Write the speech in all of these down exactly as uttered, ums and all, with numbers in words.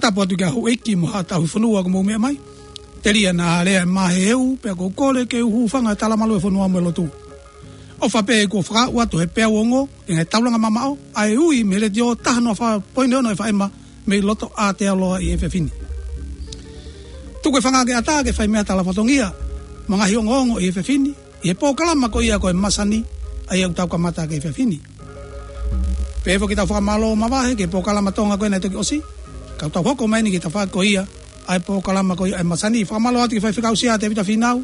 Tapu atu ki he houʻeiki mo haʻa tauhi fonua kuo mou meʻa mai. Telia naʻa lea e maheheʻu, pea ʻoku ou kole ke u hūfanga he talamalu e fonua mo e lotu. ʻOfa pē kuo fakaʻau atu he peau ongo, ʻi he taulanga mamaʻo, ʻa e ui mei he letiō taha noa fā poini ono F M mei loto Aotearoa ʻi he efiafi ni. Tuku e fanga ke ʻatā ke fai meʻa tala fatongia, mo e ngaahi ongoongo ʻi he efiafi ni, ʻi he polokalama ko ia ko e Masani, ʻa ia ʻoku tau kamata ki he efiafi ni. Pehē foki ʻetau fakamālō mavahe ki he polokalama Tonga ko ē naʻe toki ʻosi. Ka tau hoko mai eni ki he tafaʻaki ko ia ʻa e polokalama ko ia ʻa e Masani. Fakamālō atu ki he faifekau Sia Tevita Fīnau.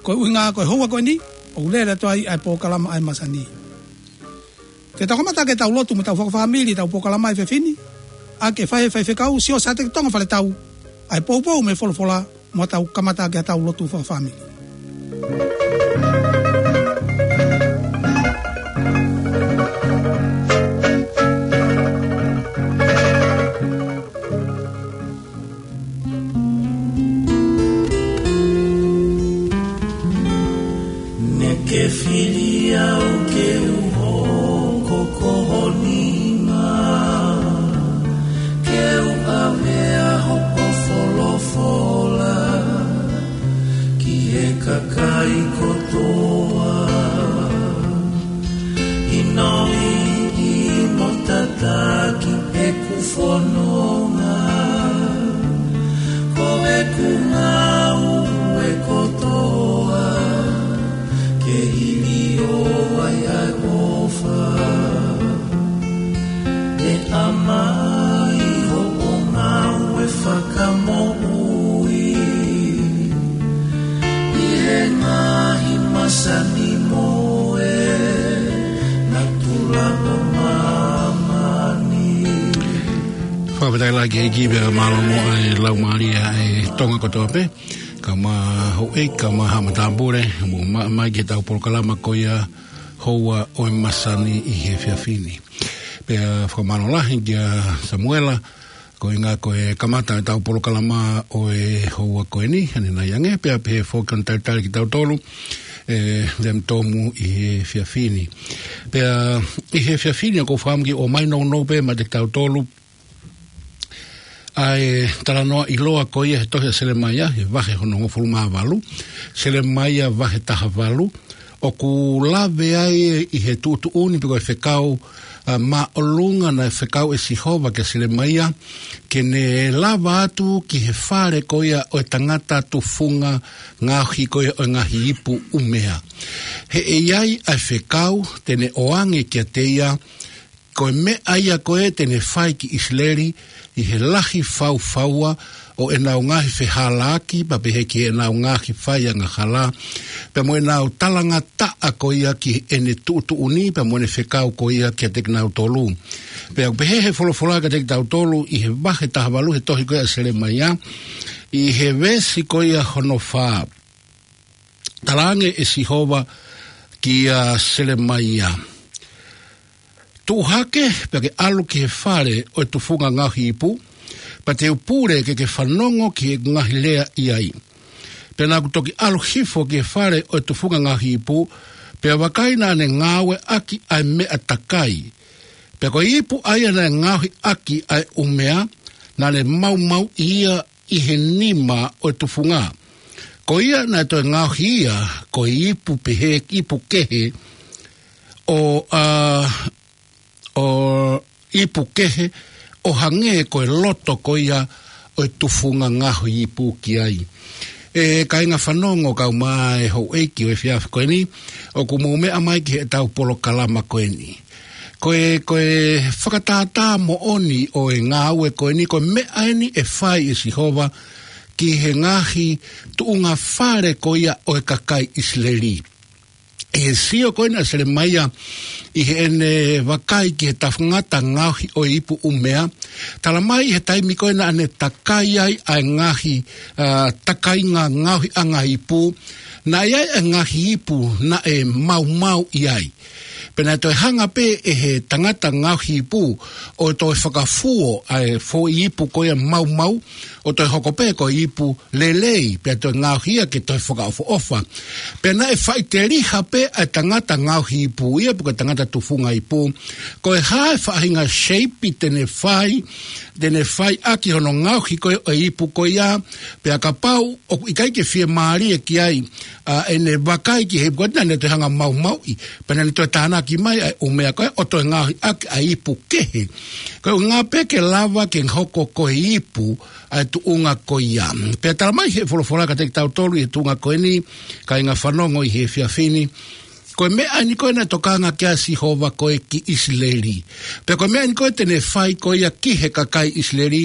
Ko e ʻuhinga ko e houa ko eni, ʻoku lele atu ai ʻa e polokalama ʻa e Masani. Ke tau kamata ke tau lotu mo tau fakafāmili ʻetau polokalama he efiafi ni, ʻa ia ke fai ʻe he faifekau Siosiate Tonga Faletau ʻa e poupou mei he folofola, mo tau kamata ke tau lotu fakafāmili. Naʻá ke fili au ke u hoko ko ho nima, ke u ʻave ʻa hoʻo folofola ki he kakai kotoa. ʻInoʻi mo tataki ʻeku fononga, ko ʻeku ngāue kotoa, ke hili ʻo ai ʻa e ʻofa. ʻE ʻomai hoʻo ngāue fakamoʻui ʻi he ngaahi masani mo e natula ʻo māmani. Fakafetaʻi lahi ki he ʻEiki pea mālō mo e laumālie ʻa e Tonga kotoa pē. Kae ʻumaʻā houʻeiki, kae ʻumaʻā haʻa matāpule, mou meʻa mai ki heʻetau polokalama ko ia houa ʻo e masani ʻi he efiafi ni. Pea fakamālō lahi kia Samuela, ko e ʻuhinga ko e kamata ʻetau polokalama ʻo e houa ko eni, ʻanenai ange, pea pehē foki hono talitali kitautolu, ʻe, Lem Tomu ʻi he efiafi ni. Pea ʻi he efiafi ni ʻoku ou fakaʻamu ke ʻomai nounou pē maʻa kitautolu, ʻa e talanoa ʻiloa ko ia he tohi ʻa Selemaia, he vahe hono hongofulu mā valu, Selemaia vahe taha valu, ʻoku lave ai ʻi he tuʻutuʻuni pe ko e fekau, ʻa, māʻolunga naʻe fekau ʻe Sihova kia Selemaia, ke ne lava atu ki he fale ko ia ʻo e tangata tufunga ngaohi ko ia ʻo e ngaahi ipu ʻumea. He ʻe ʻi ai ʻa e fekau te ne ʻoange kiate ia, ko e meʻa ia ko ē te ne fai ki ʻIsileli, ʻi he lahi faufaua ʻo ʻenau ngaahi fehālaaki, pea pehē ki heʻenau ngaahi fai angahala, pea mo ʻenau talangataʻa ko ia ki heʻene tuʻutuʻuni, pea mo ʻene fekau ko ia kiate kinautolu. Pea ʻoku pehē he folofola kiate kitautolu ʻi he vahe taha valu he tohi ko ia ʻa Selemaia, ʻi he veesi ko ia hono fā. Talaange ʻe Sihova kia Selemaia, Tuʻu hake, pea ke ʻalu ki he fale ʻo e tufunga ngaohi ipu, pea te u pule ke ke fanongo ki he ngaahi lea ʻi ai. Pea naʻá ku toki ʻalu hifo ki he fale ʻo e tufunga ngaohi ipu, pea vakai naʻá ne ngāueʻaki ʻa e meʻa takai. Pea ko e ipu ʻa ia naʻe ngaohiʻaki ʻa e ʻumea, naʻá ne maumauʻi ia ʻi he nima ʻo e tufunga. Ko ia naʻe toe ngaohi ia, ko e ipu pehē, ipu kehe, ʻo, ʻa, ʻo ipu kehe, ʻo hangē ko e loto ko ia ʻo e tufunga ngaohi ipu ki ai. ʻE kāinga fanongo kae ʻumaʻā e houʻeiki ʻo e efiafi ko eni, ʻoku mou meʻa mai ki heʻetau polokalama ko eni. Ko e, ko e fakatātā moʻoni ʻo e ngāue ko eni, ko e meʻa eni ʻe fai ʻe Sihova ki he ngaahi tuʻunga fale ko ia ʻo e kakai ʻIsileli. ʻI he sio ko ena ʻa Selemaia ʻi heʻene vakai ki he tangata ngaohi ʻo e ipu ʻumea, talamai he taimi ko ena naʻá ne takai ai ʻa e ngaahi, ʻa, takainga ngaohiʻanga ipu, naʻe ʻi ai ʻa e ngaahi ipu naʻe maumauʻi ai. Pea naʻe toe hanga pē ʻe he tangata ngaohi ipu ʻo toe fakafuo ʻa e foʻi ipu ko ia maumau, ʻo toe hoko pē ko e ipu lelei, pea toe ngaohi ia ke toe fakaʻofoʻofa. Pea naʻe faʻiteliha pē ʻa e tangata ngaohi ipu ia, pe ko e tangata tufunga ipu, ko e hā e faʻahinga shape te ne fai, te ne fai ʻaki hono ngaohi ko ē ʻo e ipu ko ia, pea kapau ʻoku ʻikai ke fiemālie ki ai, ʻa ʻene vakai ki he ipu ko ē naʻa ne toe hanga maumauʻi, pea naʻa ne toe tānaki mai ʻa e ʻumea ko ē ʻo toe ngaohi ʻaki ʻa e ipu kehe. Ko e ʻuhinga pē ke lava ke hoko ko e ipu ʻa e tuʻunga ko ia. Pea talamai ʻe he folofola kiate kitautolu ʻi he tuʻunga ko eni, kāinga fanongo ʻi he efiafi ni, ko e meʻa eni ko ē naʻe tokanga ki ai ʻa Sihova ko ē ki ʻIsileli. Pea ko e meʻa eni ko ē te ne fai ko ia ki he kakai ʻIsileli,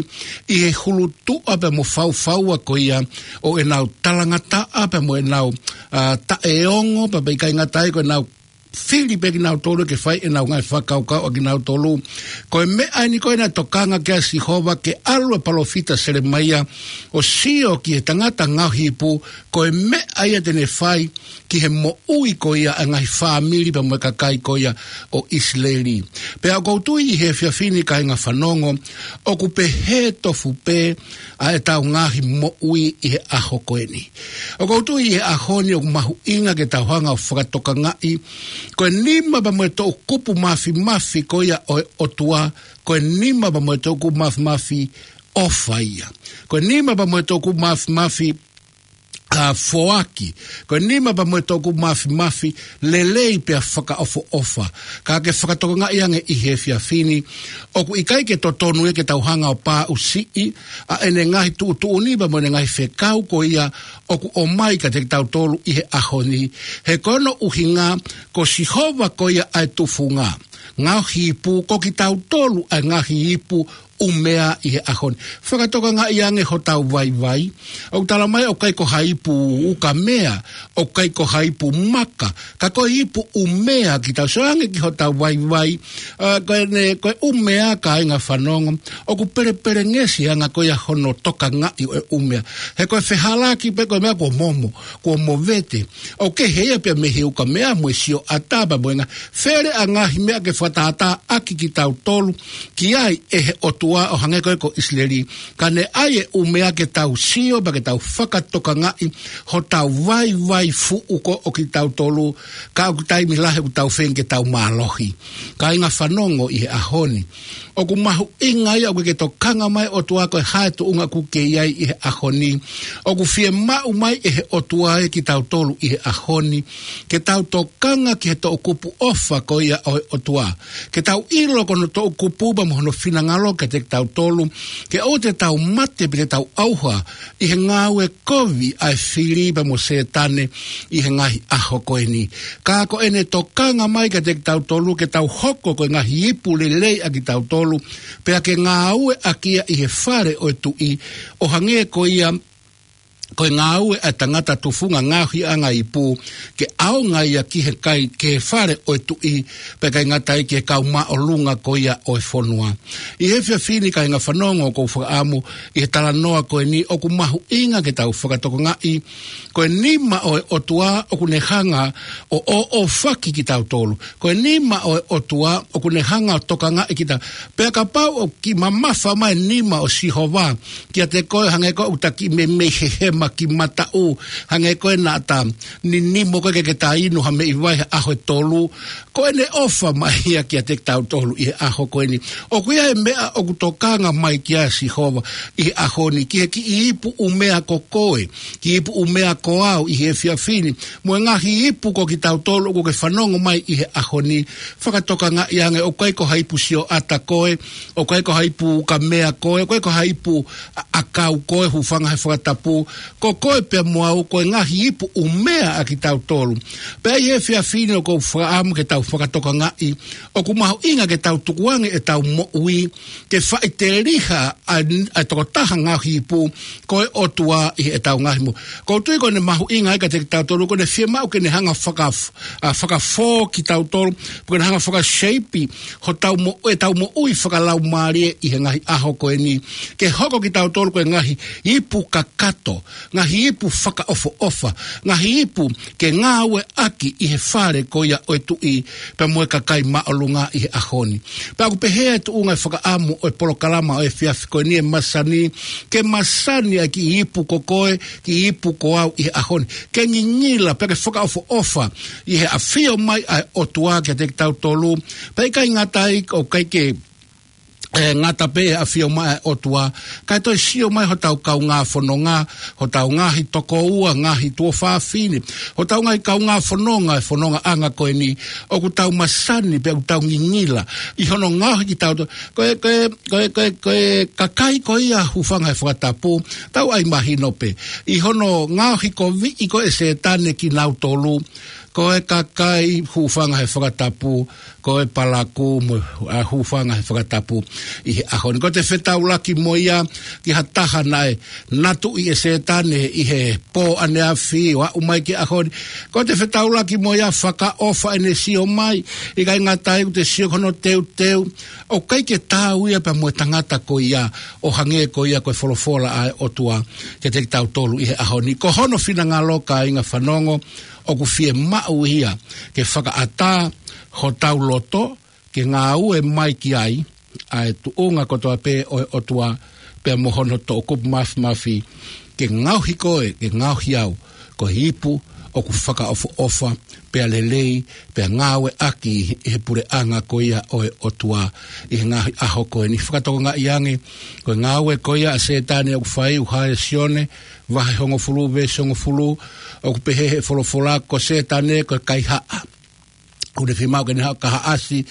ʻi he hulutuʻa pea mo faufaua ko ia ʻo ʻenau talangataʻa pea mo ʻenau, ʻa, taʻeongo, pea pea ʻikai ngata ai ko ʻenau fili pē kinautolu ke fai ʻenau ngaahi fakakaukau ʻa kinautolu. Ko e meʻa eni ko ē naʻe tokanga ki ai ʻa Sihova ke ʻalu ʻa e palōfita Selemaia ʻo sio ki he tangata ngaohi ipu, ko e meʻa ia te ne fai ki he moʻui ko ia ʻa e ngaahi fāmili pea mo e kakai ko ia ʻo ʻIsileli. Pea ʻoku ou tui ʻi he efiafi ni kāinga fanongo, ʻoku pehē tofu pē ʻa ʻetau ngaahi moʻui ʻi he ʻaho ko eni. ʻOku ou tui ʻi he ʻaho ni ʻoku mahuʻinga ke tau hanga ʻo fakatokangaʻi, ko e nima pea mo e toʻukupu māfimafi ko ia ʻo e ʻOtua, ko e nima pea mo e toʻukupu māfimafi ʻofa ia. Ko e nima pea mo e toʻukupu māfimafi, ʻa, foaki. Ko e nima pea mo e toʻukupu māfimafi lelei pea fakaʻofoʻofa. Ka ke fakatokangaʻi ange ʻi he efiafi ni, ʻoku ʻikai ke totonu ia ke tau hanga ʻo pāʻusiʻi ʻa ʻene ngaahi tuʻutuʻuni pea mo ʻene ngaahi fekau ko ia ʻoku ʻomai kiate kitautolu ʻi he ʻaho ni. He ko hono ʻuhinga, ko Sihova ko ia ʻa e tufunga ngaohi ipu, ko kitautolu ʻa e ngaahi ipu ʻumea ʻi he ʻaho ni. Fakatokangaʻi ange hotau vaivai. ʻOku talamai ʻoku ʻikai ko ha ipu ukamea, ʻoku ʻikai ko ha ipu maka, ka ko e ipu ʻumea kitautolu. Sio ange ki hotau vaivai, ʻa, ko ʻene, ko e ʻumea kāinga fanongo, ʻoku pelepelengesi ʻa e anga ko ia hono tokangaʻi ʻo e ʻumea. He ko e fehālaaki pē ko e meʻa kuo momo, kuo movete. ʻOku kehe ia pea mei he ukamea mo e sioʻata pea mo e ngaahi fele ʻa e ngaahi meʻa ke fakatātā ʻaki kitautolu ki ai ʻe he ʻOtua ʻo hangē ko ē ko ʻIsileli. Ka ne ʻai e ʻumea ke tau sio pea ke tau fakatokangaʻi hotau vaivai fuʻu ko ē ʻo kitautolu, ka ʻoku taimi lahi ʻoku tau feinga ke tau mālohi. Kāinga fanongo ʻi he ʻaho ni, ʻoku mahuʻinga ia ʻoku ke tokanga mai ʻOtua ko e hā e tuʻunga ʻoku ke ʻi ai ʻi he ʻaho ni. ʻOku fiemaʻu mai ʻe he ʻOtua ʻe kitautolu ʻi he ʻaho ni ke tau tokanga ki he toʻukupu ʻofa ko ia ʻo e ʻOtua. Ke tau ʻilo ko hono toʻukupu pea mo hono finangalo kiate kitautolu, ke ʻoua te tau mate pe te tau ʻauha ʻi he ngāue kovi ʻa e fili pea mo Sētane ʻi he ngaahi ʻaho ko eni. Ka ko ʻene tokanga mai kiate kitautolu ke tau hoko ko e ngaahi ipu lelei ʻa kitautolu, pea ke ngāue ʻaki ia ʻi he fale ʻo e tuʻi, ʻo hangē ko ia ko e ngāue ʻa e tangata tufunga ngaohiʻanga ipu, ke ʻaonga ia ki he kai, ki he fale ʻo e tuʻi, pea ʻikai ngata ai ki he kau māʻolunga ko ia ʻo e fonua. ʻI he efiafi ni kāinga fanongo, ʻoku ou fakaʻamu ʻi he talanoa ko eni ʻoku mahuʻinga ke tau fakatokangaʻi, ko e nima ʻo e ʻOtua ʻoku ne hanga ʻo ʻoʻofaki kitautolu. Ko e nima ʻo e ʻOtua ʻoku ne hanga ʻo tokangaʻi kita. Pea kapau ʻoku kiʻi mamafa mai e nima ʻo Sihova kiate koe, hangē ko ʻeta kiʻi meimei hehema ki mataʻu, hangē ko ʻeta ninimo ko ē ke ke ta inu ha meʻi vai he ʻaho ʻe tolu, ko ʻene ʻofa mai ia kiate kitautolu ʻi he ʻaho ko eni. ʻOku ʻi ai e meʻa ʻoku tokanga mai ki ai ʻa Sihova ʻi he ʻaho ni, ki he kiʻi ipu ʻumea ko koe, kiʻi ipu ʻumea ko au ʻi he efiafi ni, mo e ngaahi ipu ko kitautolu ʻoku ke fanongo mai ʻi he ʻaho ni. Fakatokangaʻi ange, ʻoku ʻikai ko ha ipu sioʻata koe, ʻoku ʻikai ko ha ipu ukamea koe, ʻoku ʻikai ko ha ipu ʻa-, ʻakau koe, hūfanga he fakatapu. Ko koe pea mo au, ko e ngaahi ipu ʻumea ʻa kitautolu. Pea ʻi he efiafi ni ʻoku ou fakaʻamu ke tau fakatokangaʻi, ʻoku mahuʻinga ke tau tukuange ʻetau moʻui ke faʻiteliha ʻa, ʻa e tokotaha ngaohi ipu, ko e ʻOtua ʻi heʻetau ngaahi moʻui. ʻOku ou tui ko ʻene mahuʻinga ai kiate kitautolu, ko ʻene fiemaʻu ke ne hanga faka-, ʻa, fakafō kitautolu, ko ʻene hanga fakaseipi hotau mo-, ʻetau moʻui fakalaumālie ʻi he ngaahi ʻaho ko eni, ke hoko kitautolu ko e ngaahi ipu kakato, ngaahi ipu fakaʻofoʻofa, ngaahi ipu ke ngāueʻaki ʻi he fale ko ia ʻo e tuʻi pea mo e kakai māʻolunga ʻi he ʻaho ni. Pea ʻoku pehē ʻa e tuʻunga e fakaʻamu ʻo e polokalama ʻo e efiafi ko eni ʻe masani, ke masani ʻa e kiʻi ipu ko koe, kiʻi ipu ko au ʻi he ʻaho ni. Ke ngingila, pea ke fakaʻofoʻofa ʻi he ʻafio mai ʻa e ʻOtua kiate kitautolu. Pea ʻikai ngata ai, ʻoku ʻikai ke ʻe ngata pē ʻa e ʻafio mai ʻa e ʻOtua, kae toe sio mai hotau kaungā fononga, hotau ngaahi tokoua, ngaahi tuofāfine, hotau ngaahi kaungā fononga, e fonongaʻanga ko eni, ʻoku tau masani pea ʻoku tau ngingila ʻi hono ngaohi kitautolu. Ko e, ko e, ko e, ko e, ko e kakai ko ia, hūfanga he fakatapu, tau ʻai mahino pē, ʻi hono ngaohi koviʻi ko ē ʻe Sētane kinautolu, ko e kakai, hūfanga he fakatapu, ko e palakū mo e, ʻa, hūfanga he fakatapu ʻi he ʻaho ni. Ko ʻete fetaulaki mo ia ki ha taha naʻe natuʻi ʻe Sētane ʻi he pō ʻaneafi ʻo aʻu mai ki he ʻaho ni. Ko ʻete fetaulaki mo ia, fakaʻofa ʻene sio mai, ʻikai ngata ai ʻoku te sio ki hono teuteu, ʻoku ʻikai ke taau ia pea mo e tangata ko ia, ʻo hangē ko ia ko e folofola ʻa e ʻOtua kiate kitautolu ʻi he ʻaho ni. Ko hono finangalo, kāinga fanongo, ʻoku fiemaʻu ia ke fakaʻatā hotau loto ke ngāue mai ki ai ʻa e tuʻunga kotoa pē ʻo e ʻOtua pea mo hono toʻukupu māfimafi, ke ngaohi koe, ke ngaohi au ko e ipu ʻoku fakaʻofoʻofa pea lelei pea ngāueʻaki ʻi he puleʻanga ko ia ʻo e ʻOtua ʻi he ngaahi ʻaho ko eni. Fakatokangaʻi ange, ko e ngāue ko ia ʻa Sētane ʻoku fai, ʻoku hā ʻia Sione vahe hongofulu veesi hongofulu, ʻoku pehē he folofola ko Sētane ko e kaihaʻa. ʻOku ne fiemaʻu ke ne haʻu ʻo kahaʻasi,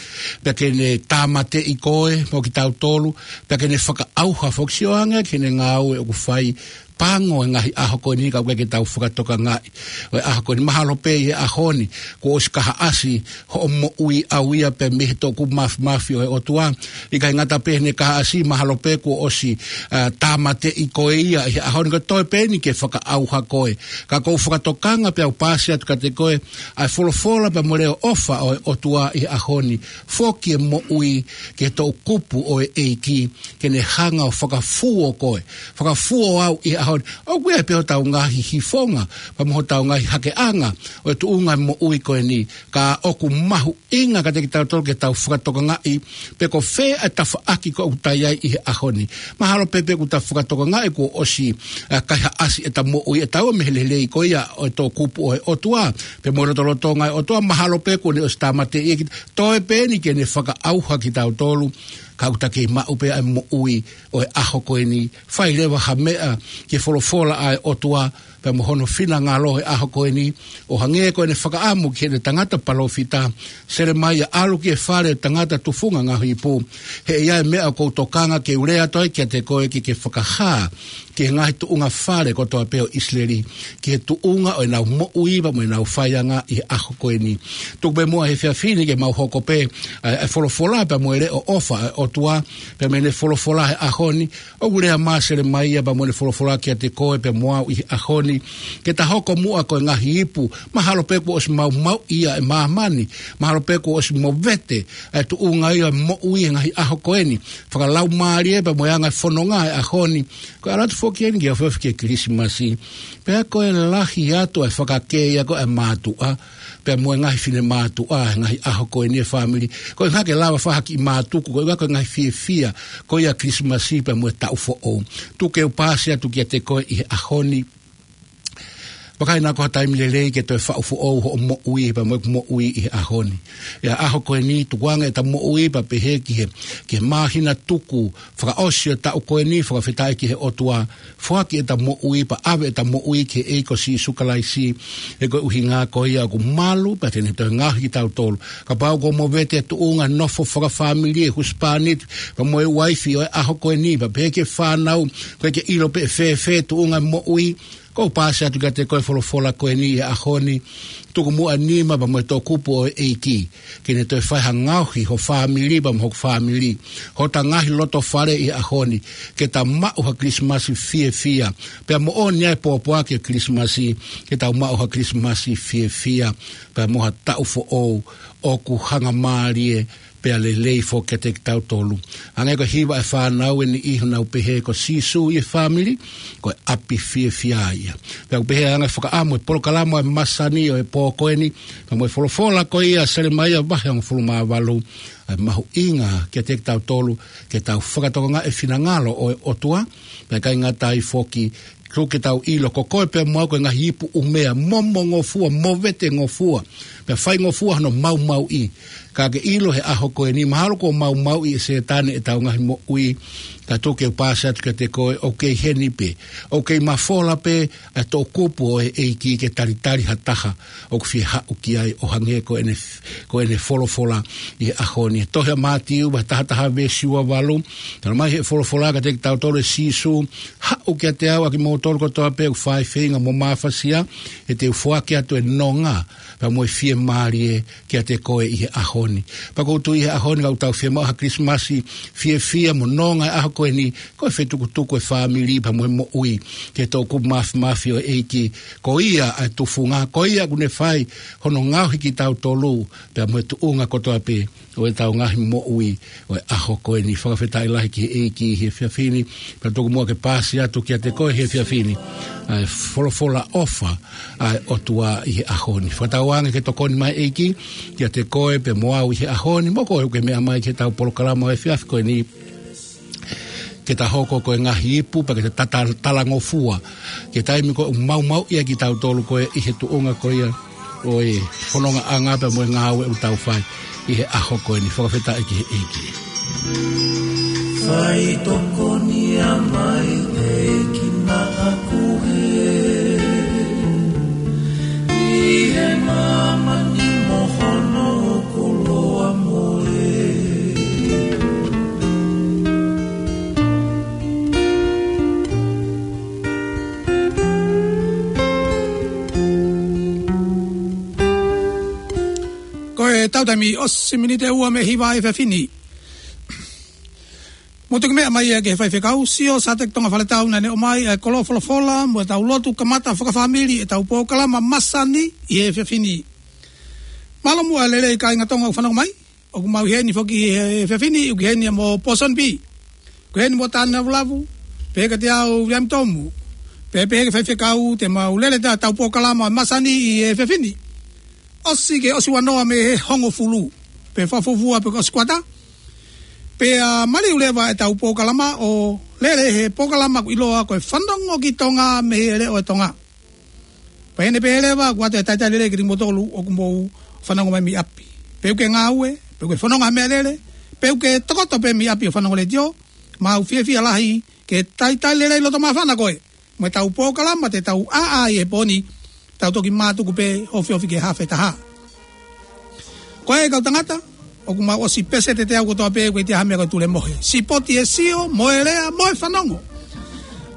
pea ke ne tāmateʻi koe mo kitautolu, pea ke ne fakaʻauha foki. Sio ange ki heʻene ngāue ʻoku fai, pango e ngaahi ʻaho ko eni ka ʻoku ʻikai ke tau fakatokangaʻi. ʻO e ʻaho ko eni, mahalo pē ʻi he ʻaho ni kuo ʻosi kahaʻasi hoʻo moʻui ʻau ia pea mei he toʻukupu māfimafi ʻo e ʻOtua. ʻIkai ngata pē heʻene kahaʻasi, mahalo pē kuo ʻosi, ʻa, tāmateʻi koe ia ʻi he ʻaho ni, ka toe pē eni ke fakaʻauha koe. Ka ʻoku ou fakatokanga pea u pāsi atu kiate koe ʻa e folofola pea mo e leʻo ʻofa ʻo e ʻOtua ʻi he ʻaho ni. Foki e moʻui ki he toʻukupu ʻo e ʻEiki, ke ne hanga ʻo fakafuo koe, fakafuo au ʻi he ʻaho ni. ʻOku ʻi ai pē hotau ngaahi hifonga pea mo hotau ngaahi hakeʻanga ʻo e tuʻunga e moʻui ko eni, ka ʻoku mahuʻinga kiate kitautolu ke tau fakatokangaʻi pe ko fē ʻa e tafaʻaki ko ē ʻoku ta ʻi ai ʻi he ʻaho ni. Mahalo pē pe ʻoku ta fakatokangaʻi kuo ʻosi, ʻa, kaihaʻasi ʻeta moʻui, ʻe taua mei he lelei ko ia ʻo e toʻukupu ʻo e ʻOtua pea mo e lotolotonga ʻo e ʻOtua. Mahalo pē kuo ne ʻosi tāmateʻi kita, toe pē eni ke ne fakaʻauha kitautolu, ka ʻoku ta kei maʻu pē ʻa e moʻui ʻo e ʻaho ko eni. Fai leva ha meʻa ki he folofola ʻa e ʻOtua pea mo hono finangalo he ʻaho ko eni, ʻo hangē ko ʻene fakaʻamu ki heʻene tangata palōfita Selemaia, ʻalu ki he fale ʻo e tangata tufunga ngaohi ipu. He ʻe ʻi ai e meʻa ʻoku ou tokanga ke u lea atu ai kiate koe ke ke fakahā ki he ngaahi tuʻunga fale kotoa pē ʻo ʻIsileli, ki he tuʻunga ʻo ʻenau moʻui pea mo ʻenau faianga ʻi he ʻaho ko eni. Tuku pē muʻa he efiafi ni ke mau hoko pē, ʻa, ʻa e folofola pea mo e leʻo ʻofa ʻa e ʻOtua, pea mo ʻene folofola he ʻaho ni, ʻoku lea mai ʻa Selemaia pea mo ʻene folofola kiate koe pea mo au ʻi he ʻaho ni, ke ta hoko muʻa ko e ngaahi ipu. Mahalo pē kuo ʻosi maumauʻi ia ʻe māmani, mahalo pē kuo ʻosi movete ʻa e tuʻunga ia moʻui he ngaahi ʻaho ko eni, fakalaumālie pea mo e anga e fononga he ʻaho ni. Ko e ʻalu atu foki eni ke ofiofi ki he Kilisimasi, pea ko e lahi atu ʻa e fakakē ia ko ē ʻa e mātuʻa pea mo e ngaahi finemātuʻa he ngaahi ʻaho ko eni e fāmili. Ko e ʻuhinga ke lava fai ha kiʻi mātuku, ko e ʻuhinga ko e ngaahi fiefia ko ia Kilisimasi pea mo e taʻu foʻou. Tuku ke u pāsi atu kiate koe ʻi he ʻaho ni. Vakai, naʻa ko ha taimi lelei ke toe faʻu foʻou hoʻo moʻui pea mo ʻeku moʻui ʻi he ʻaho ni. ʻI he ʻaho ko eni, tukuange ʻeta moʻui pea pehē ki he, ki he māhina tuku fakaʻosi ʻo e taʻu ko eni, fakafetaʻi ki he ʻOtua. Foaki ʻeta moʻui pea ʻave ʻeta moʻui ki he ʻEiki ko Sīsū Kalaisi. He ko e ʻuhinga ko ia ʻoku malu pea te ne toe ngaohi kitautolu. Kapau kuo movete e tuʻunga nofo fakafāmili e husepāniti pea mo e uaifi ʻo e ʻaho ko eni, pea pehē ki he fānau, ʻoku ʻikai ke ʻilo pe ʻe fēfē e tuʻunga moʻui, ʻoku ou pāsi atu kiate koe e folofola ko eni he ʻaho ni. Tuku muʻa e nima pea mo e toʻukupu ʻo e ʻEiki ke ne toe fai ha ngaohi ho fāmili pea mo hoku fāmili, hota ngaahi loto fale ʻi he ʻaho ni, ke ta maʻu ha Kilisimasi fiefia. Pea moʻoni ʻa e pōpoaki ʻo e Kilisimasi, ke tau maʻu ha Kilisimasi fiefia pea mo ha taʻu foʻou ʻoku hangamālie pea lelei foki kiate kitautolu. Hangē ko e hiva ʻa e fānau ʻe niʻihi ʻoku nau pehē ko Sīsū ʻi he fāmili, ko e ʻapi fiefia ia. Pea ʻoku pehē ʻa e anga e fakaʻamu e polokalama ʻo e masani ʻo e pō ko eni, pea mo e folofola ko ia ʻa Selemaia vahe hongofulu mā valu, ʻa e mahuʻinga kiate kitautolu, ke tau fakatokangaʻi e finangalo ʻo e ʻOtua, pea ʻikai ngata ai foki, tuku ke tau ʻilo ko koe pea mo au ko e ngaahi ipu ʻumea, momo ngofua, movete ngofua, pea faingofua hono maumauʻi. Ka ke ʻilo he ʻaho ko eni, mahalo kuo maumauʻi ʻe Sētane ʻetau ngaahi moʻui, ka tuku ke u paasi atu kiate koe, ʻoku kei heni pē, ʻoku kei mafola pē ʻa e toʻukupu ʻo e ʻEiki ke talitali ha taha ʻoku fie haʻu ki ai ʻo hangē ko ʻene, ko ʻene folofola ʻi he ʻaho ni. Tohi ʻa Mātiu, vahe taha taha veesi ua valu, talamai ʻe he folofola kiate kitautolu ʻe Sīsū, haʻu kiate au ʻa kimoutolu kotoa pē ʻoku fai feinga mo mafasia, he te u foaki atu e nonga, pea mo e fiemālie kiate koe ʻi he ʻaho ni. Pea ʻoku ou tui he ʻaho ni ka ʻoku tau fiemaʻu ha Kilisimasi fiefia mo nonga he ʻaho ko eni, ko e fetukutuku e fāmili pea mo e moʻui ki he toʻukupu māfimafi ʻo e ʻEiki. Ko ia ʻa e tufunga, ko ia ʻoku ne fai hono ngaohi kitautolu, pea mo e tuʻunga kotoa pē ʻo ʻetau ngaahi moʻui ʻo e ʻaho ko eni. Fakafetaʻi lahi ki he ʻEiki he efiafi ni, pea tuku muʻa ke paasi atu kiate koe he efiafi ni ʻa e folofola ʻofa ʻa e ʻOtua ʻi he ʻaho ni. Fakatauange ke tokoni mai ʻEiki kiate koe pea mo au ʻi he ʻaho ni, mo koe ʻoku ke meʻa mai ki heʻetau polokalama ʻo e efiafi ko eni, ke ta hoko ko e ngaahi ipu, pea ke ta tata-, talangofua ki he taimi ko ē ʻoku maumauʻi ai kitautolu ko ē ʻi he tuʻunga ko ia ʻo e fonongaʻanga pea mo e ngāue ʻoku tau fai ʻi he ʻaho ko eni. Fakafetaʻi ki he ʻEiki. Fai tokoni mai ʻEiki naʻa ku he ʻi he māmani mo hono koloa mo e. Ko e tau taimi ʻosi miniti ʻe ua mei he hiva ʻa e efiafi ni. Mou toki meʻa mai ia ki he faifekau, Sio Sateki Tonga Faletau, naʻa ne ʻomai ʻa e koloa folofola mo ʻetau lotu kamata fakafāmili ʻetau polokalama masani ʻi he efiafi ni. Mālō muʻa e lelei kāinga Tonga ʻoku fanongo mai. ʻOku mau ʻi heni foki he efiafi ni, ʻoku ʻi heni mo Pōsoni Pī. ʻOku ʻi heni mo Tāne Lavulavu, pehē kiate au Viliami Tomu. Pea pehē ki he faifekau te mau lele ʻetau polokalama masani ʻi he efiafi ni. ʻOsi ke ʻosi ua noa mei he hongofulu. Pe fakafuofua pe ko e ʻosi kuata. Pea maliu leva ʻetau polokalama ʻo lele he polokalama ʻoku ʻiloa ko e Fanongo ki Tonga mei he Leʻo ʻo Tonga. Pea ʻi heʻene pehē leva, ʻoatu e talitali lelei kiate kimoutolu ʻoku mou fanongo mai mei ʻapi. Pe ʻoku ke ngāue, pe ʻoku ke fononga he meʻalele, pe ʻoku ke tokoto pē mei ʻapi ʻo fanongo letiō, mau fiefia lahi ke talitali lelei loto māfana koe mo ʻetau polokalama te tau ʻāʻā ʻi he pō ni, tau toki mātuku pē ofiofi ki he hafe taha. Ko e kau tangata, ʻoku mau ʻosi pēseti ʻe teau kotoa pē, ʻoku ʻikai ha meʻa ko e tulemohe. Sipoti e sio, mo e lea, mo e fanongo.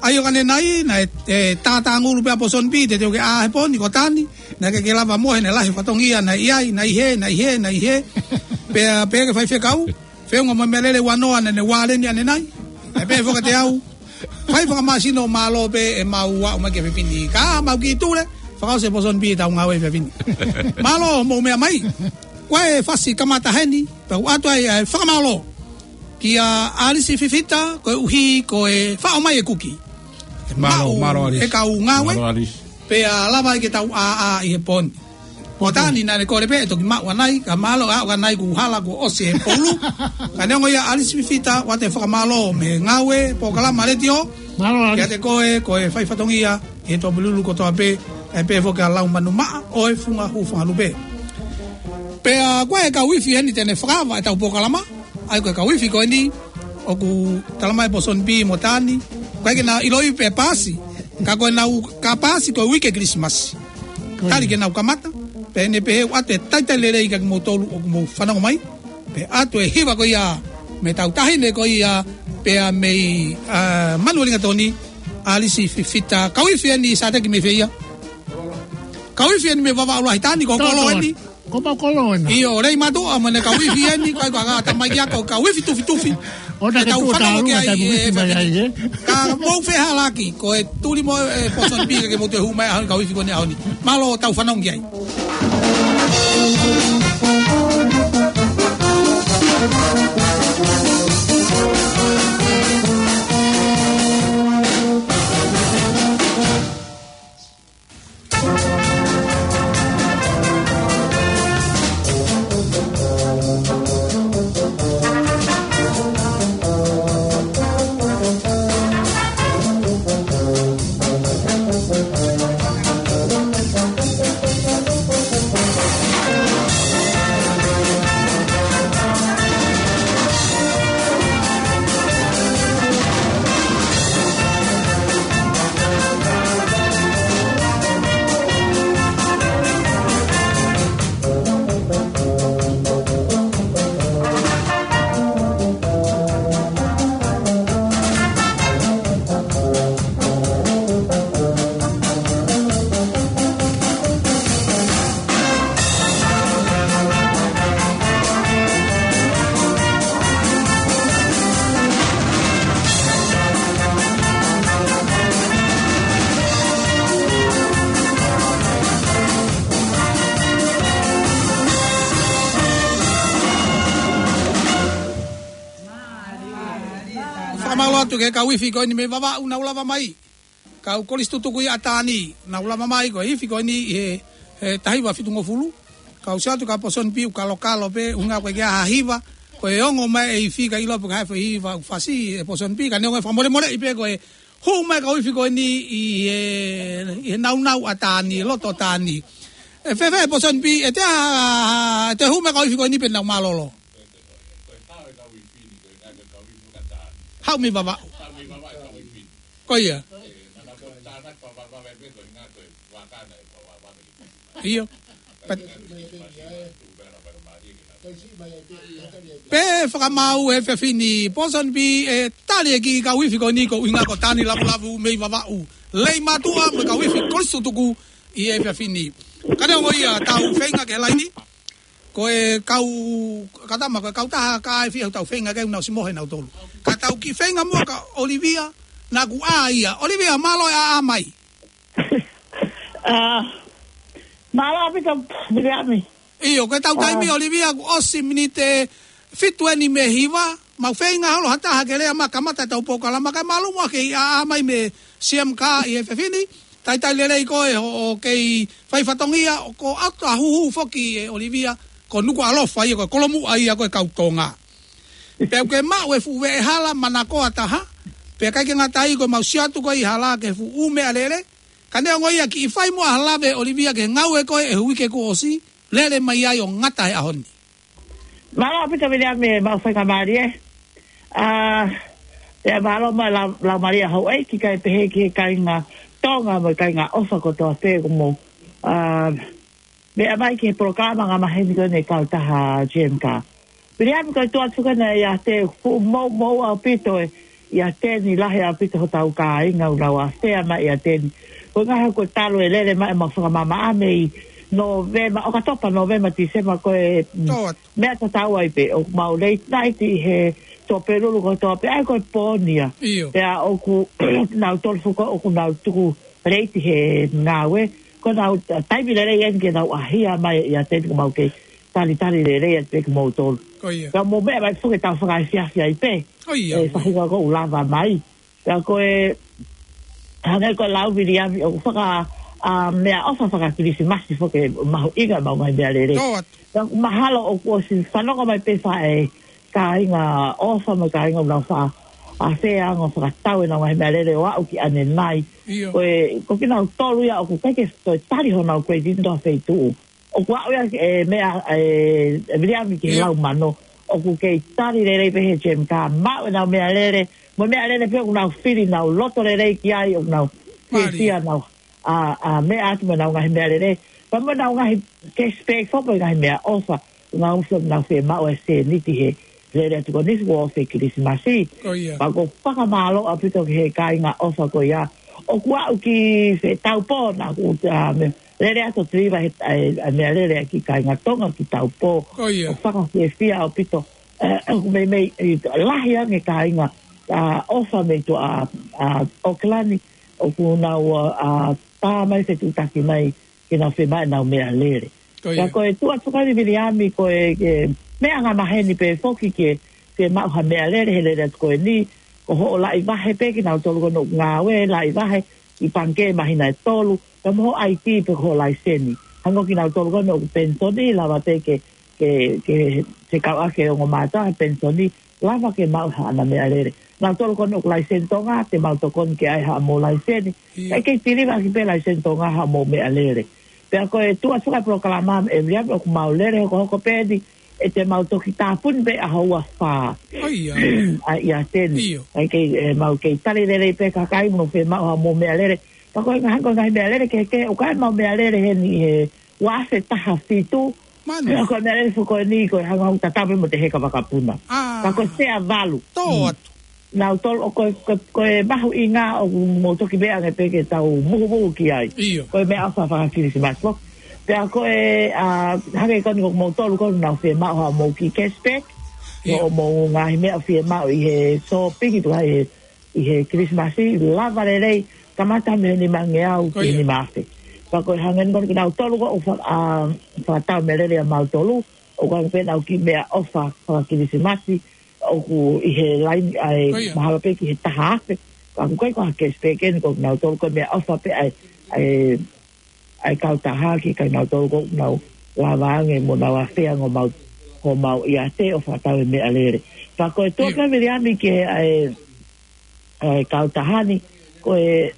ʻA ia ʻo ka ne nai, naʻe, ʻe, tātāngulu pē ʻa Pōsoni Pī, te teu ke ʻā he pō ni ko Tāne, naʻe ʻikai ke lava mohe, naʻe lahi e fatongia, naʻe ʻi ai, naʻe ʻi hē, naʻe ʻi hē, naʻe ʻi hē. Pea, pea ki he faifekau, feʻunga mo e meʻalele ua noa naʻa ne vāleni ʻanenai. Naʻe pehē foki kiate au, fai fakamāsino, mālō pē ʻemau aʻu mai ki he efiafi ni. Ka mau kiʻi tule, fakaʻosi ʻe Pōsoni Pī ʻetau ngāue he efiafi ni. Mālō hoʻomou meʻa mai. Ko e fasi kamata heni, pea ʻoatu ai ʻa e fakamālō kia ʻAlisi Fifita, koeʻuhi ko e faʻo mai e kuki. Mālō, mālō, ʻAlisi. E kau ngāue. Mālō, ʻAlisi. Pea lava ai ke tau ʻāʻā ʻi he pō ni. Ko Tāne naʻa ne kole pē ʻe toki maʻu ʻanai, ka mālō ʻa ʻanai kuo hala kuo ʻosi e poulu. Ka neongo ia ʻAlisi Fifita, ʻoatu e fakamālō mei he ngāue, polokalama letiō. Mālō, ʻAlisi. Kiate koe, ko e fai fatongia, ʻi he tuʻapulelulu kotoa pē, ʻe pehē foki ʻa Laumanu Maʻa, ʻo e Funga Hūfanga Lupe. Pea ko e kau ifi eni te ne fakaava ʻetau polokalama, ʻa ia ko e kau ifi ko eni, ʻoku talamai ʻe Pōsoni Pī mo Tāne, ʻoku ʻikai ke na ʻiloʻi pe paasi, ka ko ʻenau ka paasi ko e uike Kilisimasi. Ko ia. Tali ke nau kamata, pea ʻi heʻene pehē ʻoatu e talitali lelei kiate kimoutolu ʻoku mou fanongo mai, pea ʻoatu e hiva ko ia, mei he tau taʻahine ko ia, pea mei, ā, Manuʻa Lingatoni, ʻAlisi Fifita, kau ifi eni Sateki mei fē ia? Kau ifi eni mei Vavaʻu Lahi Tāne, ko Kolo eni. Ko Kolo eni. ʻIo, lei mātuʻa mo ʻene kau ifi eni, ko e kau tamaiki ako, kau ifi tufitufi. ʻO na ke tau fanongo ki ai, ʻe, mai ai, ʻe. Ka mou fehālaaki, ko e tuli mo, ʻe, Pōsoni Pī ke mou toe hū mai ʻaho ni kau ifi ko eni ʻaho ni. Mālō tau fanongo ki ai. Fakamālō atu ki he kau ifi ko eni mei Vavaʻu naʻa nau lava mai. Kau Kolisi Tutuku ʻi ʻAtani, naʻa nau lava mai ko e ifi ko eni ʻi he, he taha hiva fitungofulu. Kau Siaotu, kau Pōsoni Pī ʻoku kalokalo pē, ʻuhinga ko e ʻikai ha hiva, ko e ongo mai e ifi ka ʻilo pe ko e hā e foʻi hiva ʻoku fasi ʻe Pōsoni Pī, ka neongo e fakamolemoleʻi pē ko e hū mai kau ifi ko eni ʻi he, ʻi he naunau ʻAtani, loto ʻAtani. ʻE fēfē Pōsoni Pī, ʻe te a, ʻe te hū mai kau ifi ko eni pe nau mālōlō? Haʻu mei Vavaʻu. Ko ia. ʻIo. Pea, pea fakamaau he efiafi ni, Pōsoni Pī, ʻe tali e kiʻi kau ifi ko eni ko e ʻuhinga ko Tani Lavulavu mei Vavaʻu. Lei Matuʻa mo e kau ifi Kolisi Tutuku ʻi he efiafi ni. Ka neongo ia, tau feinga ki he laini. Ko e kau, ka tama, ko e kau taha ka e fie ʻoku tau feinga ke nau ʻosi mohe nautolu. Ka tau kiʻi feinga muʻa kia ʻOlivia, naʻa ku ʻā ia. ʻOlivia, mālō e ʻā mai. ʻĀ, mālō ʻaupito, Viliami. ʻIo, ko e tau taimi, ʻOlivia, kuo ʻosi miniti fitu eni mei he hiva, mau feinga holo ha taha ke lea mai kamata ʻetau polokalama, kae mālō muʻa ke ʻā mai mei he C M K ʻi he efiafi ni. Talitali lelei koe hoʻo kei fai fatongia, ʻoku ʻoatu ha huhu foki ʻe ʻOlivia, ko Nukuʻalofa ia, ko e kolomuʻa ia ko e kau Tonga. Pea ʻoku ke maʻu e fuʻu veʻehala manakoa taha, pea ʻikai ke ngata ai ko e mau Siaotu ko e ʻi hala ki he fuʻu meʻalele, ka neongo ia kiʻi fai muʻa ha lave ʻOlivia ki he ngāue ko ē ʻi he uike kuo ʻosi, lele mai ai ʻo ngata he ʻaho ni. Mālō ʻaupito Viliami e mau faingamālie. ʻĀ, pea mālō mo e lau, laumālie houʻeiki kae pehē ki he kāinga Tonga mo e kāinga ʻofa kotoa pē kuo mou, ʻā, meʻa mai ki he polokalama angamaheni ko eni e kautaha G M K. Viliami, ko e tuʻu atu ko ena ʻiate au, fuʻu moumou ʻaupito e, ʻiate ni, lahi ʻaupito hotau kāinga ʻoku nau āfea mai ʻiate ni. Ko e ngaahi ʻaho kuo talu e lele mai ʻemau fakamamaʻa mei Nōvema, ʻOkatopa, Nōvema, Tīsema, ko e, mm, Tō atu. Meʻa tatau ai pē, ʻoku mau late night ʻi he Tuʻapulelulu kotoa pē, ʻa ia ko e pō ni ia. ʻIo. Pea ʻoku nau tolu fuko, ʻoku nau tuku late he ngāue, ko ʻenau taimi lelei eni ke nau ʻahia mai ʻiate ni, kuo mau kei talitali lelei atu pē kimoutolu. Ko ia. Pea mou meʻa mai foki ʻetau fakaefiafi ai pē. Ko ia. ʻE fahinga ʻoku lava mai. Pea ko e, hangē ko e lau Viliami ʻoku faka, ʻā, meʻaʻofa faka-Kilisimasi foki, mahuʻinga ʻemau ngaahi meʻalele. Tō atu. Pea mahalo ʻoku ʻosi fanongo mai pē fē kāinga ʻofa mo e kāinga ʻoku nau faʻa, ʻāfea ange ʻo fakatau ʻenau ngaahi meʻalele ʻo aʻu ki ʻanenai. ʻIo. Ko e, ko kinautolu ia ʻoku ʻikai ke toe tali honau credit ʻi ha feituʻu. ʻOku aʻu ia e meʻa, ʻe, ʻe Viliami ki he, ʻio, lau mano. ʻOku kei tali lelei pē he G M K, maʻu ʻenau meʻalele, mo e meʻalele pē ʻoku nau fili, nau loto lelei ki ai, ʻoku nau, mālie, fiefia, nau, ʻā, ʻā, meʻa atu mo ʻenau ngaahi meʻalele. Pea mo ʻenau ngaahi cash bag foki mo e ngaahi meʻaʻofa, ʻoku nau ʻosi nau fiemaʻu e sēniti he lele atu ko eni kuo ʻosi e Kilisimasi. Ko ia. Pea ʻoku ou fakamālō ʻaupito ki he kāinga ʻofa ko ia. ʻOku aʻu ki fē, Taupō, naʻa ku, ʻā, meʻa, lele atu ʻo tiliva he, ʻa e, ʻa e meʻalele ʻa e kiʻi kāinga Tonga ki Taupō. Ko ia. ʻOku fakafiefia ʻaupito, ʻe, ʻoku meimei, ʻi, lahi ange kāinga, ʻā, ʻofa mei tuʻa, ʻā, ʻAokalani, ʻoku nau, ʻā, tā mai fetuʻutaki mai ke nau fiemaʻu ʻenau meʻalele. Ko ia. Ka ko e tuʻu atu ko eni Viliami ko e, e meʻa angamaheni pē foki ke, ke maʻu ha meʻalele he lele atu ko eni, ko hoʻo laʻi vahe pē kinautolu ko ē ʻoku ngāue, laʻi vahe ʻi pangikē māhina ʻe tolu, ka mo hoʻo ʻaitī pe ko hoʻo laiseni. Hangē ko kinautolu ko ē ʻoku penisoni, lava pē ke, ke, ke, ke kau ʻaki e ongo mātuʻa he penisoni, lava ke maʻu haʻana meʻalele. Nautolu ko ē ʻoku laiseni Tonga, te mau tokoni ke ʻai haʻamou laiseni. ʻIo. ʻIkai ke tiliva ʻaki pē laiseni Tonga haʻamou meʻalele. Pea ko e tuʻa suka polokalama ʻe Viliami ʻoku mau lele hokohoko pē eni, ʻe te mau toki tāpuni pē ʻaho ua fā. ʻAi, ʻiate ni. ʻIo. ʻIkai ke, ʻe, mau kei tali lelei pē kakai mo nau fiemaʻu haʻamou meʻalele. Pea ko e ngaahi, ko e ngaahi meʻalele kehekehe, ʻoku ʻi ai ʻemau meʻalele heni he ua afe taha fitu. Manu. Pea ko e meʻalele foki ko eni, ko e hangē ʻoku tatau pē mo e heka vakapuna. Pea ko e sea valu. Tō atu. Nautolu ʻoku, ko, ko e mahuʻinga ʻoku mou toki meʻa ange pē ke tau muhumuhu ki ai. ʻIo. Ko e meʻaʻofa faka-Kilisimasi foki. Pea ko e, ʻa, hangē ko eni ko moutolu ko ē ʻoku mou fiemaʻu haʻamou kiʻi cashback. ʻIo. Mo hoʻomou ngaahi meʻa fiemaʻu ʻi he sōpingi tuʻu ai he, ʻi he Kilisimasi, lava lelei, kamata mei he nimangeau ki he nima afe. Pea ko e hangē ko eni kinautolu ko ē ʻoku fa-, ʻa, fakatau meʻalele ʻa mautolu, ʻoku ʻi ai pē ʻenau kiʻi meʻaʻofa faka-Kilisimasi, ʻoku ʻi he laini ʻa e mahalo pē ki he taha afe. Ka ʻoku ʻikai ko ha cashback eni ko kinautolu ko e meʻaʻofa pē ʻa e, ʻa e, ʻa e kautaha ki he kinautolu ko ē ʻoku nau lava ange mo nau afea ange homau, homau ʻiate ʻo fakatau e meʻalele. Pea ko e tuʻa pē Viliami ki he ʻa e, ʻa e kautaha ni, ko e,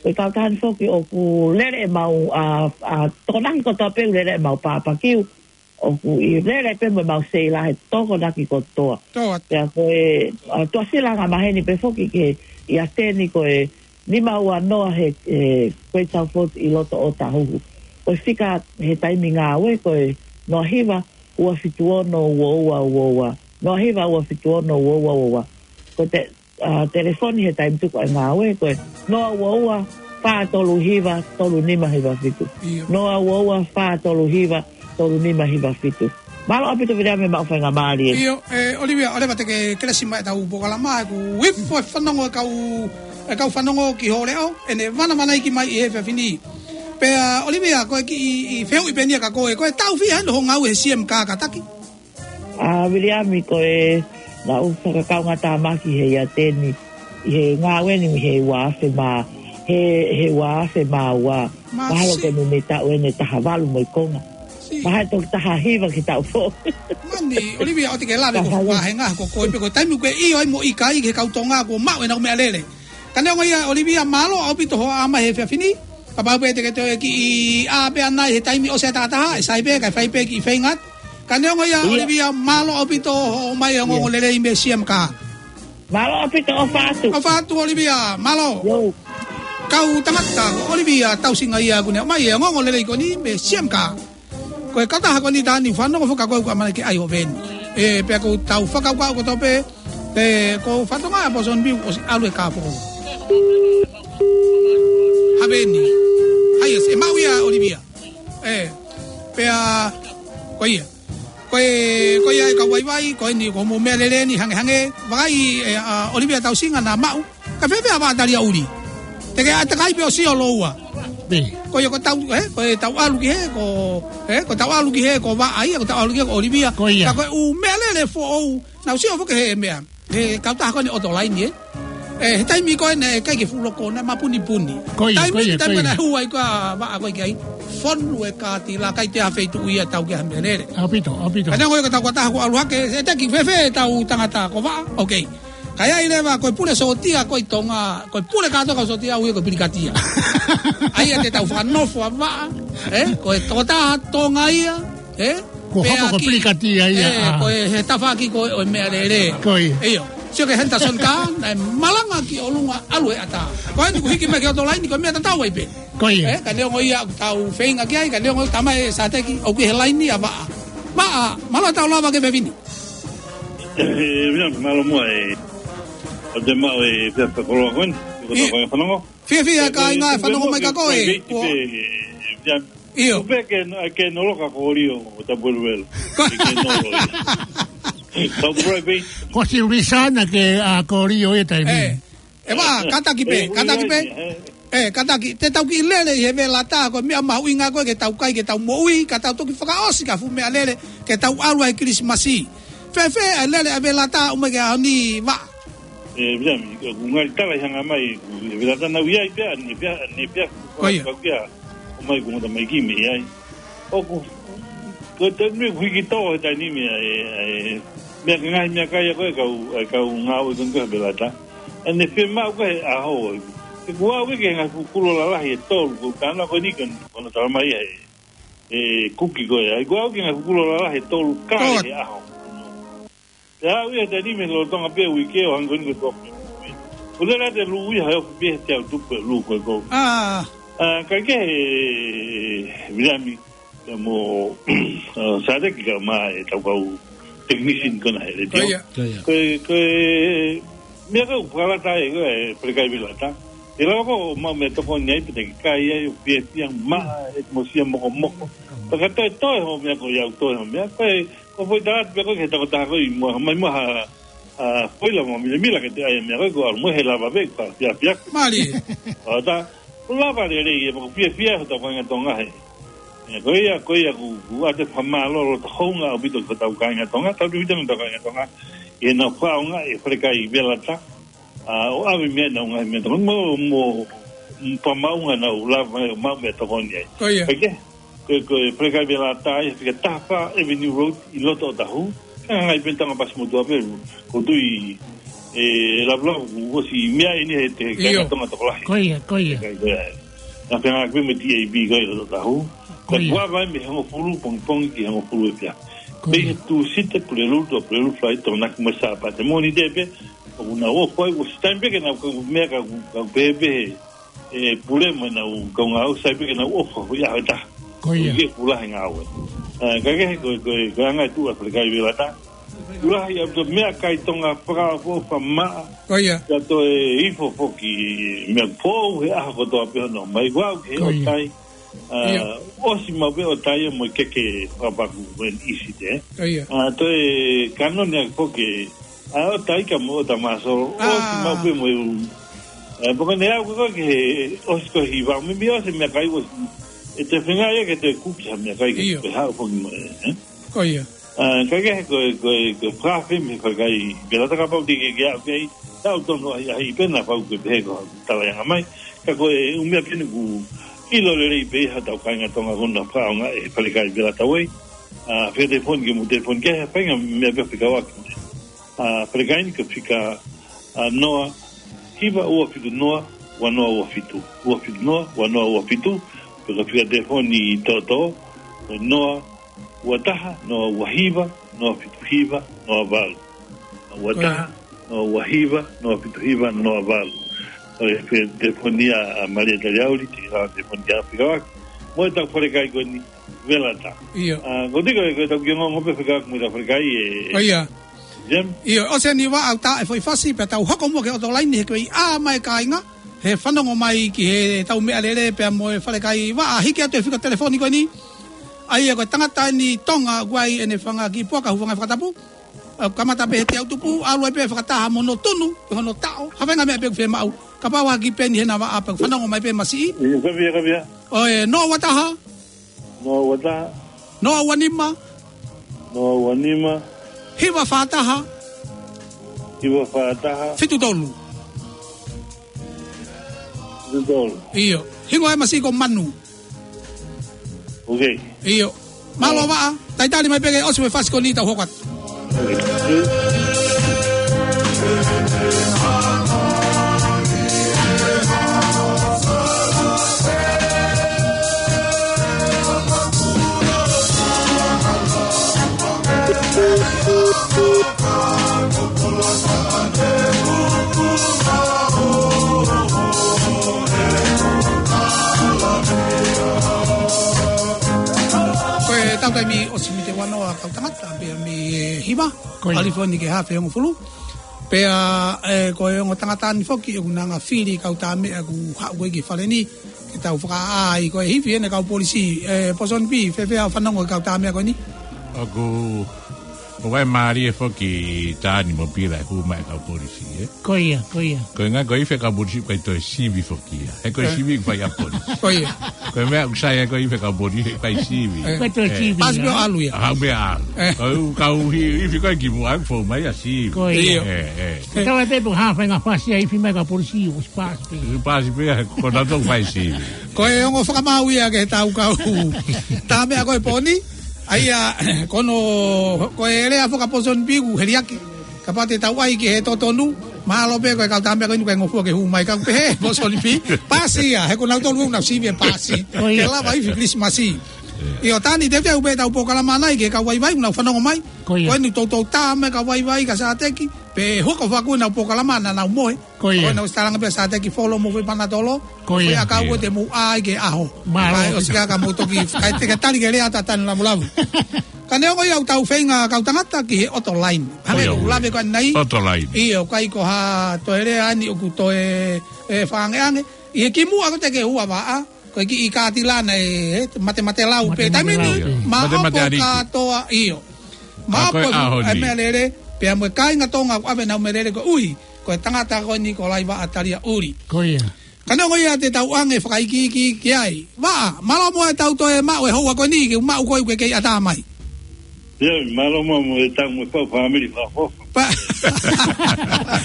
ko e kautaha ni foki ʻoku lele ʻemau, ʻa, ʻa, Tokonaki kotoa pē ʻoku lele ʻemau pāpakiu, ʻoku ʻi lele pē mo ʻemau seila he Tokonaki kotoa. Pea ko e, ʻa, tuʻasila angamaheni pē foki ki he ʻiate ni ko e nima ua noa he, e, Great South Road ʻi loto ʻo Tahuhu. Ko e fika he taimi ngāue ko e noa hiva ua fitu ono ua ua ua ua. Noa hiva ua fitu ono ua ua ua ua. Ko e te-, ʻa, telefoni he taimi tuku ʻa e ngāue, ko e noa ua ua, fā tolu hiva, tolu nima hiva fitu. ʻIo. Noa ua ua, fā tolu hiva, tolu nima hiva fitu. Mālō ʻaupito Viliami maʻu faingamālie. ʻIo, e, ʻOlivia, ʻoua leva te ke kelesi mai ʻetau polokalama, ʻoku ifo e fanongo e kau, e kau fanongo ki hoʻo leʻo, ʻene vanavanaiki mai ʻi he efiafi ni. Pea, ʻOlivia, ko e kiʻi, ʻi fehuʻi pē eni ia kia koe, ko e taʻu fiha eni hoʻo ngāue he C M K kātaki? ʻA, Viliami, ko e, naʻá ku fakakaungātāmaki he ʻiate ni, ʻi he ngāue ni mei he ua afe mā, he, he ua afe mā ua. Mahalo ke mei he taʻu eni ʻe taha valu mo e konga. Mahalo toki taha hiva ki he taʻu foʻou. Mani, ʻOlivia, ʻoua te ke lave ko e ngaahi ngaahi ko koe pē ko e taimi ʻoku ke ʻio ai mo ʻikai ki he kau Tonga kuo maʻu ʻenau meʻalele. Ka neongo ia, ʻOlivia, mālō ʻaupito hoʻo ʻomai he efiafi ni. Kapau pē te ke toe kiʻi ʻā pē ʻanai he taimi ʻosi ʻa e taʻataha, ʻe sai pē, kae fai pē kiʻi feinga. Ka neongo ia, ʻIo. ʻOlivia, mālō ʻaupito hoʻo ʻomai e ongoongo lelei mei he C M K. Mālō ʻaupito, ʻofa atu. ʻOfa atu, ʻOlivia, mālō. Kau tangata, ʻOlivia Tausinga ia kuo ne ʻomai e ongoongo lelei ko eni mei he C M K. Ko e kautaha ko eni taha ni fanongo fakakoe ʻoku ʻamanaki ke ʻai ʻo veni. E, pea ko ʻetau fakakaukau kotoa pē, e, ko Fatonga ʻa Boston View ʻosi ʻalu e kāpō. Haveni. Hai, e maʻu ia ʻOlivia. E, pea, ko ia. Ko e, ko ia e kau vaivai, ko eni ko hoʻomou meʻalele ni hangehangē, vakai, e, ʻa, ʻOlivia Tausinga naʻa maʻu, ka fēfē ʻa Vaʻa Talia ʻuli. Te ke ʻai takai pē ʻo sio loua. Ko ia ko ʻetau, e, ko ʻetau ʻalu ki he, ko, e, ko ʻetau ʻalu ki he, ko Vaʻa ia, ko ʻetau ʻalu ki he, ko ʻOlivia. Ko ia. Ka ko e ʻū meʻalele foʻou, naʻá ku sio foki he meʻa. He kautaha ko eni ʻOtolaini, e. E, he taimi ko ē naʻe ʻikai ke fuʻu loko, naʻe mapunipuni. Ko ia, taimi ko ia, taimi ko ia. Naʻe hū ai ko ē ʻa Vaʻa ko ē ki ai. Fonu e kātila, ʻikai toe ʻi ai ha feituʻu ia ʻe tau ki ai ha meʻalele. ʻAupito, ʻaupito. Ka neongo ia ko ʻetau kautaha kuo ʻalu hake, e teki fēfē ʻetau tangata ko Vaʻa, okay. Ka ʻi ai leva, ko e pule sōtia ko ē ʻi Tonga, ko e pule kātoa kau sōtia ʻoku ui ko e pilikatia. ʻA ia te tau fakanofo ʻa Vaʻa, e, ko e tokotaha Tonga ia, e, Kuo hoko ko e pilikatia ia, e, ʻa. Ko e he tafaʻaki ko ē ʻo e meʻalele. Ko ia. ʻIo. Sio ki he Henderson Car, naʻe malanga ki ʻolunga ʻalu e ʻatā. Ko eni kuo hiki mai ki ʻOtolaini, ko e meʻa tatau ai pē. Ko ia. E, ka neongo ia ʻoku tau feinga ki ai, ka neongo ia tamai e sāteki, ʻoku ʻi he laini ʻa Vaʻa. Vaʻa, mālō ʻetau lava ki he efiafi ni. E, meʻa, mālō muʻa e. ʻOku te maʻu e fiefia koloa ko eni. Ko e tau ko e fanongo. Fiefia e kāinga e fanongo mai kia koe. Ko e, ko e, ko e, ko e, ko e, ʻIo. Kuo pehē ke, ke noloka ko Lio ʻo Tapueluelu. Ke noloka. Tau private. Ko si Luisana ke, ʻa, ko Lio e taimi. E. E Vaʻa, kātaki pē, e, kātaki pē. E, e, e. E, kātaki, te tau kiʻi lele ʻi he vela tā, ko e meʻa mahuʻinga ko ē ke tau kai, ke tau moʻui, ka tau toki fakaʻosi ki ha fuʻu meʻalele, ke tau ʻalu ai Kilisimasi. Fēfē ʻa e lele ʻa Velata ʻo ʻomai ki he ʻaho ni, Vaʻa? ʻE, Vilami, ko e ngali tala ʻi he hanga mai, ko e Velata naʻe ʻi ai pē, ʻanepō, ʻanepō, Ko ia. Ko ia, ʻomai ko e ngata mai ki mei ai. ʻOku, ko e taimi ʻoku hiki tō he taimi ni ʻa e, ʻa e, meʻa ki he ngaahi meʻakai ʻa ko ē kau, ʻa e kau ngāue ko ē ko ē Velata. ʻAnepō maʻu ko ē he ʻaho. ʻE, kuo aʻu ki he ngaahi fuʻu kulo lalahi ʻe tolu, ko e tānaki ko eni ko ē, ko hono tala mai ʻe he, ʻe Kuki ko ē. ʻAi, kuo aʻu ki he ngaahi fuʻu kulo lalahi ʻe tolu kale Tolu. he ʻaho. Pea aʻu ia he taimi ni mei lolotonga pē uike ʻo hangē ko eni ko e tō. Ko e lele ʻa e lū ia he ʻoku pehē te u tupu e lū ko ē ko ē. ʻA. ʻA, kae kehe, Vilami, pea mo, ʻa, Sāleki kae ʻumaʻā ʻetau kau technician ko ena he letiō. Ko ia. Ko ia. Ko e, ko e, meʻa ko ē ʻoku fakalata ai ko e Falekai Velata. ʻE lava ko ē ʻo maʻu meʻatokoni ai pe te ke kai ai ʻo fiefia maʻa e mosia mokomoko. Pea ka toe toe hoʻo meʻa ko ia ʻo toe hoʻo meʻa. Ko e, ko e foʻi tala atu pē ko ē ki he tokotaha ko ē ʻi muʻa, mai muʻa ha, ʻa, foʻi lava milamila ke te ʻai e meʻa ko ē ko e ʻalu mo e he lava pē ka fiefia. Mālie. ʻO tā, ʻoku lava lelei ʻe maʻu fiefia hotau kāinga Tonga he. ʻE, ko ia, ko ia ʻoku, ʻoku ʻoatu e fakamālō loto houngaʻia ʻaupito ki hotau kāinga Tonga, tau tui tonu hotau kāinga Tonga, ʻi heʻenau fakaʻaongaʻi e Falekai Velata, ʻa, ʻo ʻave mei ai ʻenau ngaahi meʻatokoni, mo, mo, mo pamaunga nau lava mai ʻo maʻu meʻatokoni ai. Ko ia. Kae kehe, ko e, ko e Falekai Velata ia, fika taha fā Avenue Road ʻi loto ʻOtahuhu. Ka ngai pē Tonga Pasimotuʻa pē, ʻoku ou tui, ʻe, lavulavu, ʻosi meʻa eni he te, ʻIo. kāinga Tonga tokolahi. Ko ia, ko ia. Kae, ko ia. Naʻa fengāueʻaki pē mo e T A B ko ē ʻi loto ʻOtahuhu. Ko ia. Ka ʻoku ʻave mei he hongofulu pongipongi ki he hongofulu efiafi. Ko ia. Mei he Tūsite, Pulelulu, Pulelulu, Falaite, Tokonaki mo e Sāpate. Mōnite pē, ʻoku nau ʻofa ai, ʻosi taimi pē ke nau kau meʻa ka, ka pehē pē, ʻe, pule mo ʻenau kaungā ʻosi taimi pē ke nau ʻofa, ko ia he taha. Ko ia. Ko ia ʻoku lahi e ngāue. ʻA, kae kehe ko, ko, ko e anga e tuʻu ʻa e Falekai Velata. ʻOku lahi ʻaupito e meʻakai Tonga fakaʻofoʻofa maʻa. Ko ia. Pea toe ifo foki meʻa foʻou he ʻaho kotoa pē hono mai. Kuo aʻu ki he Ko ia. ʻOtai. ʻA, ʻIo. ʻOsi maʻu pē ʻOtai mo e keke fakapaku when easy there. Ko ia. ʻA, toe kanoni ʻaki foki ʻa e ʻOtai ka mo ʻOta Māsolo. ʻA. ʻOsi maʻu pē mo e ʻū. ʻA, pea ko ʻene aʻu ko ē ki he ʻosi ko ē hiva, meimei ʻosi e meʻakai ʻosi. ʻE te fenga ia ke te kuki ha meʻakai ke ʻIo. te haʻu foki mo e, ē? Ko ia. ʻA, kae kehe ko e, ko e, ko e fakaafeʻi mei he Falekai Velata kapau te ke, ke aʻu ki ai, tau tonu ʻahiʻahi pē naʻa pau ke pehē ko e tala ʻi he hanga mai. Ka ko e ʻū meʻa pē eni ʻoku ʻilo lelei pē ʻe hotau kāinga Tonga ko ʻenau fakaʻaongaʻi e Falekai Velata Way. ʻA, fika telefoni ke mou telefoni ki he faʻahinga meʻa pē fekauʻaki. ʻA, Falekai ni ko e fika, ʻa, noa hiva ua fitu noa ua noa ua fitu. Ua fitu noa ua noa ua fitu. Pe ko e fika telefoni tōtō, ko e noa ua taha, noa ua hiva, noa fitu hiva, noa valu. Ua taha, noa ua hiva, noa fitu hiva, noa valu. ʻOku ʻi ai e telefoni ʻa Malia Taliauli, te ke lava telefoni ki ai fekauʻaki mo ʻetau Falekai ko eni Velata. ʻIo. ʻA, ko e tiko, ko ʻetau kiʻi ongoongo pē fekauʻaki mo ʻetau Falekai ē. Ko ia. Jim? ʻIo, ʻosi eni Vaʻa ʻoku tā e foʻi fasi, pea tau hoko muʻa ki he ʻOtolaini he kuo ʻi ai mai e kāinga he fanongo mai ki heʻetau meʻalele pea mo e Falekai. Vaʻa, hiki atu e fika telefoni ko eni. ʻA ia ko e tangata eni Tonga ʻoku ʻi ai ʻene fanga kiʻi puaka hūfanga he fakatapu. ʻA, kamata pē he teau tupu, ʻalu ai pē fakataha mo hono tunu, pe hono taʻo, ha faʻahinga meʻa pē ʻoku fiemaʻu. Kapau ʻe hiki pē eni hena Vaʻa pea fanongo mai pē masiʻi. ʻIo, ka via, ka via. ʻOi, noa ua taha. Noa ua taha. Noa ua nima. Noa ua nima. Hiva fā taha. Hiva fā taha. Fitu tolu. Fitu tolu. ʻIo. Hingoa e masiʻi ko Manu. Ok. ʻIo. Mālō Vaʻa. Talitali mai pē ke ʻosi e fasi ko eni tau hoko atu. Ok. Ko ʻetau taimi ʻosi mei he ua noa kau tangata, pea mei he hiva, Ko ia. ʻAlu foki ki he hafe hongofulu. Pea, ē, ko e ongo tangata ni foki, ʻoku nau hanga fili kau tā meʻa ʻoku haʻu ko ē ki he fale ni, ke tau fakaʻā ai ko e hifo ʻene kau polisi, ē, Posoni P, fēfē hoʻo fanongo ki he kau tā meʻa ko eni? ʻOku ʻOku ʻi ai mālie foki Tani mo Pila ʻe hū mai e kau polisi, ē? Ko ia, ko ia. Ko e ngaahi ko e ifi e kau polisi ʻoku ʻikai toe sivi foki ia. He ko e sivi ʻoku fai ʻe he polisi. Ko ia. Ko e meʻa ʻoku sai ai ko e ifi e kau polisi ʻoku ʻikai sivi. ʻIkai toe sivi ia. Pasi pē ʻo ʻalu ia. Hau meʻa ʻalu. Ko e kau hi-, ifi ko ē ki muʻa ʻoku fou mai ʻa sivi. Ko ia. Ē, ē. Ko e tau ʻe pē ʻoku hā fai ngā fasi ʻa e ifi mai kau polisi ʻoku ʻosi pasi pē. ʻOsi pasi pē, ko nautolu fai sivi. Ko e ongo fakamaau ia ke tau kau. Tā meʻa ko e pōni. ʻA ia, ko hono, ko e lea faka-Ponsonby ʻoku heliaki. Kapau te tau ʻai ki he totonu, mahalo pē ko e kau tā meʻa ko eni ʻoku ʻikai ngofua ke hū mai kau pehē, Ponsonby. Pasi ia, he ko nautolu ʻoku nau sivi ʻe pasi. Ko ia. Ke lava ifi Kilisimasi. ʻIo Tani, teuteu pē ʻetau polokalama ʻanai ki he kau vaivai, ʻoku nau fanongo mai. Ko ia. Ko eni toutou tā mai e kau vaivai ka Sateki, pea hoko fakua ʻenau polokalama naʻa nau mohe. Ko ia. Ko ena ʻosi tālanga pē ʻa Sateki Folo mo Fui Panatolo. Ko ia. Ko ia kau ʻoku te mou ʻai ke ʻaho. Mālō. Kae ʻosi ka ka mou toki, kae te ke tali ke lea tatani lamulamu. Ka neongo ia ʻoku tau feinga kau tangata ki he ʻoto laini. Hangē ko ia, ʻoku lave ko eni. ʻOto laini. ʻIo, ʻikai ko ha toe lea eni ʻoku toe, ē, fakaangeange. ʻI he kimuʻa ko ē te ke hū ʻa Vaʻa, ko e kiʻi kātilana ē, ē, matemate lau pē. Matemate lau. Taimi ni, maʻopo kātoa, ʻio. Maʻopo e meʻalele, pea mo e kāinga Tonga ʻoku ʻave ʻenau meʻalele koeʻuhi ko e tangata ko eni ko Laivaʻa Taliaʻuli. Ko ia. Ka neongo ia te tau ʻange fakaikiiki ki ai. Vaʻa, mālō muʻa ʻetau toe maʻu e houa ko eni, ke maʻu koe ke kei ʻatā mai. ʻIo, mālō muʻa mo e tau mo e fau fāmili fakafofa. Pa-,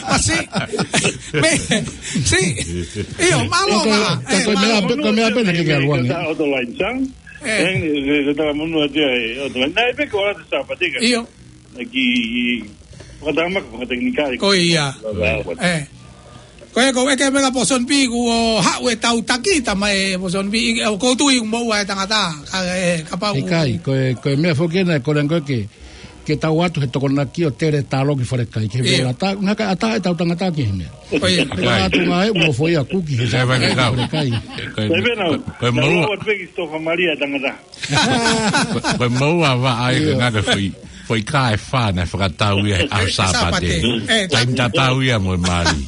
pa si. Me, si. ʻIo, mālō muʻa. Ko e, ko e meʻa pē, ko e meʻa pē naʻe ʻikai ke ʻalu ange. ʻOto laini sang. Ē. Eng, e, e, e, talamonū atu ai, ʻoto laini. Naʻe pē ko ʻAlata Sāpate ka. ʻIo. Naʻe ki, ki, fakatamaka, fakatekinikale. Ko ia. Ē. Ko e, ko e ke mega Ponsonby ʻoku haʻu e tau taki ta mai Ponsonby, ʻoku ou tui ʻoku moʻua e tangata, ka, ē, kapau ʻoku ʻikai, ko e, ko e meʻa foki ena, ko e langa ko e ke, ke tau atu he tokonaki ʻo tele talo ki falekai, ke he ʻata, ngaka ʻata e tau tangata ki he meʻa. Ko ia. Ko e atu ngā e mo foʻi aku ki he falekai. Ko e, ko e, ko e moʻua. Ko e moʻua Vaʻa ʻi he ngaahi foʻi, foʻi kā ʻe fā naʻe fakatau ia he ʻaho Sāpate. Sāpate. Ē, taimi tatau ia mo e mali.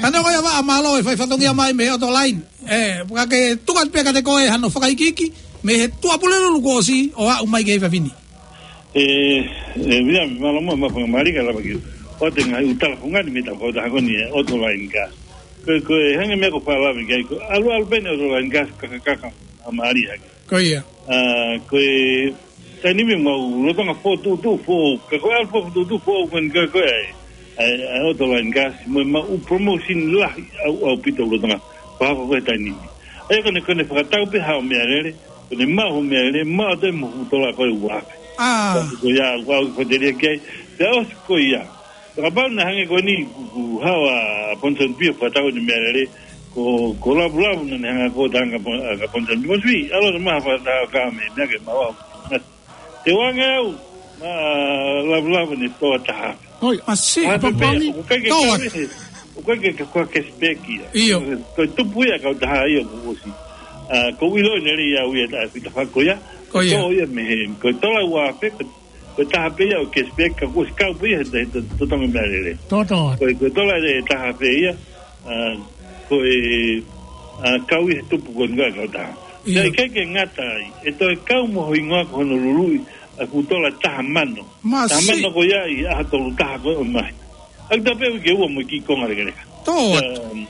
Ka neongo ia Vaʻa, mālō e fai fatongia mai mei he ʻoto laini. Ē, ka ke tuku atu pē kiate koe hano fakaikiiki mei he Tuʻapulelulu kuo ʻosi ʻo aʻu mai ki he efiafi ni. Ē, ē, ia, mālō muʻa, mālō muʻa e faingamālie ke lava ke ʻoatu e ngaahi ʻū tala fungani mei he tau kautaha ko eni e ʻoto laini ka. Ko e, ko e hangē ko e meʻa ko Falavi kai, ko e ʻalu ʻalu pē eni ʻoto laini ka, kakakaka, ʻa mālie hake. Ko ia. ʻA, ko e taimi ni mau lolotonga fokotuʻutuʻu foʻou, ka ko e ʻalu fokotuʻutuʻu foʻou ko eni ka ko e ʻai, ʻai, ʻai ʻoto laini ka, mo e mau promotion lahi ʻaupito lolotonga. Pea ko e taimi ni. ʻA ia ko ʻene, ko ʻene fakatau pē haʻo meʻalele, ko ʻene maʻu hoʻo meʻalele, maʻu atu e mo e tola ko e ua afe. ʻA. Ko ia, ʻoku ou fakatelia ki ai, pea ʻosi ko ia. Kapau naʻe hangē ko eni, kuo, kuo haʻu ʻa Ponsonby ʻo fakatau ʻene meʻalele, ko, ko Lavulavu naʻa ne hanga ko e tangata Pon-, ʻa Ponsonby, Ponsonby, ʻalu atu mai ha fakataha ka me, meʻa ke maua. Te u ʻange au, ʻa Lavulavu ʻene toa taha. ʻOi, ʻa si, ʻa Papangi, ʻoku ʻikai ke toa. Kau ia he, ʻoku ʻikai ke, ke kau cashback ia. ʻIo. Ko e tupu ia kautaha ia kuo ʻosi. ʻA, ʻoku ou ʻilo ʻene lea ia ʻa e fita fā ko ia. Ko ia. Ko ia mei he, ko e tola ua afe, ko ko e taha pē ia ʻo cashback, ka kuo ʻosi kau pē ia he, he, he totongi meʻalele. Toto. Ko e, ko e tola ʻe taha pē ia, ʻa, ko e, ʻa, kau ia he tupu ko eni kautaha. ʻIo. Pea ʻikai ke ngata ai, ʻe toe kau mo ho hingoa ko hono luluʻi ʻa e fuʻu tola taha mano. Masi. Taha mano ko ia ʻi he ʻaho tolu taha ko ē ʻo e māhina. ʻA ia tā pē uike ua mo e kiʻi konga lekeleka. Tō atu. Um,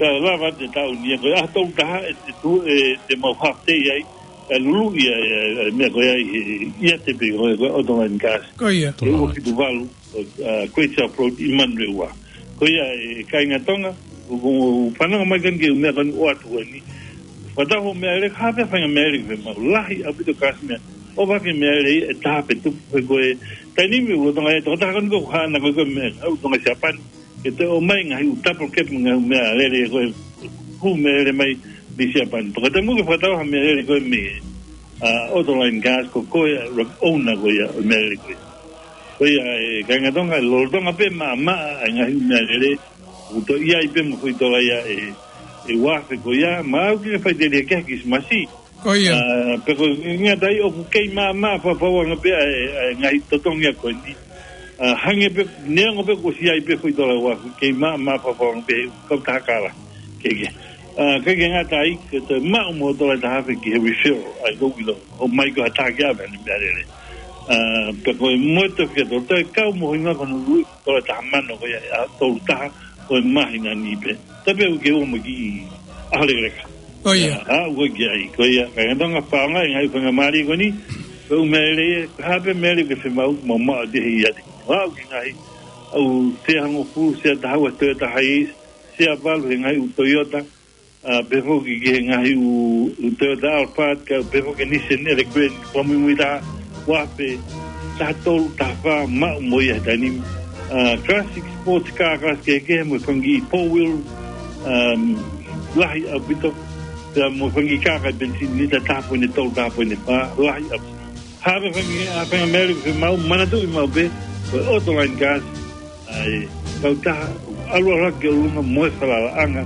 Ka lava te tau nia ko e ʻaho tolu taha ʻe, ʻe tu, ʻe, te mau half day ai, ʻe luluʻi ai, ʻe, ʻe, meʻa ko ia ʻi he, ʻi he ʻiate pē ko e, ko e ʻoto laini kasi. Ko ia. Ko e ua fitu valu, ʻo, ʻa, Great South Road ʻi Manurewa. Ko ia e kāinga Tonga, ʻoku, ʻoku fanongo mai ko eni ki he meʻa ko eni ʻoatu ko eni. Fakatau hoʻo meʻalele, hā pē faʻahinga meʻalele ke mau lahi ʻaupito kasi meʻa. ʻO fake meʻalele ʻe taha pē tupu, ko e taimi ni ʻoku lolotonga e tokotaha ko eni ʻoku haʻana ko e, ko e meʻa, ʻoku Tonga Siapani. Ke toe ʻomai ngaahi ʻū double cab, ngaahi meʻalele ko e hū meʻalele mai mei Siapani. Pea ka te mau ke fakatau ha meʻalele ko e mei, ʻa, ʻoto laini kasi ko koe ʻa e owner ko ia ʻo e meʻalele ko ia. Ko ia e kāinga Tonga, lolotonga pē maʻamaʻa ʻa e ngaahi meʻalele, ʻoku toe ʻi ai pē mo e foʻi tola ia ʻe, ʻe ua afe ko ia, mau ke fai telia ke Kilisimasi, Ko ia. ʻA, pea ko e ngata ai ʻoku kei maʻamaʻa fafauʻanga pē ʻa e, ʻa e ngaahi totongi ko eni. ʻA, hangē pē, neongo pē kuo ʻosi ʻi ai pē foʻi tola ua afe, kei maʻamaʻa fafauʻanga pē he kautaha kala. Ke, ke. ʻA, ʻikai ke ngata ai, ke toe maʻu mo e tola ʻe taha afe ki he refill, ʻa ia ʻoku ou ʻilo. ʻOmai ko ha taha ke ʻave ʻene meʻalele. ʻA, pea ko e motu fika tolu, taʻe kau mo hinga ko hono ʻuluʻi, ko e taha mano ko ia, ʻa tolu taha, ko e māhina ni pē. Tape ʻoku ke ua mo ki ʻaho lekaleka. Ko ia. ʻA, ʻoku ke ai, ko ia, ka ngatanga paonga, e ngaahi faingamālie ko eni, ko e ʻū meʻa lelei, ko e hā pē meʻa lelei ke fiemaʻu, mo maʻu ʻa te hei ati. ʻA, ʻoku ke ngaahi, ʻa, ʻū sea hongofulu, sea taha ua Toyota Hiace, sea valu he ngaahi ʻū Toyota, ʻa, pehē foki ki he ngaahi ʻū, ʻū Toyota Alphard, ka pehē foki Nissan Elgrand, kua muimui taha, ua pē, taha tolu, taha fā, maʻu mo ia he taimi ni. ʻA, classic sports car, class kehekehe, mo e fanga kiʻi four wheel, um, lahi ʻaupito. Pea mo e fanga kiʻi kākā penisini, lita taha poini tolu, taha poini fā, lahi ʻaupito. Hā pē fanga, hā pē fanga meʻa lelei ke fiemaʻu, manatuʻi maʻu pē, ko e Autoline Cars, ʻa e kautaha, ʻalu ʻalu hake ʻo ʻolunga mo e falalaʻanga,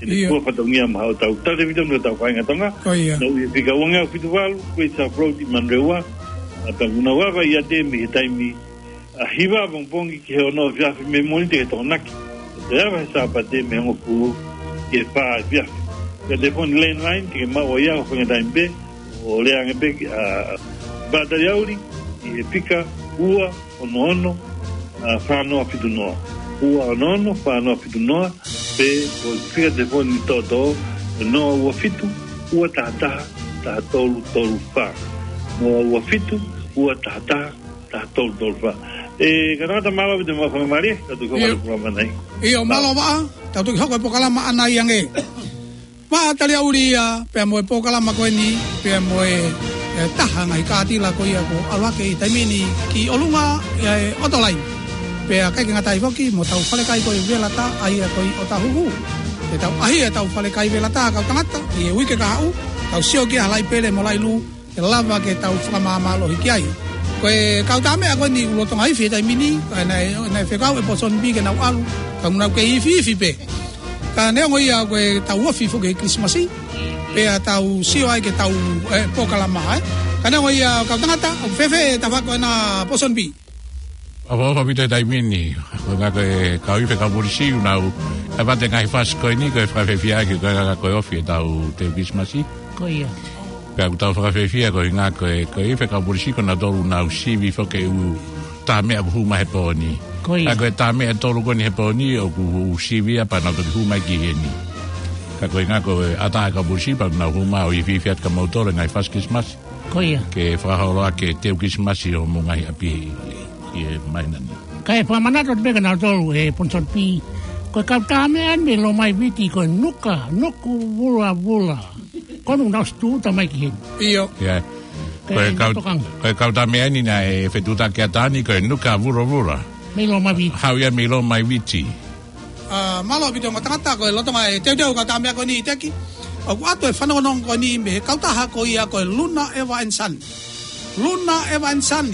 ʻene ʻIo. kuo fatongia maʻa hotau talevitone ʻo hotau kāinga Tonga. Ko ia. Naʻa nau ʻi he fika ua ngeau fitu valu, Great South Road ʻi Manurewa. ʻA, pea ʻoku nau ava ʻiate mei he taimi, ʻa, hiva pongipongi ki he ono efiafi mei Mōnite ki he Tokonaki. Pea ava he Sāpate mei he hongofulu ki he fā efiafi. Pea telefoni landline, te ke maʻu ai ʻa e fanga taimi pē, ʻo lea ange pē ki, ʻa, Bata Yauri, ʻi he fika ua ono ono, ʻa, fā noa fitu noa. Ua ono ono, fā noa fitu noa, pe ko e fika telefoni toʻotoʻo, noa ua fitu, ua taha taha, taha tolu tolu fā. Noa ua fitu, ua taha taha, taha tolu tolu fā. ʻE, ka tangata mālō ʻaupito mo e faingamālie, ka tuku ʻIo. hoko e polokalama ʻanai. ʻIo, mālō Vaʻa, tau toki hoko e polokalama ʻanai ange. Vaʻa Taliauli ia, pea mo e polokalama ko eni, pea mo e, e, taha ngaahi kātila ko ia kuo ʻalu hake ʻi he taimi ni ki ʻolunga, e, Autoline. Pea ʻikai ke ngata ai foki, mo hotau falekai ko e Velata, ʻa ia ko e ʻOtahuhu. Pea tau ʻaʻahi ʻetau falekai Velata, kau tangata, ʻi he uike kahaʻu, tau sio ki ai ha laʻi pele mo e laʻi lū, ke lava ke tau fakamāmālohi ki ai. Ko e kau tāmeʻa ko eni ʻoku lolotonga ifi he taimi ni, ka naʻe, naʻe fekau ʻe Ponsonby ke nau ʻalu, ka nau kei ifiifi pē. Ka neongo ia ko e tau ofi foki he Kilisimasi, pea tau sio ai ke tau, e, polokalama, ē. Ka neongo ia kau tangata, ʻoku fēfē e tafaʻaki ko ena Ponsonby? ʻOfa, ʻofa ʻaupito he taimi ni, ko e ngaahi ko e kau ifi kau polisi ʻoku nau, e vate ngaahi fasi ko eni, ko e fakafiefia ʻaki, ko e ngaahi ko e ofi ʻetau teu Kilisimasi. Ko ia. Pea ʻoku tau fakafiefia ko e ngaahi ko e, ko e ifi kau polisi ko nautolu ʻoku nau sivi foki e ʻū tāmeʻa ʻoku hū mai he pō ni. Ko ia. Ka ko e tāmeʻa ʻe tolu ko eni he pō ni ʻoku sivi ia pea nau toki hū mai ki heni. Ka ko e ngaahi ko e ʻatā e kau polisi pea nau hū mai ʻo ifiifi atu kia moutolu he ngaahi fasi Kilisimasi. Ko ia. Ke fakaholo ʻaki e teu Kilisimasi ʻo homou ngaahi ʻapi ʻi he māhina ni. Kae fakamanatu atu pē kia nautolu ʻe Ponsonby. Ko e kau tāmeʻa eni mei Lomai Viti ko e nuka, nuku vulavula. Ko ʻenau ʻosi tūʻuta mai ki heni. ʻIo. ʻIo. Ko e kau, ko e kau tāmeʻa eni naʻe fetuʻutaki atu ni ko e nuka vulavula. Mei Lomai Viti. Haʻu ia mei Lomai Viti. ʻA, mālō ʻaupito kau tangata, ko e lolotonga e teuteu kau tāmeʻa ko eni ʻiate ki. ʻOku ʻoatu e fanongonongo ko eni mei he kautaha ko ia ko e Luna Eva and Son. Luna Eva and Son,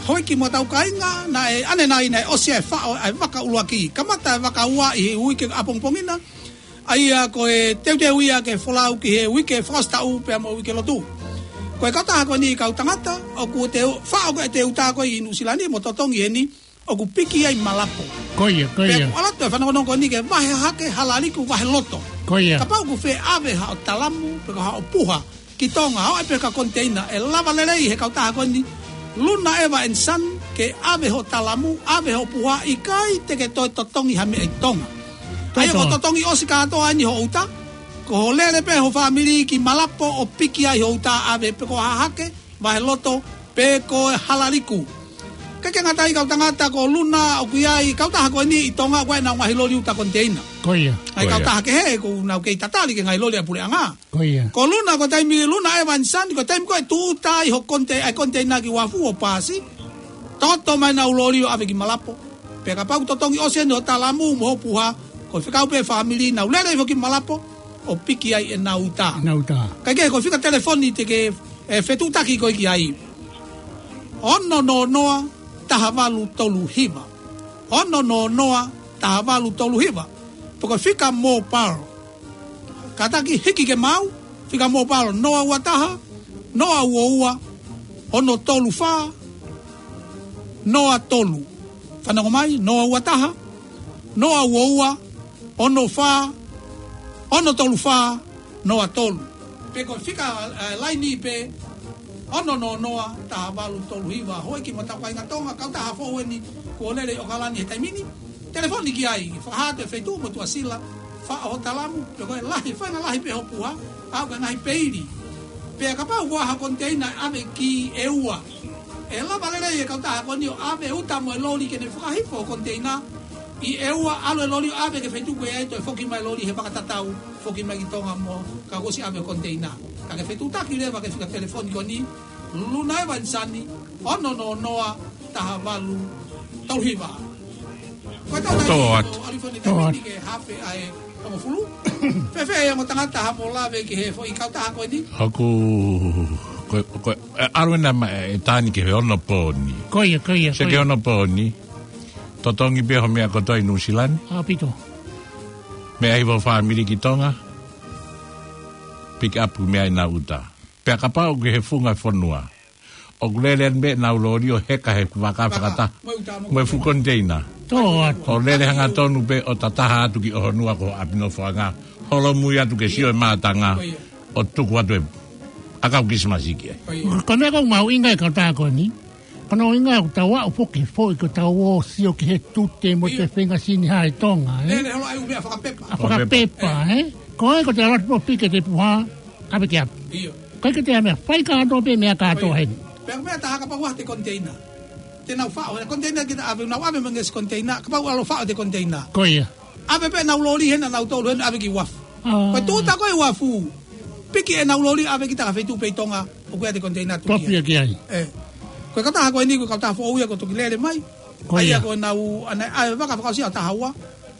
houʻeiki mo hotau kāinga, naʻe ʻanenai naʻe ʻosi e faʻo ʻa e vaka ʻuluaki. Kamata e vaka ua ʻi he uike ʻapongipongi na, ʻa ia ko e teuteu ia ke folau ki he uike fakaʻosi taʻu pea mo e uike lotu. Ko e kautaha ko eni kau tangata, ʻoku te faʻo ko e te uta ko ē ʻi Nuʻusila ni mo totongi heni, ʻoku piki ai Malapo. Ko ia, ko ia. Pea ʻoku ʻalu atu e fanongonongo ko eni ke vahe hake Halaliku Vaheloto. Ko ia. Kapau ʻoku fie ʻave haʻo talamu, pe ko haʻo puha ki Tonga, ʻo ʻai pē ki ha koniteina, ʻe lava lelei he kautaha ko eni, Luna Eva and Son, ke ʻave hoʻo talamu, ʻave hoʻo puha, ʻikai te ke toe totongi ha meʻa ʻi Tonga. ʻA ia ko e totongi ʻosi kātoa eni hoʻo uta, ko hoʻo lele pē hoʻo fāmili ki Malapo ʻo piki ai hoʻo uta ʻave pe ko Hahake Vaheloto, pe ko Halaliku. ʻIkai ke ngata ai kau tangata, ko Luna ʻoku ʻi ai e kautaha ko eni ʻi Tonga, ko ʻenau ngaahi loli uta koniteina. Ko ia. ʻA ia ko ia. Kautaha kehe, ʻoku nau kei tatali ki he ngaahi loli ʻa e puleʻanga. Ko ia. Ko Luna, ko e taimi Luna Eva and Son, ko e taimi ko ē ʻe tūʻuta ai hoʻo konite-, ʻa e koniteina ki uafu ʻo paasi. Toto mai ʻenau loli ʻo ʻave ki Malapo. Pea kapau ʻoku totongi ʻosi eni hoʻo talamu mo hoʻo puha, ko e fekau pē fāmili, nau lele hifo ki Malapo ʻo piki ai ʻenau uta. ʻEnau uta. Kae kehe, ko e fika telefoni te ke, e, fetuʻutaki koe ki ai. Ono noa noa, taha valu tolu hiva. Ono noa noa, taha valu tolu hiva. Pe ko e fika mobile. Kātaki hiki ke maau, fika mobile noa ua taha, noa ua ua, ono tolu fā, noa tolu. Fanongo mai, noa ua taha, noa ua ua, ono fā, ono tolu fā, noa tolu. Pe ko e fika, eh, laini pē, ono noa noa, taha valu tolu hiva. Houʻeiki mo e tau kāinga Tonga, kautaha foʻou eni kuo lele ʻi ʻOkalani he taimi ni. Telefoni ki ai, fakahā atu e feituʻu mo e tuʻasila, faʻo ho talamu, pe ko e lahi, faʻahinga lahi pē ho puha, ʻa e ngaahi peili. Pea kapau ʻoku ʻi ai ha koniteina ʻave ki ʻEua, ʻe lava lelei e kautaha ko eni ʻo ʻave uta mo e loli ke ne fakahifo ho koniteina ʻi ʻEua, ʻalu e loli ʻo ʻave ki he feituʻu ko ia, toe foki mai e loli he vaka tatau, foki mai ki Tonga mo, ka kuo ʻosi ʻave e koniteina. Ka ke fetuʻutaki leva ki he fika telefoni ko eni, Luna Evanisani, ono noa noa, taha valu tolu hiva. Ko e tau Tō atu. ʻAlu foki ʻi he taimi ni ke hafe ʻa e hongofulu. Fēfē ʻa e ongo tangata, haʻamo lave ki he foʻi kautaha ko eni? Hoku, ko, ko, ʻe, ʻalu ena ma, ʻe Tani ki he onopōni. Ko ia, ko ia, Sio ko ki he ia. onopōni. Totongi pē ho meʻa kotoa ʻi Nuʻusila ni. ʻAupito. Meʻa hifo ho fāmili ki Tonga. Pick up meʻa ʻi he uta. Pea kapau ʻoku ke he funga fonua, ʻoku lele eni pē ʻenau loli ʻo heka he vaka Vaka. fakataha Mo e uta mo mo e fuʻu koniteina. Tō atu. ʻO lele hangatonu pē ʻo tataha atu ki ʻOhonua ko ʻApinofoʻanga. Holomui atu ke sio e mātanga. Ko ia. ʻO tuku atu e ʻakau Kilisimasi ki ai. Ko ia. Ko e meʻa ʻoku mahuʻinga ʻi he kautaha ko eni. Ko hono ʻuhinga ʻoku tau aʻu foki foʻi ko ʻetau ō sio ki he tute mo ʻIo. e fenga sini hai Tonga, ē? Lele holo ai ʻū meʻa fakapepa. ʻA fakapepa, Fakapepa. ē? Ko e ko te alati po pike te puha, ʻave ki ʻapi. ʻIo. Ko e ke te ame fai kātoa pē meʻa kātoa Ko ia. heni. Pea meʻa taha kapau ʻoku ʻi ai e koniteina. Te nau faʻo, he koniteina kita ʻave, nau ʻave mo e ngaahi koniteina, kapau ʻalu ʻo faʻo e koniteina. Ko ia. ʻAve pē ʻenau loli heni, ʻenau tolu heni, ʻave ki uafu. ʻĀ. Ko e tuʻuta ko ē uafu. Piki ʻenau loli ʻave kita ki ha feituʻu pē ʻi Tonga, ʻoku ʻi ai e koniteina tuku Topi ia. ki ai. ʻE. Ko e kautaha ko eni, ko e kautaha foʻou ia kuo toki lele mai. Ko ʻA ia ia. ko ʻenau, ʻa ena, ʻa e vaka fakaʻosi ʻa Tahaua.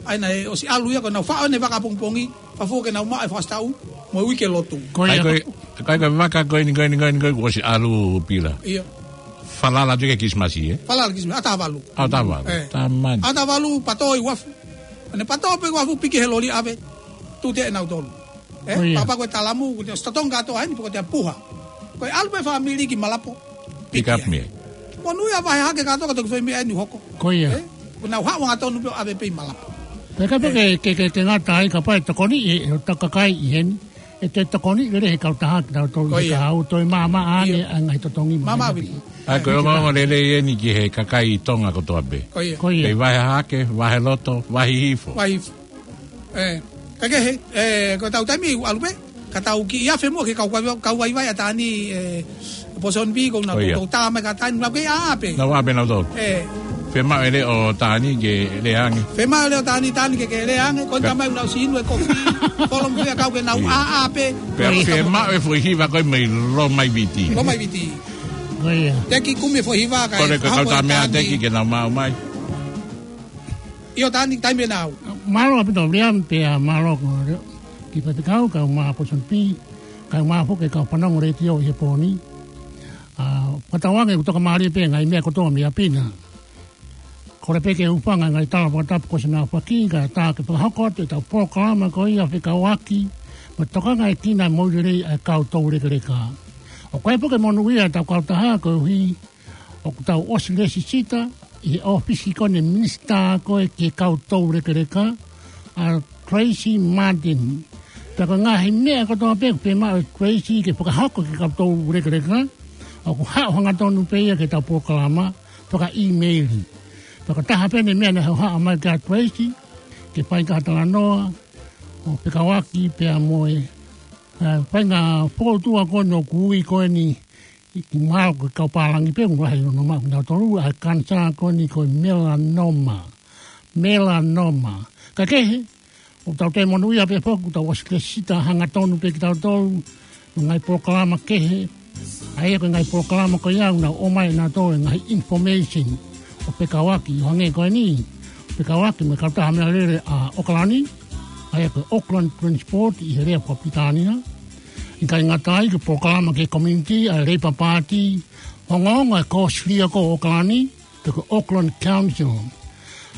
ʻA ena ʻe ʻosi ʻalu ia, ko ʻenau faʻo ʻene vaka pongipongi, fafo ke nau maʻu e fakasitaʻu, mo e uike lotu. Ko ia. ʻAi ko e, ʻai ko e vaka ko eni, ko eni, ko eni, ko eni, kuo ʻosi ʻalu Pila. ʻIo. Falala atu ki he Kilisimasi, ē? Falala Kilisimasi, ʻa Tavalu. ʻA Tavalu. ʻE. Tamani. ʻA Tavalu, pato ʻi uafu. ʻA ena pato pē uafu piki he loli ʻave. Tuʻu te ʻenau tolu. ʻE, Ko ia. papa ko e talamu, ko te ʻosi totongi kātoa heni, pe ko te puha. Ko e ʻalu pē fāmili ki Malapo. Pick up Piki. meʻa. Monūʻia vahe hake kātoa, ka toki fai meʻa eni hoko. Ko ia. ʻE, ko ʻenau haʻu hangatonu pē ʻo ʻave pē ʻi Malapo. Pea kapau ʻE. ke, ke, ke, ke ngata ai, kapau ʻe tokoni ʻe, ʻe ʻo takakai ʻi heni. ʻE te tokoni lele he kautaha ki tau tolu Ko ia. ka au toe māmā ane ʻIo. ʻa e ngaahi totongi Māmā māmā vili. vili. ʻAi ko e ongoongo lelei eni ki he kakai Tonga kotoa pē. Ko ia. Ko ia. Pea vahe hake, vahe loto, vahe hifo. Vahe hifo. ʻE, ka ke he, ʻe, ko ʻetau taimi ʻoku ʻalu pē, ka tau kiʻi afe muʻa ke kau, kau, kau vaivai ʻa Tani, ʻe, Pōsoni Pī, ko ʻenau Ko ia. tau tā mai ka Tani, nau kei ʻā pē. Nau ʻā pē nau tolu. ʻE. Fiemaʻu e leʻo ʻo Tani ke lea ange. Fiemaʻu e leʻo ʻo Tani, Tani ke, ke lea ange, ko ʻeni Pea. tamai ʻoku nau sinu e kofi, kolomu fea kau ke nau Ia. ʻā, ʻā pē. Pea Ko ia. fiemaʻu e foʻi hiva ko ē mei Loma i Viti. Loma i Viti. Ko ia. Teki kumi e foʻi hiva ka Kole e ko e kau tā meʻa Tani. teki ke nau maʻu mai. ʻIo Tani, taimi ʻe nau. Mālō ʻaupito Liam, pea mālō ko Leo. Ki Faifekau, kau mai Pōsoni Pī, kau mai foki kau fanongo letiō ʻi he pō ni. ʻA, fakatauange ʻoku toka mālie pē ngaahi meʻa kotoa mei ʻapi na. Kole pē ke u hūfanga he ngaahi tala fakatapu kuo ʻosi nau faki, kae ʻatā ke fakahoko atu ʻetau polokalama ko ia fekauʻaki mo e tokangaekina mo e lelei ʻa e kau toulekeleka. ʻOku ʻi ai foki e monūʻia ʻetau kautaha koeʻuhi ʻoku tau ʻosi lēsisita ʻi he ʻōfisi ko eni e minisitā ko ē ki he kau toulekeleka, ʻa Tracy Martin. Pea ko e ngaahi meʻa kotoa pē ʻoku fiemaʻu ʻe Tracy ke fakahoko ki he kau toulekeleka, ʻoku haʻu hangatonu pē ia ki heʻetau polokalama fakaʻīmeili. Pea ko e taha pē eni e meʻa naʻe hohaʻa mai kia Tracy, ke fai ha talanoa ʻo fekauʻaki pea mo e, ʻa, fai ha fokotuʻu ko eni ʻoku ui ko eni ʻi ki mālō ko e kau pālangi pē, ʻoku lahi hono maʻu kinautolu, ʻa e kanisā ko eni ko e melanoma. Melanoma. Ka kehe, ʻoku tau toe monūʻia pē foki, ʻoku tau ʻosi lēsisita hangatonu pē kitautolu, mo e ngaahi polokalama kehe, ʻa ia ko e ngaahi polokalama ko ia, ʻoku nau ʻomai ʻe nautolu e ngaahi information, ʻo fekauʻaki, ʻo hangē ko eni, fekauʻaki mo e kautaha meʻalele ʻa ʻOkalani, ʻa ia ko e Auckland Transport ʻi he lea fakapilitānia, ʻIkai ngata ai ko e polokalama ki he community ʻa e Labour Party, ongoongo e kōsilio ko ē ʻo ʻOkalani, pe ko e Auckland Council.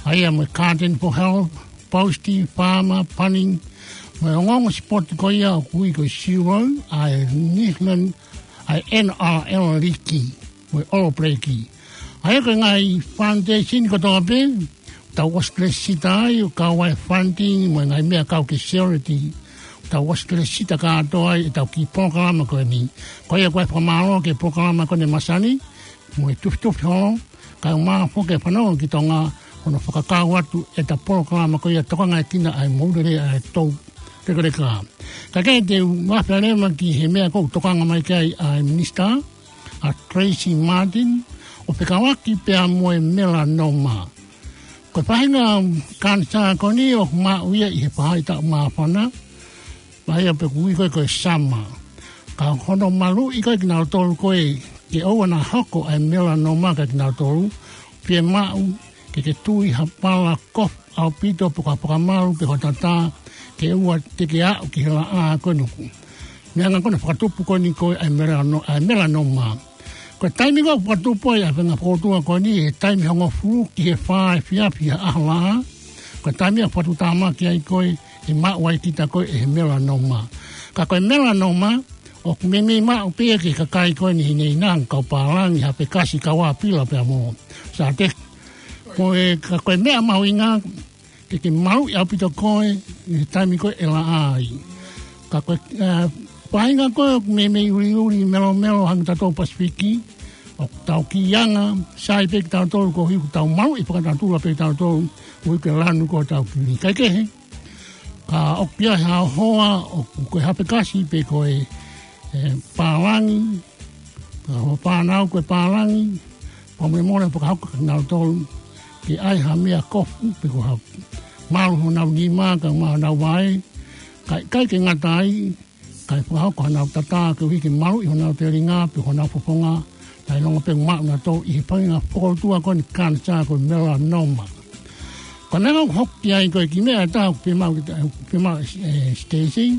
ʻA ia mo e Garden for Health, Postie, Farmer, Bunnings, mo e ongoongo sipoti ko ia ʻoku ui ko e Zero, ʻa e Nisman, ʻa e N R L League, mo e All Black. ʻA ia ko e ngaahi foundation kotoa pē, tau ʻosi lēsisita ai, ʻo kau ai e funding, mo e ngaahi meʻa kau ki he charity. tau ʻosi ke lēsisita kātoa ai ʻetau kiʻi polokalama ko eni. Ko ia ko e fakamālō ki he polokalama ko eni ʻa e masani, mo e tufitufi holo, kae ʻumaʻā foki e fanongo ki Tonga, hono fakakau atu ʻeta polokalama ko ia Tokangaekina ʻa e Moʻui Lelei ʻa e Toulekeleka. Kae kehe te u mafealema ki he meʻa ʻoku tokanga mai ki ai ʻa e minisitā, ʻa Tracey Martin, ʻo fekauʻaki pea mo e melanoma. Ko e faʻahinga kanisā ko eni ʻoku maʻu ia ʻi he faʻahitaʻu māfana, ʻa ia pē ʻoku ui ko ē ko e summer. Ka hono maluʻi ko ē kinautolu ko ē ke ʻoua naʻa hoko ʻa e melanoma kiate kinautolu, fiemaʻu ke ke tui ha pala kofu ʻaupito pe ko ha fakamalu pe ko ha tatā, ke ʻoua te ke aʻu ki he laʻā ko eni ʻoku. Meʻa ko ena ʻoku fakatupu ko eni ko e ʻa e melano-, ʻa e melanoma. Ko e taimi ko ē ʻoku fakatupu ai ʻa e faʻahinga fokoutua ko eni, he taimi hongofulu ki he fā efiafi ʻaho laʻā. Ko e taimi ʻoku fakatuʻutāmaki ai ko ē ʻe maʻu ai kita ko ē ʻe he melanoma. Ka ko e melanoma, ʻoku meimei maʻu pē ia ki he kakai ko eni hinehina, kau pālangi, hapekasi, kau ʻāpila pea mo sāteki. Ko e, ka ko e meʻa mahuʻinga, ke ke maluʻi ʻaupito koe ʻi he taimi ko ē ʻe laʻā ai. Ka ko e, ʻa, faʻahinga ko ē ʻoku meimei uliuli melomelo hangē ko tautolu Pasifiki, ʻoku tau kiʻi anga sai pē kitautolu koeʻuhi ʻoku tau maluʻi fakatatula pē kitautolu, koeʻuhi ko e lanu ko ē ʻetau kili. Kae kehe, ka ʻoku ʻi ai ha hoa ʻoku ko e hapekasi pe ko e, ʻe, pālangi, ka ko e fānau ko ē pālangi, fakamolemole fakahoko kiate kinautolu ke ʻai ha meʻa kofu pe ko ha malu honau nima kae ʻumaʻā honau vaʻe, kae ʻikai ke ngata ai, kae fakahoko honau tatā koeʻuhi ke maluʻi honau telinga pe honau fofonga, kae ʻilonga pē ʻoku maʻu nautolu ʻi he faʻahinga fokoutua ko eni kanisā ko e melanoma. Ko e meʻa ʻoku hoko ai ko e kiʻi meʻa ʻe taha ʻoku fiemaʻu kita, ʻoku fiemaʻu, ʻe, Stacey,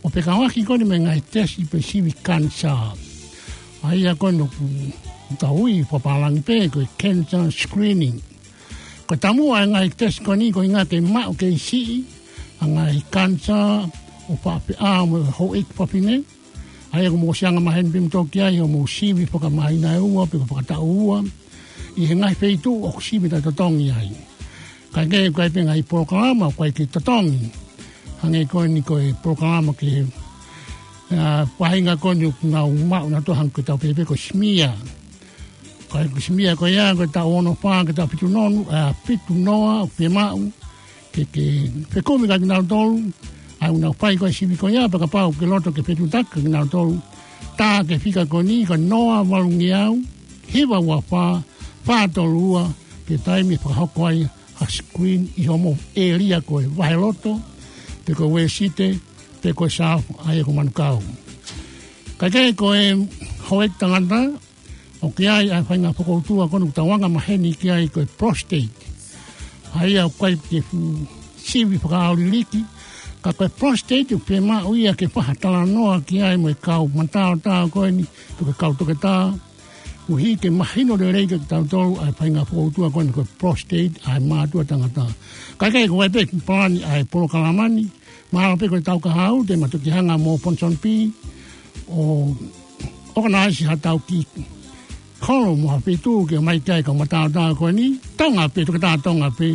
ʻo fekauʻaki ko eni mo e ngaahi tesi pe sivi kanisā. ʻA ia ko eni ʻoku tau ui fakapālangi pē ko e cancer screening. Ko e taumuʻa ʻa e ngaahi tesi ko eni koeʻuhinga ke maʻu kei siʻi ʻa e ngaahi kanisā ʻo fāfeʻā mo e houʻeiki fafine. ʻA ia ʻoku mou ʻosi anga maheni pē kimoutolu ki ai, ʻo mou sivi fakamahina ʻe ua pe ko e fakataʻu ua ʻi he ngaahi feituʻu ʻoku sivi taʻetotongi ai. Kae kehe ʻoku ʻi ai pē ngaahi polokalama ʻoku ʻikai ke totongi. Hangē ko eni ko e polokalama ki he, ʻa, faʻahinga ko eni ʻoku nau maʻu nautolu hangē ko ʻetau pehē pē ko e smear. Ko e smear ko ia ko e taʻu ono fā ki he taʻu fitu nonu, ʻa, fitu noa ʻoku fiemaʻu ke, ke fekumi kiate kinautolu, ʻa ia ʻoku nau fai ko ē sivi ko ia, pea kapau ʻoku ke loto ke fetuʻutaki kiate kinautolu, tā ki he fika ko eni, ko e noa valungeau, hiva ua fā, fā tolu ua, ki he taimi ʻe fakahoko ai ha screen ʻi hoʻomou ʻēlia ko e vaheloto, pe ko e uēsite, pe ko e sāufa, ʻa ia ko Manukau. Kae kehe ko e houʻeiki tangata, ʻoku ʻi ai ʻa e faʻahinga fokoutua ko eni ʻoku tau anga maheni ki ai ko e prostate. ʻA ia ʻoku ʻikai ke fuʻu sivi fakaʻauliliki, ka ko e prostate ʻoku fiemaʻu ia ke fai ha talanoa ki ai mo e kau mataotao ko eni, pe ko e kau toketā, koeʻuhi ke mahino lelei kiate kitautolu ʻa e faʻahinga fokoutua ko eni ko e prostate ʻa e mātuʻa tangata. Kae kehe ko e ʻai pē ki he palani ʻa e polokalama ni, mahalo pē ko e taʻu kahaʻu te ma toki hanga mo Ponsonby ʻo ʻokonaisi haʻatau kiʻi holo mo ha feituʻu ke ō mai ki ai e kau mataotao ko eni, Tonga pē, toketā Tonga pē,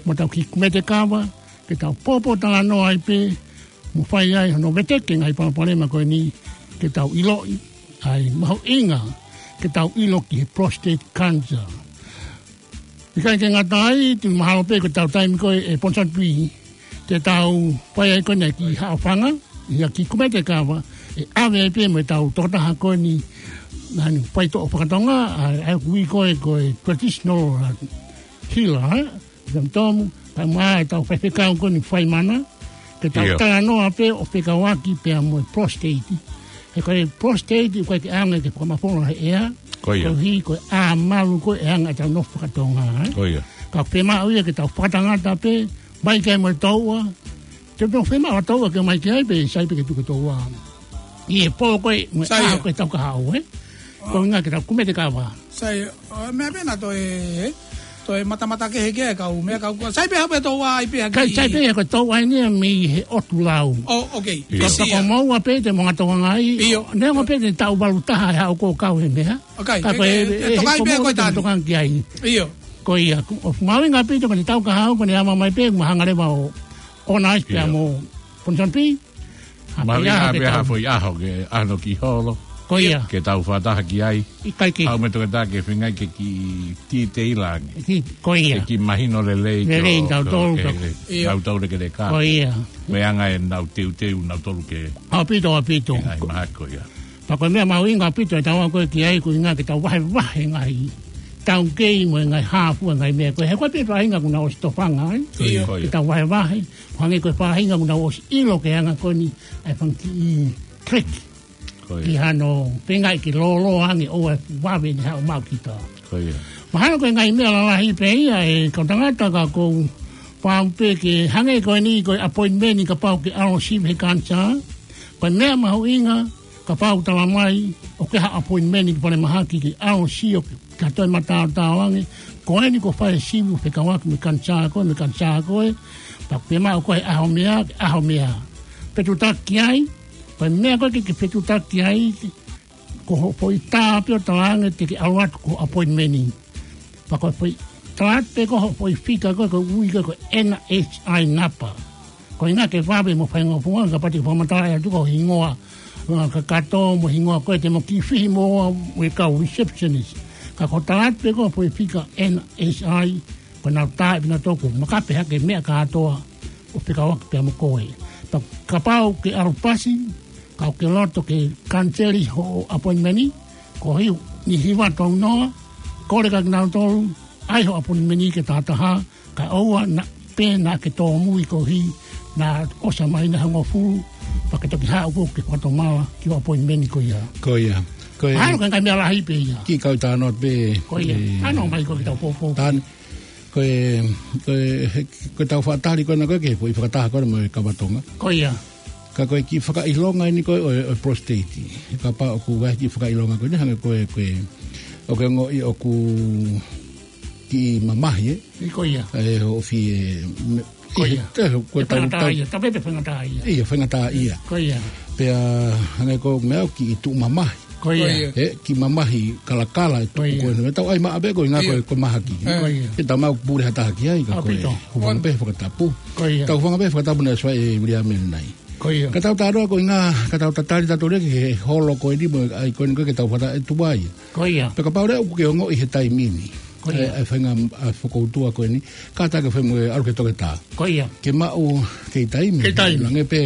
mo ʻetau kiʻi kumete kava, ke tau pōpōtalanoa ai pē, mo fai ai hono veteki e ngaahi palopalema ko eni, ke tau ʻiloʻi ʻa e mahuʻinga ke tau ʻilo ki he prostate cancer. ʻIkai ke ngata ai, te mahalo pē ko ʻetau taimi ko ē ʻe Ponsonby, te tau fai ai ko eni e kiʻi haʻofanga, ʻi ha kiʻi kumete kava, ʻe ʻave ai pē mo ʻetau tokotaha ko eni, naʻa ne faitoʻo fakatonga, ʻa, ʻa ia ʻoku ui ko ē ko e traditional, ʻa, healer, ē? Tau tomu, kae ʻumaʻā ʻetau faifekau ko eni fai mana, ke tau ʻIo. talanoa pē ʻo fekauʻaki pea mo e prostate. He ko e prostate, ʻoku ʻikai ke ʻaonga ke fakamafola he ʻea, Ko ia. koeʻuhi ko e ʻā malu ko ē ʻe anga ʻetau nofo fakatonga, ē? Ko ia. Ka ʻoku fiemaʻu ia ke tau fakatangata pē, mai ki ai mo e touʻa, te tau fiemaʻu ha touʻa ke mai ki ai pē, sai pē ke tuku e touʻa. ʻI he pō ko ē, mo e Sai ʻā ia. ko ē taʻu kahaʻu, ē? Ko e ʻuhinga ke tau kumete kava. Sai, ʻo, meʻa pē naʻa toe, toe matamata kehe ki ai e kau, meʻa kau, sai pē ha pē touʻa ai pē ha Kai kiʻi sai pē ha ko e touʻa eni ia mei he ʻotu lau. ʻO, okay. ʻIo. Ka Pisia. pea ko moua pē te mo ngatoa ngai. ʻIo. Neongo pē te taʻu valu taha ʻe haʻu ʻo kau he meʻa. Okay, Ka ke, ko e, ke, ke e, tokai he pē ko ko moua te tani. mo toka ki ai. ʻIo. Ko ia, ʻoku mahuʻinga pē ko e taʻu kahaʻu ko eni ʻe ʻomai pē, mo hanga leva ʻo, ʻo ʻokonaisi pea ʻIo. mo Ponsonby. Mahuʻinga pē ha foʻi ʻaho ke ʻalu ki holo. Ko ia. Ke tau fakataha ki ai. ʻIkai ke. ʻAu mo e toketā ke feinga ke kiʻi titeila ange. Ki-, ko ia. Ke kiʻi mahino lelei. Lelei ko, tautolu ko, ke, ko. Ia. Tautolu ke leka. Ko ia. Mo e anga ʻenau teuteu nautolu ke. ʻAupito, ʻaupito. Ke ngaahi mahaki ko ia. Pea ko e meʻa mahuʻinga ʻaupito ʻetau ako ki ai, ko e ʻuhinga ke tau vahevahe ngaahi taukei mo e ngaahi hā fua ngaahi meʻa ko ē. He ko e pē faʻahinga kuo nau ʻosi tofanga ai. Ko ia. Ko ia. Ke tau vahevahe. Hangē ko e faʻahinga kuo nau ʻosi ʻilo ki he anga ko eni ʻa e fanga kiʻi trick. Ko ia. Ki hano feinga ke lōloa ange ʻo ʻai vave ʻene haʻu maʻu kita. Ko ia. Mahalo ko e ngaahi meʻa lalahi pē ia ʻe kau tangata ka ʻoku ou pau pē ke hangē ko eni ko e appointment kapau ke ʻalu ʻo sivi he kanisā. Ko e meʻa mahuʻinga kapau tala mai ʻoku ke ʻi ha appointment ki falemahaki ke ʻalu ʻo sio ki ha toe mataotao ange. Ko eni kuo fai e sivi fekauʻaki mo e kanisā ko ē, mo e kanisā ko ē. Pea ʻoku ke maʻu koe he ʻaho meʻa, ʻaho meʻa. Fetutaki ai, ko e meʻa ko ē ke, ke fetutaki ai, ko hoʻo foʻi tā pē ʻo tala ange te ke ʻalu atu ki ho appointment. Pea ko e foʻi tā pē ko hoʻo foʻi fika ko ē, ko e ui ko ē ko e N H I napa. Ko e ʻuhinga ke vave mo faingofua, kapau te ke fakamatala atu ko e hingoa, ʻa, kakato mo e hingoa ko ē te mo kiʻi fihi mo ʻa e kau receptionist. Ka ko e tā pē ko hoʻo foʻi fika N H I, ko ʻenau tā pē nautolu, maka pē hake meʻa kātoa ʻo fekauʻaki pea mo koe. Pea kapau ke ʻalu pasi, ka ʻoku ke loto ke kaniseli hoʻo appointment, ko e hiva, ni hiva tau noa, kole kia kinautolu, ʻai ho appointment ke tahataha, kae ʻoua naʻa pē naʻa ke tōmui koeʻuhi naʻa ʻosi mai ʻene hongofulu, pea ke toki haʻu koe ke fakatomala ki ho appointment ko ia. Ko ia. Ko ia. Mahalo ko e ngaahi meʻa lahi pē ia. Kiʻi kau talanoa pē. Ko ia. ʻE, ʻalu mai ko ē ki heʻetau poupou. Tan-, ko e, ko e, he, ko ʻetau fakatali ko ena ko ē ki he foʻi fakataha ko ena mo e Kava Tonga. Ko ia. Ka ko e kiʻi fakaʻilonga eni ko ē ʻo e, ʻo e prostate. Kapau ʻoku ʻi ai e kiʻi fakaʻilonga ko eni hangē ko e, ko e, ʻoku ke ongoʻi ʻoku kiʻi mamahi, ē? Ko ia. ʻE, ʻoku fie, me-, ko ia. ʻE, ko e tau, faingataʻaʻia, tau, tau pē faingataʻaʻia. ʻIo, faingataʻaʻia. Ko ia. Pea hangē ko e meʻa ʻoku kiʻi tuʻu mamahi. Ko ia. Ko ia. ʻE, kiʻi mamahi kalakala ʻe tuʻu ko ē. Ko ia. Meʻa tau ʻai maʻa pē ko e ʻuhinga ko e, ʻio, ko e mahaki. Ko ia. Ke tau maʻu pule ha taha ki ai, ka ko e, ʻaupito, hūfanga pē he fakatapu. Ko ia. Tau hūfanga pē he fakatapu naʻe ʻosi fai ʻe Viliami ʻanenai. Ko ia. Ka tau talanoa ko e ʻuhinga, ka tau tatali tautolu ki he holo ko eni mo e ʻai ko eni ko ē ke tau fata e tuai. Ko ia. Pea kapau leva ʻoku ke ongoʻi he taimi ni. Ko ia. ʻE, ʻe faʻahinga, ʻa e fokoutua ko eni. Kātaki fai mo e ʻalu ki he toketā. Ko ia. Ke maʻu kei taimi. Kei taimi. Hangē pē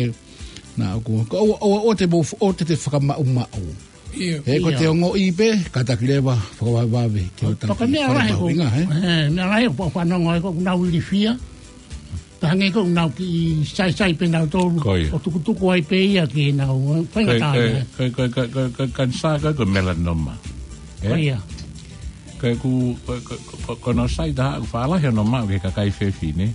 naʻa ʻoku, ka ʻoua, ʻoua, ʻoua te mo, ʻoua te te fakamaʻumaʻu. ʻIo. ʻE, ko ʻete ongoʻi pē, kātaki leva fakavavevave ke ʻo, ʻo taki meʻa lahi ko, fakamahuʻinga, ē? ʻE, meʻa lahi ko e fanongo ai ko ʻenau ilifia. Ka hangē ko ʻenau kiʻi saisai pē nautolu. Ko ia. ʻO tukutuku ai pē ia ki heʻenau, ē, faingataʻaʻia. Ko e, ko e, ko e, ko e, ko e, ko e kanisā ko e, ko e melanoma. Ē? Ko ia. Ko e ku, ko, ko, ko, ko hono sai taha ʻoku faʻa lahi hono maʻu ki he kakai fefine.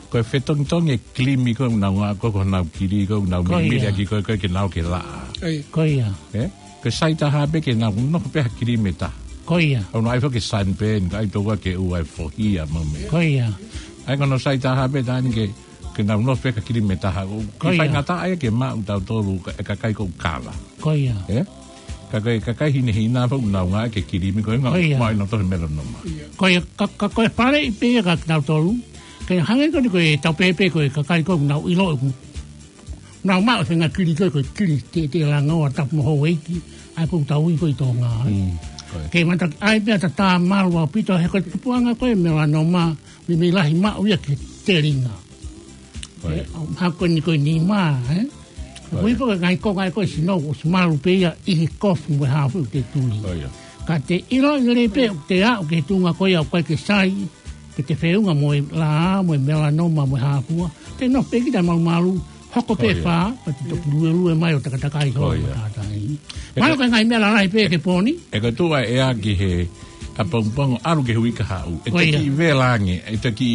Ko e fetongitongi e kilimi ko ē ʻoku nau ngāueʻaki ko ē, ko honau kili ko ē ʻoku nau, ko ia, mimili ʻaki ko ē, ko ē ke nau ke laʻā. Ko ia. Ko ia. Ē? Ko e sai taha pē ke nau nofo pē ha kilimi ʻe taha. Ko ia. ʻOku nau ʻai foki e sunburn, ka ʻai tokua ke ʻoua ʻe fohi ʻa e meʻa. Ko ia. ʻA ia ko hono sai taha pē taha eni ke, ke nau nofo pē ha kilimi ʻe taha. Ko ia. Kiʻi faingataʻa ia ke maʻu tautolu ka, e kakai ko ē ʻoku kava. Ko ia. Ē? Ka ko e kakai hinehina foki ʻoku nau ngāueʻaki e kilimi ko ē ʻoku, ko ia, maʻu ʻe nautolu e melanoma. Ko ia, ka, ka ko e faleʻi pē ia kia kinautolu. Ke hangē ko eni ko ʻetau pehē pē ko e kakai ko ē ʻoku nau ʻilo ʻoku nau maʻu e faʻahinga kili ko ē, ko e kili tetelangoa tapu mo houʻeiki, ʻa ia ʻoku tau ui ko ē ʻi Tonga, ē. Mm, ko ia. Ke mata ai pē ʻa e tā malu ʻaupito he ko e tupuʻanga ko ē melanoma, meimei lahi maʻu ia ki he telinga. Ko ia. Ē, ʻo, ha ko eni ko e nima, ē. Ko ia. Ko e foʻi ngaahi konga ē ko ē sino, ʻosi malu pē ia ʻi he kofu mo e hā fua ʻoku te tui. Ko ia. Ka te ʻilo lelei pē ʻoku te aʻu ki he tuʻunga ko ia ʻoku ʻikai ke sai, ke te feʻunga mo e laʻā, mo e melanoma, mo e hā fua. Te nofo pē kita malumalu, hoko pē, ko ia, fā, pea te toki luelue mai ʻo takatakai, ko ia, hoʻo matātahi. ʻE, mahalo ko e ngaahi meʻa lalahi pē ke poni. ʻE ko e tuʻu ʻa e ʻea ki he ʻapongipongi ʻalu ki he uike kahaʻu. Ko ia. ʻE toki vela ange, ʻe toki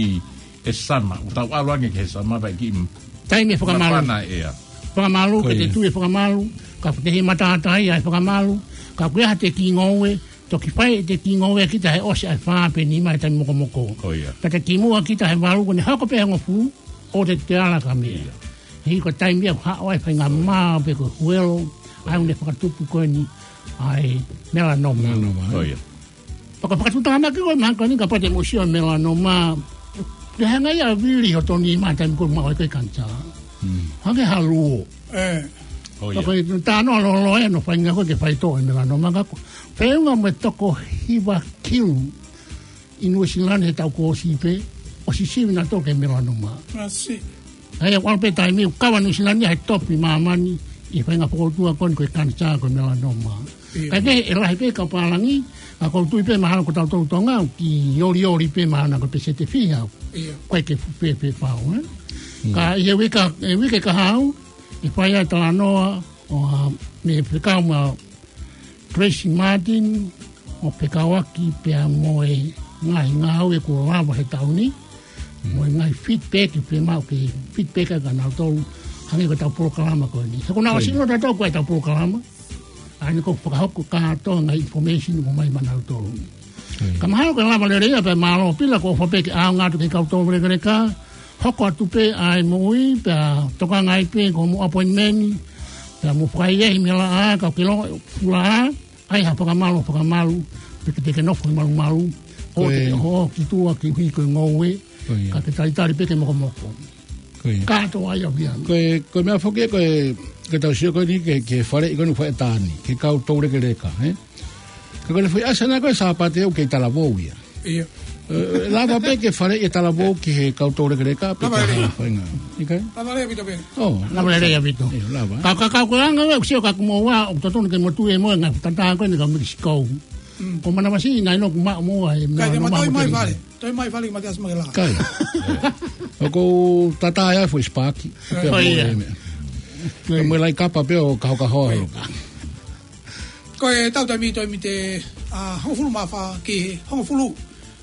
ʻe summer, ʻoku tau ʻalu ange ki he summer pea kiʻi taimi e fakamalu. Mapana e ʻea. Fakamalu, ko ia, ke te tui e fakamalu, ka ʻoku te hei matātahi ʻa e fakamalu, ka ʻoku ʻi ai haʻate kiʻi ngoue, toki fai ʻete kiʻi ngoue kita he ʻosi ʻa e fā pe nima he taimi mokomoko. Ko ia. Pea te kimuʻa kita he valu ko eni hoko pē hongofulu, ʻoua te te ala ki ha meʻa. Ia. He ko e taimi ia ʻoku haʻu ai e faʻahinga, ko ia, mā pe ko e huelo, ko ia, ʻa ia ʻoku ne fakatupu ko eni ʻa e melanoma. Melanoma, ē? Ko ia. Pea ko e fakatuʻutāmaki ko ē mahalo ko eni kapau te mo sio melanoma, ʻe hanga ia ʻo vili hoto nima he taimi ko ē ʻoku maʻu ai ko ē e kanisā. Mm. Hangē ha luo. ʻE. ʻO ia. Ko e talanoa lōloa ʻeni ʻo e faʻahinga ko ē ke faitoʻo e melanoma ka ko e feʻunga mo e toko hiva kilu ʻi Nuʻusila ni he taʻu kuo ʻosi pē, ʻosi sivi nautolu ki he melanoma. Masi. ʻA ia, ʻoku ʻalu pē taimi ʻoku kava Nuʻusila ni he topi māmani ʻi he faʻahinga fokoutua ko eni ko e kanisā ko e melanoma. ʻIo. Kae kehe ʻe lahi pē kau pālangi, ka ʻoku ou tui pē mahalo ko tautolu Tonga, ʻoku kiʻi olioli pē mahalo ko e peseti ʻe fiha. ʻIo. Ko e ke fupe pē pau, ē? Mm. Ka ʻi he uike, ʻi he uike kahaʻu, ʻe fai ai e talanoa, ʻo, ʻa, mei he fekau mo Tracy Martin, ʻo fekauʻaki pea mo e ngaahi ngāue kuo lava he taʻu ni, mo e ngaahi feedback, pe mau ke feedback ʻa kinautolu, hangē ko ʻetau polokalama ko eni. He ko ʻenau ʻasi ʻi loto ʻetau ko ʻetau polokalama, ʻa eni ʻoku fakahoko kātoa ngaahi information ʻoku ʻomai maʻanautolu. Ka mahalo ko e lava lelei ia pea mālō Pila, ko e ʻofa pē ke ʻaonga atu ki he kau toulekeleka, hoko atu pē ʻa e moʻui, pea tokanga ai pē ki hoʻomou appointment, pea mou fakaʻehiʻehi mei he laʻā, ka ke longo fula, ʻai ha fakamalu, fakamalu, pe ke te ke nofo he malumalu, ʻo te ke hoʻo ki tuʻa ke ʻuhi ko e ngoue, ka ke talitali pē ke mokomoko. Kātoa ia pē. Ko e, ko e meʻa foki ko e, ke tau sio ko eni ki he, ki he faleʻi ko eni ʻoku fai ʻe Tani, ki he kau toulekeleka, ē? Ka ko e foʻi ʻasi ʻana ko e Sāpate ʻoku kei talavou ia. ʻIo. ʻE, lava pē ke faleʻi e talavou ki he kau toulekeleka, pe lava lelei. ʻIkai? Lava lelei ʻaupito pē. ʻO, lava lelei ʻaupito. ʻIo, lava. Ka, ka, ka, ko e anga ʻoku ou sio ka ko moua, ʻoku totonu ke mou tui mo e ngaahi tatā ko eni ka Mekisikou. Mm. Ko manavasiʻi naʻe ʻikai ke maʻu moua e meʻa. Ka te ma toi mai fale. Toi mai fale, ma te ʻasi mai la. ʻIkai. ʻOku ou tatā ia foʻi sipaki. ʻIo. Pea mo e meʻa. Pea mo e laʻi kapa pē ʻo kahokahoa. Ko e tau taimi, taimi te, ʻa, hongofulu mā fā ki he hongofulu.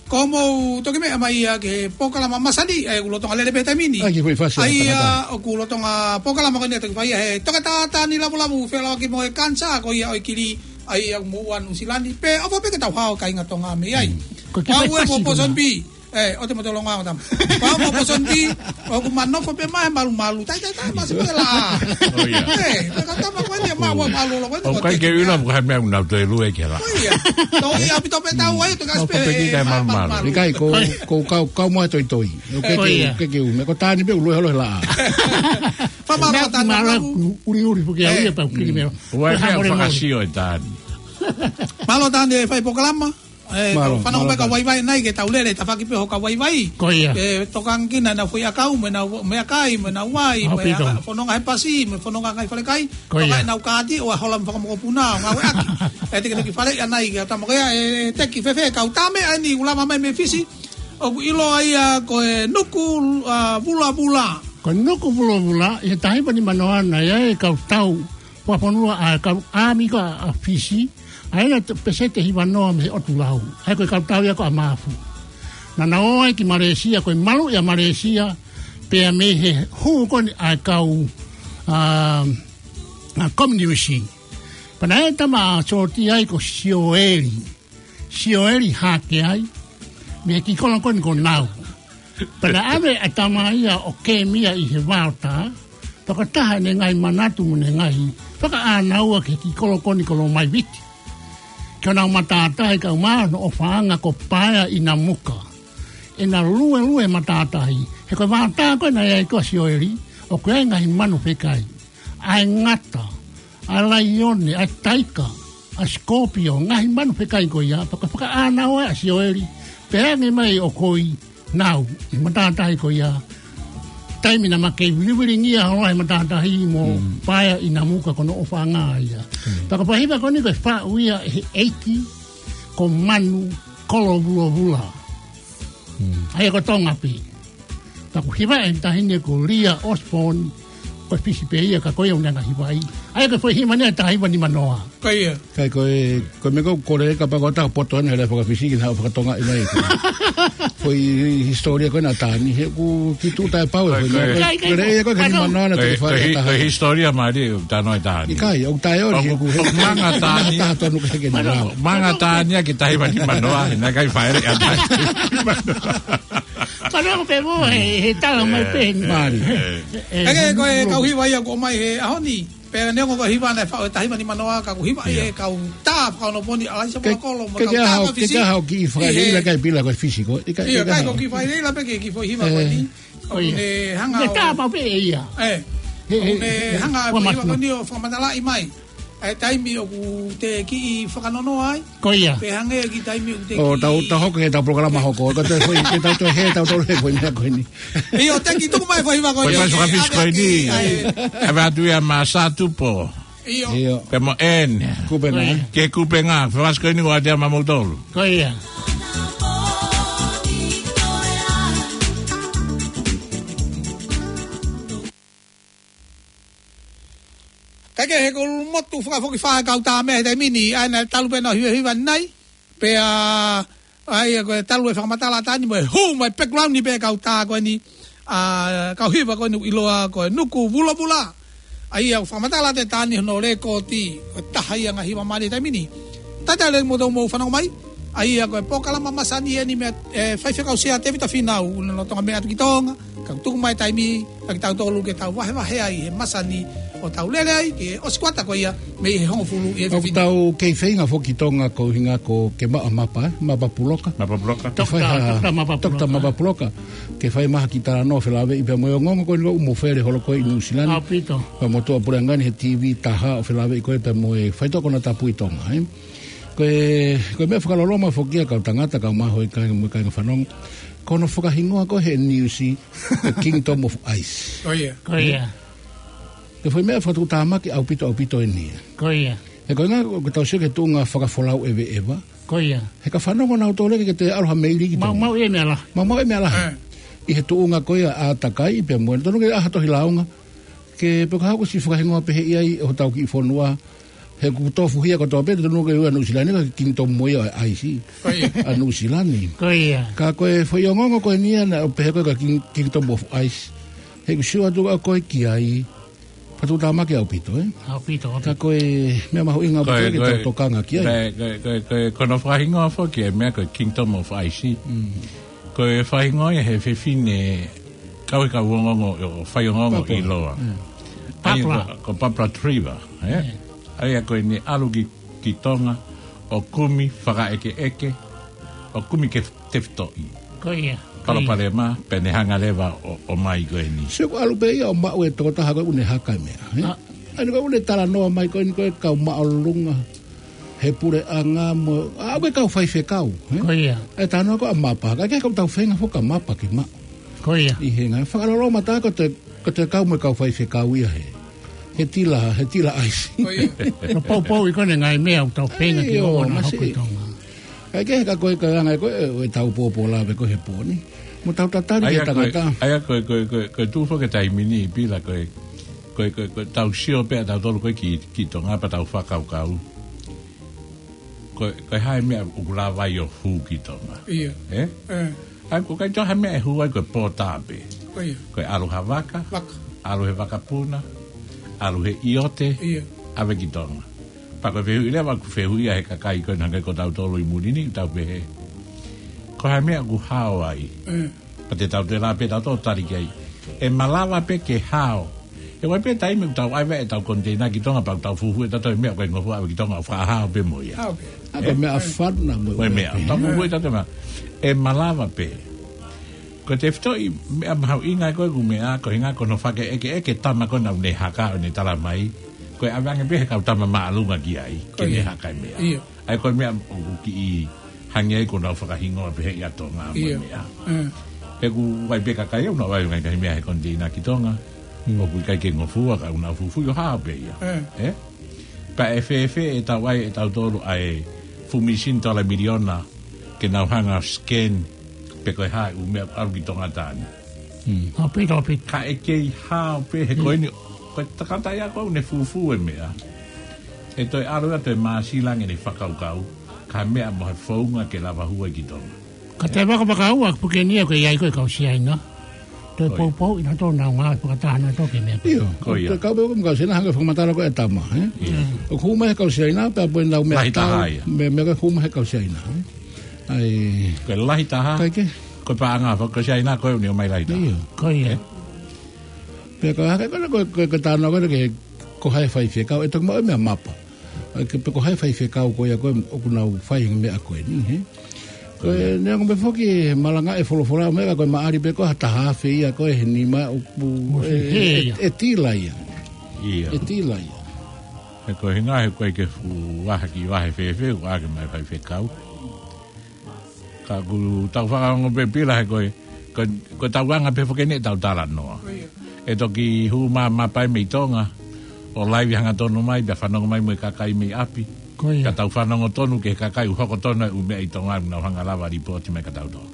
Ko mou toki meʻa mai ia ki he polokalama masani, ʻa ia ʻoku lolotonga lele pē taimi ni. ʻA ia ʻoku lolotonga polokalama ko eni ʻa toki fai ia he toketā Tani Lavulavu, feʻiloaki mo e kanisā ko ia ʻo e kili, ʻa ia ʻoku moʻua Nuʻusila ni. Pea ʻofa pē ke tau hao kāinga Tonga mei ai. Ko e kiʻi fai pasi ko ena. ʻE, ʻo te motolonga o tam. Pau mo poson di, ʻoku ma nofo pē mai malumalu. Tai, tai, tai, masi pē la. ʻO ia. ʻE, te ka tama ko eni, ma ua malu lo ko eni. ʻOku ʻikai ke ʻilo mo ko e hā e meʻa ʻoku nau toe lue ki he laʻā. ʻO ia. Tau ia ʻaupito pē tau ai, te ka ʻOku ʻikai ke malumalu. ʻIkai, ko, ko kau, kau mo e toitoi. ʻOku ʻikai ke, ʻikai ke u, meʻa ko Tani pē ʻoku lue holo he laʻā. Fa ma Meʻa la Tani malu, malu. Uri, uri, puke au ia pau kili meʻa. ʻOku ʻikai ke fakasio ʻe Tani. Mālō Tani e fai polokalama. ʻE, mālō, fanongo mai ka vaivai nai ke tau lele, tafaʻaki pē hoʻo ka vaivai. Ko ia. ʻE, tokanga ki heʻenau foʻi ʻakau, mo ʻenau meʻakai, mo ʻenau vai, mo e ʻaupito. Fononga he pasi, mo e fononga ngaahi falekai. Ko ia. Toka ʻenau kāti, ʻo hola mo fakamokopuna, ʻo ngāueʻaki. ʻE, te ke toki faleʻi ʻanai ke tama ko ia, ʻe, teki fēfē, kau tā meʻa eni, ʻoku lava mai mei Fisi. ʻOku ʻiloa ia ko e nuku, ʻa, vulavula. Ko e nuku vulavula, ʻi he taha hiva nima noa naʻe ʻi ai e kau tau fakafonua ʻa e kau ʻāmika ʻa Fisi, ʻa ia ʻoku peseti ʻe hiva noa mei he ʻotu lau. ʻA ia ko e kau tau ia ko ʻa Mafu. Naʻa nau ō ai ki Malaysia, ko e maluʻi ʻa Malaysia, pea mei he hū ko eni ʻa e kau, ʻa, ʻa, komuniusi. Pea naʻe ʻi ai e tama ʻoku sio ai ko Sioeli. Sioeli Hakeai, mei he kiʻi kolo ko eni ko Nau. Pea naʻe ʻave ʻa e tama ia ʻo kemi ia ʻi he vaotā, pea ko e taha ʻene ngaahi manatu mo ʻene ngaahi fakaʻānaua ki he kiʻi kolo ko eni ko Lomaiviti. Ki honau matātahi kaeʻumaʻā hono ʻofaʻanga ko Paea ʻi Namuka. ʻEna luelue matātahi, he ko e vaotā ko ē naʻe ʻi ai ko ē ʻa Sioeli, ʻoku ʻi ai e ngaahi manu fekai. ʻA e ngata, ʻa e laione, ʻa e taika, ʻa e sikōpio, ngaahi manu fekai ko ia, pea ko e fakaʻānaua ʻa Sioeli, pea hangē mai ʻoku ʻi ai Nau, ʻi he matātahi ko ia. Taimi naʻa ma kei vilivilingia holo he matātahi mo Paea ʻi Namuka ko hono ʻofaʻanga ia. Pea ko e fakahiva ko eni ko e faʻu ia ʻe he ʻeiki, ko Manu Kolovulovula. ʻA ia ko Tonga pē. Pea ʻoku hivaʻi ʻe he taʻahine ko Lia Osborne, ko e Fisi pē ia ka ko ia ʻoku ne hanga hivaʻi. ʻA ia ko e foʻi hiva eni ʻa e taha hiva nima noa. Ko ia. ʻIkai ko e, ko e meʻa ko ē ʻoku kole kapau ko e taha poto ʻeni he lea faka-Fisi ke nau fakatongaʻi mai. Foʻi hisitōlia ko ē ʻa Tani, he ʻoku kiʻi tuʻu taʻepau e foʻi meʻa ko ē. ʻIkai, ʻikai. Ko e lea ia ko ē ke nima noa naʻa te fai e taha. Ko e hisitōlia mālie ʻoku tano e Tani. ʻIkai, ʻoku taʻeʻoli he ʻoku he manga Tani. Taha tonu ke ke nima noa. Manga Tani ʻa e taha hiva nima noa, he naʻe ʻikai fai e lea ʻa Tani. Ka neongo pē mo e, he tala mai pē. Mālie. ʻE, ko e kau hiva ia ʻoku ʻomai he ʻaho ni. Pea neongo ko e hiva naʻe faʻu ʻe he taha hiva nima noa ka ʻoku hivaʻi ʻe he kau tā fakaonopōni ʻAlaisa Polokolo mo e kau tā faka-Fisi. Ke ke hao kiʻi fakaʻileʻi la kai Pila ko e Fisi ko. ʻIkai, ʻikai ko e kiʻi fakaʻileʻi la pē ke kiʻi foʻi hiva ko eni. ʻO ne hanga ʻo tā pau pē ia. ʻE. He, he, ʻokú ne he, hanga ʻe he ua faʻahiva matu ko eni ʻo fakamatalaʻi mai ʻa e taimi ʻoku te kiʻi fakanonoa ai. Ko ia. Pea hangē ki he taimi ʻoku te kiʻi tau, tau hoko ki heʻetau polokalama hoko. Ko e toe foʻi, ke tau toe hē, tau toe hē foʻi meʻa ko eni. ʻIo, teki tuku mai e faʻahiva ko eni. Ko e faʻahiva ko eni. ʻAve atu ia Masatupo. ʻIo. ʻIo. Pea mo ʻEne. Kupenga. Ko ia. Ke kupenga. Faʻahiva ko eni ʻoku ʻave atu ia maʻamoutolu. Ko ia. Kae kehe, ko e motu fakafokifā e kau tā meʻa he taimi ni, ʻa ia naʻe talu pē ʻenau hivahiva nai, pea ʻa ia ko e talu e fakamatala tā ni mo e hū mai background ni pē kau tā ko eni, ʻa, kau hiva ko eni ʻiloa ko e Nuku Vulavula. ʻA ia ʻoku fakamatala atu e tā ni hono lēkooti, ko e taha ia e ngaahi hiva mālie he taimi ni. Talitali kimoutolu hoʻomou fanongo mai. ʻA ia ko e polokalama masani eni mei he, ʻe, Faifekau Sea Tēvita Fīnau, ʻoku ne lolotonga meʻa atu ki Tonga, kae tuku mai e taimi kia kitautolu ke tau vahevahe ai he masani ʻoku tau lele ai, ke ʻosi e kuata ko ia mei he hongofulu ʻi he ʻOku fefine. Tau kei feinga foki ki Tonga ko e ʻuhinga ko e ke maʻu ha mapa, ē? Mapa puloka. Mapa puloka. Ke fai Toketā, ha, toketā mapa toketā puloka. Mapa puloka. Ke fai mai ha kiʻi talanoa felāveʻi pea mo e ongoongo ko eni ʻoku mou fele holo ko ē ʻi Nuʻu Sila ni. ʻAupito. Pea mo e tuʻa puleʻanga ni he TV taha ʻo felāveʻi ko ē pea mo e faitoʻo konatapu ʻi Tonga, ē? Ko e, ko e meʻa fakaloloma foki ia kau tangata, kau maʻu ʻi he kāinga mo e kāinga fanongo. Ko hono fakahingoa ko ē he niusi, The Kingdom of Ice. Ko ia. Ko ia. Ko e foʻi meʻa fakatuʻutāmaki ʻaupito, ʻaupito eni ia. Ko ia. He ko e ʻuhinga, ʻoku tau sio ki he tuʻunga fakafolau ʻeveʻeva. Ko ia. He ka fanongo nautolu ki he ʻalu ha meili ki Tonga. Maumau ia meʻa lahi. Maumau ia meʻa lahi. ʻE. ʻI he tuʻunga ko ia ʻa e ʻātakai, pea mo e tonu ke ʻai ha tohi lāunga. Ke pehē ko e hā ʻoku ʻosi fakahingoa pehē ai ʻe hotau kiʻi fonua. He ʻoku tofuhia kotoa pē, tonu ke ui ʻa Nuʻu Sila ni ko e Kingdom mo ia ʻo e ʻAisi. Ko ia. ʻA Nuʻu Sila ni. Ko ia. Ka ko e foʻi ongoongo ko eni ia naʻe pehē ko e ka King-, Kingdom of Ice. He ʻoku sio atu ʻa koe ki ai. Fakatuʻutāmaki ʻaupito, ē? ʻAupito, ʻaupito. Ka ko e meʻa mahuʻinga ʻaupito ke tau tokanga ki ai. Ko e, ko e, ko e, ko e, ko hono fakahingoa foki e meʻa ko e Kingdom of Ice. Mm. Ko e fakahingoa ia he fefine kau he kau ongoongo, ʻo fai ongoongo Papua. ʻIloa. Mm. ʻA ia Papua. Ko, ko Papua Trevor, ē? Mm. ʻA ia ko ʻene ʻalu ki, ki Tonga, ʻo kumi fakaʻekeʻeke, ʻo kumi ke tefitoʻi. Ko ia, ko ia. Palopalema, pea ne hanga leva ʻo, ʻo ʻomai ko eni. Sio ʻoku ʻalu pē ia ʻo maʻu e tokotaha ko ē ʻoku ne haka e meʻa, ē? ʻA. ʻA ia ko ē ʻoku ne talanoa mai ko eni ko e kau māʻolunga he puleʻanga mo, ʻa, ko e kau faifekau, ē? Ko ia. ʻE talanoa ko ē ʻa e mapa, ka ke kau tau feinga foki ki he mapa ke maʻu. Ko ia. ʻI he ngaahi fakaloloma tā ko e te, ko e te kau mo e kau faifekau ia he, he tila, he tila ʻaisi. Ko ia. Ko e poupou ia ko eni e ngaahi meʻa ʻoku tau feinga ke ʻio, ʻoua naʻa hoko ʻi Tonga. Kae kehe ka ko e ka anga ko ē ʻetau pōpola pē ko ē he pō ni. Mo tau tatali ki he tangata. ʻA ia ko e, ko e, ko e, ko e tuʻu foki e taimi ni Pila ko e, ko e, ko e, ko e tau sio pē ʻa tautolu ko ē ki, ki Tonga pea tau fakakaukau. Ko e, ko e hā e meʻa ʻoku lava ai ʻo hū ki Tonga. ʻIo. Ē? ʻE. ʻA ia ko e kai tō ha meʻa ʻe hū ai ko e pō tā pē. Ko ia. Ko e ʻalu ha vaka, Vaka. ʻalu he vakapuna, ʻalu he ʻiote, ʻIo. ʻave ki Tonga. Pea ko e fehuʻi leva ʻoku fehuʻia he kakai ko ē naʻe hangē ko tautolu ʻi muli ni, tau pehē. Ko e hā e meʻa ʻoku hao ai. ʻE. Pea te tau tela pē tautolu tali ki ai. ʻE malava pē ke hao. ʻE ʻi ai pē taimi ʻoku tau ʻave ʻetau koniteina ki Tonga pea ʻoku tau fufuuʻi ʻe tautolu e meʻa ʻoku ʻikai ngofua ʻave ki Tonga ʻo fakahao pē mo ia. Hao pē. ʻA ko e meʻa fana mo e meʻa. Tau fufuuʻi ʻe tautolu e meʻa. ʻE malava pē. Ko e tefitoʻi meʻa mahuʻinga ko ē ʻoku meʻa, ko e ʻuhinga ko hono fakaʻekeʻeke e tama ko ē naʻa ne haka ʻo ne tala mai. Ko e ʻave ange pē he kau tama māʻolunga ki ai, ke ne haka e meʻa. ʻIo. ʻA ia ko e meʻa ʻoku kiʻi hangē ia ko ʻenau fakahingoa pehē ʻa Tonga mo e meʻa. ʻE. He ʻoku ʻi ai pē kakai ʻoku nau ʻave ngaahi meʻa he koniteina ki Tonga. ʻOku ʻikai ke ngofua ka ʻoku nau fufuuʻi ʻo hao pē ia. ʻE. Pea ʻe fēfē ʻetau ʻai ʻe tautolu ʻa e fuʻu mīsini tola miliona ke nau hanga ʻo scan pe ko e hā e ʻū meʻa ʻoku ʻalu ki Tonga taʻane. ʻAupito, ʻaupito. Ka ʻe kei hao pē he ko eni, ko e tangata ia ko ē ʻoku ne fufū e meʻa. ʻE toe ʻalu ia toe māsila ange ʻene fakakaukau, ka meʻa mo ha founga ke lava hū ai ki Tonga. Ka te vakavakaua puke ni ʻoku ʻi ai ko e kau Siaina. Toe poupouʻi nautolu ʻenau ngāue fakataha nautolu ki he meʻa. ʻIo, ko ia. Ko e kau pē ko e kau Siaina hangē ko e fakamatala ko ē ʻa e tama, ē? ʻOku hū mai he kau Siaina, pea ko ʻenau meʻa tau, meʻa, meʻa ko ē hū mai he kau Siaina, ē? ʻA ia. Ko e lahi taha. ʻIkai ke. Ko e paʻanga faka-Siaina ko ē ʻoku ne ʻomai lahi taha. ʻIo. Ko ia. Pea ko e hā ko ē ko e, ko e, ko e talanoa ko ē ke ko hai faifekau, ʻe toki maʻu e meʻa mapa. ʻA ia ke pe ko hai faifekau ko ia ko ē ʻoku nau fai e meʻa ko eni, hē? Ko e neongo pē foki e malanga e folofola, ʻo meʻa ko e maʻali pē ko ha taha afe ia ko e he nima ʻoku, ʻoku ʻe, ʻe, ʻe tila ia. Ia. ʻE tila ia. He ko e hinga he ko e ke fuʻu vahe ki vahe fēfē, ʻoku ʻā ke mai faifekau. Ka ʻoku tau fakaongo pē Pila he ko e, ko, ko e tau anga pē foki eni ʻetau talanoa. ʻE toki hū mā, mā pae mei Tonga, ʻo laivi hangatonu mai, pea fanongo mai mo e kakai mei ʻapi. Ko ia. Ka tau fanongo tonu ki he kakai ʻoku hoko tonu e ʻū meʻa ʻi Tonga, nau hanga lava lipooti mai kia tautolu.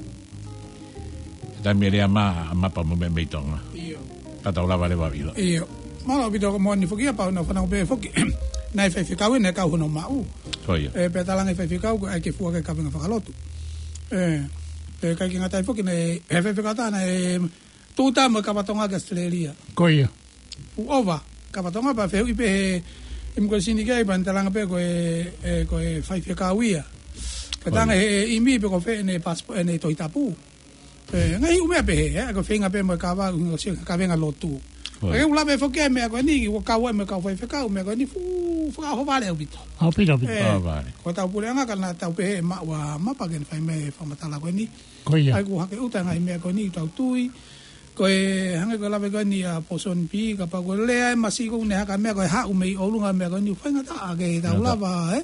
He taimi ʻe lea mā, mapa mo e meʻa mei Tonga. ʻIo. Ka tau lava leva ʻilo. ʻIo. Mālō ʻaupito ko e moʻoni foki ia pau naʻa fanongo pē foki. Naʻe faifekau ʻi he kau hono maʻu. Ko ia. ʻE, pea talaange faifekau ko e ʻai ke fua ke kavenga fakalotu. ʻE, ʻe ʻikai ke ngata ai foki naʻe, ʻe faifekau tā naʻe tūta mo e kava Tonga ki Australia. Ko ia. Fuʻu ova, kava Tonga pea fehuʻi pē he, he ʻimikuleisini ki ai pea ne talaange pē ko e, ʻe, ko e faifekau ia. Ko ia. Pea talaange he, he ʻimi pē ko fē ʻene passport, ʻene Tohi Tapu. ʻE, ngaahi ʻū meʻa pehē, ʻe, ko e feinga pē mo e kava, ʻuhinga ko e sio ki he kavenga lotu. Ko ia. ʻE, ʻoku lava foki ai meʻa ko eni, ʻoku kau ai mo e kau faifekau, meʻa ko eni fuʻu fakaʻohovale ʻaupito. ʻAupito, ʻaupito. ʻE, ʻOhovale. Ko e tau puleʻanga ka naʻa tau pehē maʻu ʻa mapa ke ne fai mai e fakamatala ko eni. Ko ia. ʻAi ʻoku hake ʻuta ngaahi meʻa ko eni, tau tui. Ko e hangē ko e lave ko eni ʻa Pōsoni Pī, kapau ko e lea ʻe masiʻi ko ʻene haka meʻa ko e haʻu mei ʻolunga meʻa ko eni, faingataʻa ke tau lava, ʻe?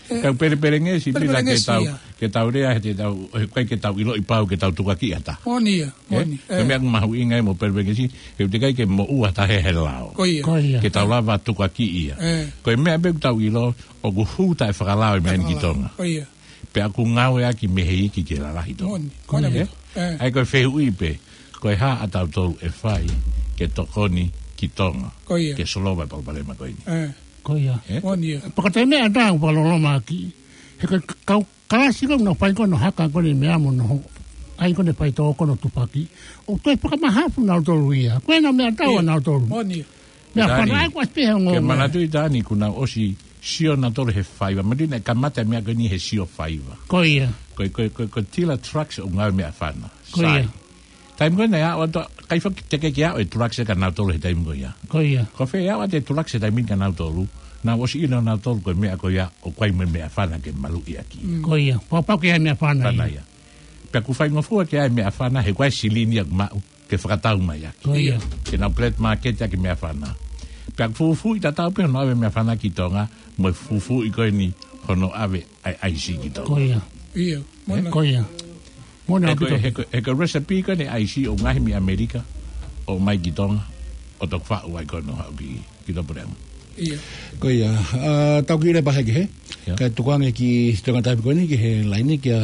ʻE, Kau pelepelengesi, Pila, ke tau, pelepelengesi ia. Ke tau lea, he te tau, he ʻikai ke tau ʻiloʻi pau, ke tau tukuakiʻi ha taha. Moʻoni ia, ʻE? moʻoni, Ko e ʻe. meʻa ʻoku mahuʻinga ai mo pelepelengesi, he ʻoku teʻeki ai ke moʻua ha taha he lao. Ko ia. Ko ia. Ke tau lava tukuakiʻi ia. ʻE. Ko e meʻa pē ʻoku tau ʻilo, ʻoku hū taʻefakalao e meʻa ni ki Taʻefakalao. Tonga. Ko ia. Pea ʻoku ngāueʻaki mei he iiki ke lalahi Tonga. Moʻoni, moʻoni ʻE? ʻaupito. ʻE. ʻAi ko e fehuʻi pē, ko e hā ʻa tautolu ʻe fai ke tokoni ki Tonga. Ko ia. Ke solova e palopalema ko eni. ʻE. Ko ia. ʻE? Moʻoni ia. Pea ko e meʻa ʻe taha ʻoku fakaloloma ʻaki. He ko e kau kalasi ko ē naʻa nau fai ko ē hono haka ko eni meʻa mo hono ʻai ko eni faitoʻo ko hono tupaki. ʻOku toe fakamahafu nautolu ia. Ko e naʻa meʻatau ʻa Ia. nautolu. Moʻoni ia. Meʻafana Tani, ʻa ia ko e ʻasi pē he ongo ke meʻa. manatuʻi Tani kuo nau ʻosi sio nautolu he faiva. Manatuʻi naʻe kamata e meʻa ko eni he sio faiva. Ko ia. Ko e, ko e, ko e, ko e tila trucks ʻoku ngāue meʻafana. Ko ia. Sai. Taimi ko ē naʻe aʻu atu, ʻikai foki teʻeki ke aʻu e trucks ia kia nautolu he taimi ko ia. Ko ia. Ko fē aʻu atu e trucks he taimi kia nautolu, naʻa nau ʻosi ʻilo nautolu ko e meʻa ko ia ʻoku ʻi ai mo e meʻafana ke maluʻi ʻaki. Mm. Ko ia. Pau pau ke ʻi ai e meʻafana Fana ia. ia. Pea ʻoku faingofua ke ʻi ai e meʻafana he ko e silini ia ʻoku maʻu ke fakatau mai ʻaki. Ko ia. Ke nau black market ʻaki e meʻafana. Pea ʻoku fufuuʻi tatau pē hono ʻave e meʻafana ki Tonga, mo e fufuuʻi ko eni hono ʻave ʻa e ʻaisi ki Tonga. Ko ia. Ia, ʻE? moʻoni. Ko ia. Moʻoni He ko, ʻaupito. he ko, he ko e recipe ko eni ʻaisi ʻoku ngaohi mei ʻAmelika, ʻo mai ki Tonga, ʻo toki faʻu ai ko ē ʻo haʻu ki, ki Topolemu. Ia. Ko ia, ʻa, tau kiʻi leva pehē ki he. Ia. Kae tuku ange ki he toenga taimi ko eni ki he laine kia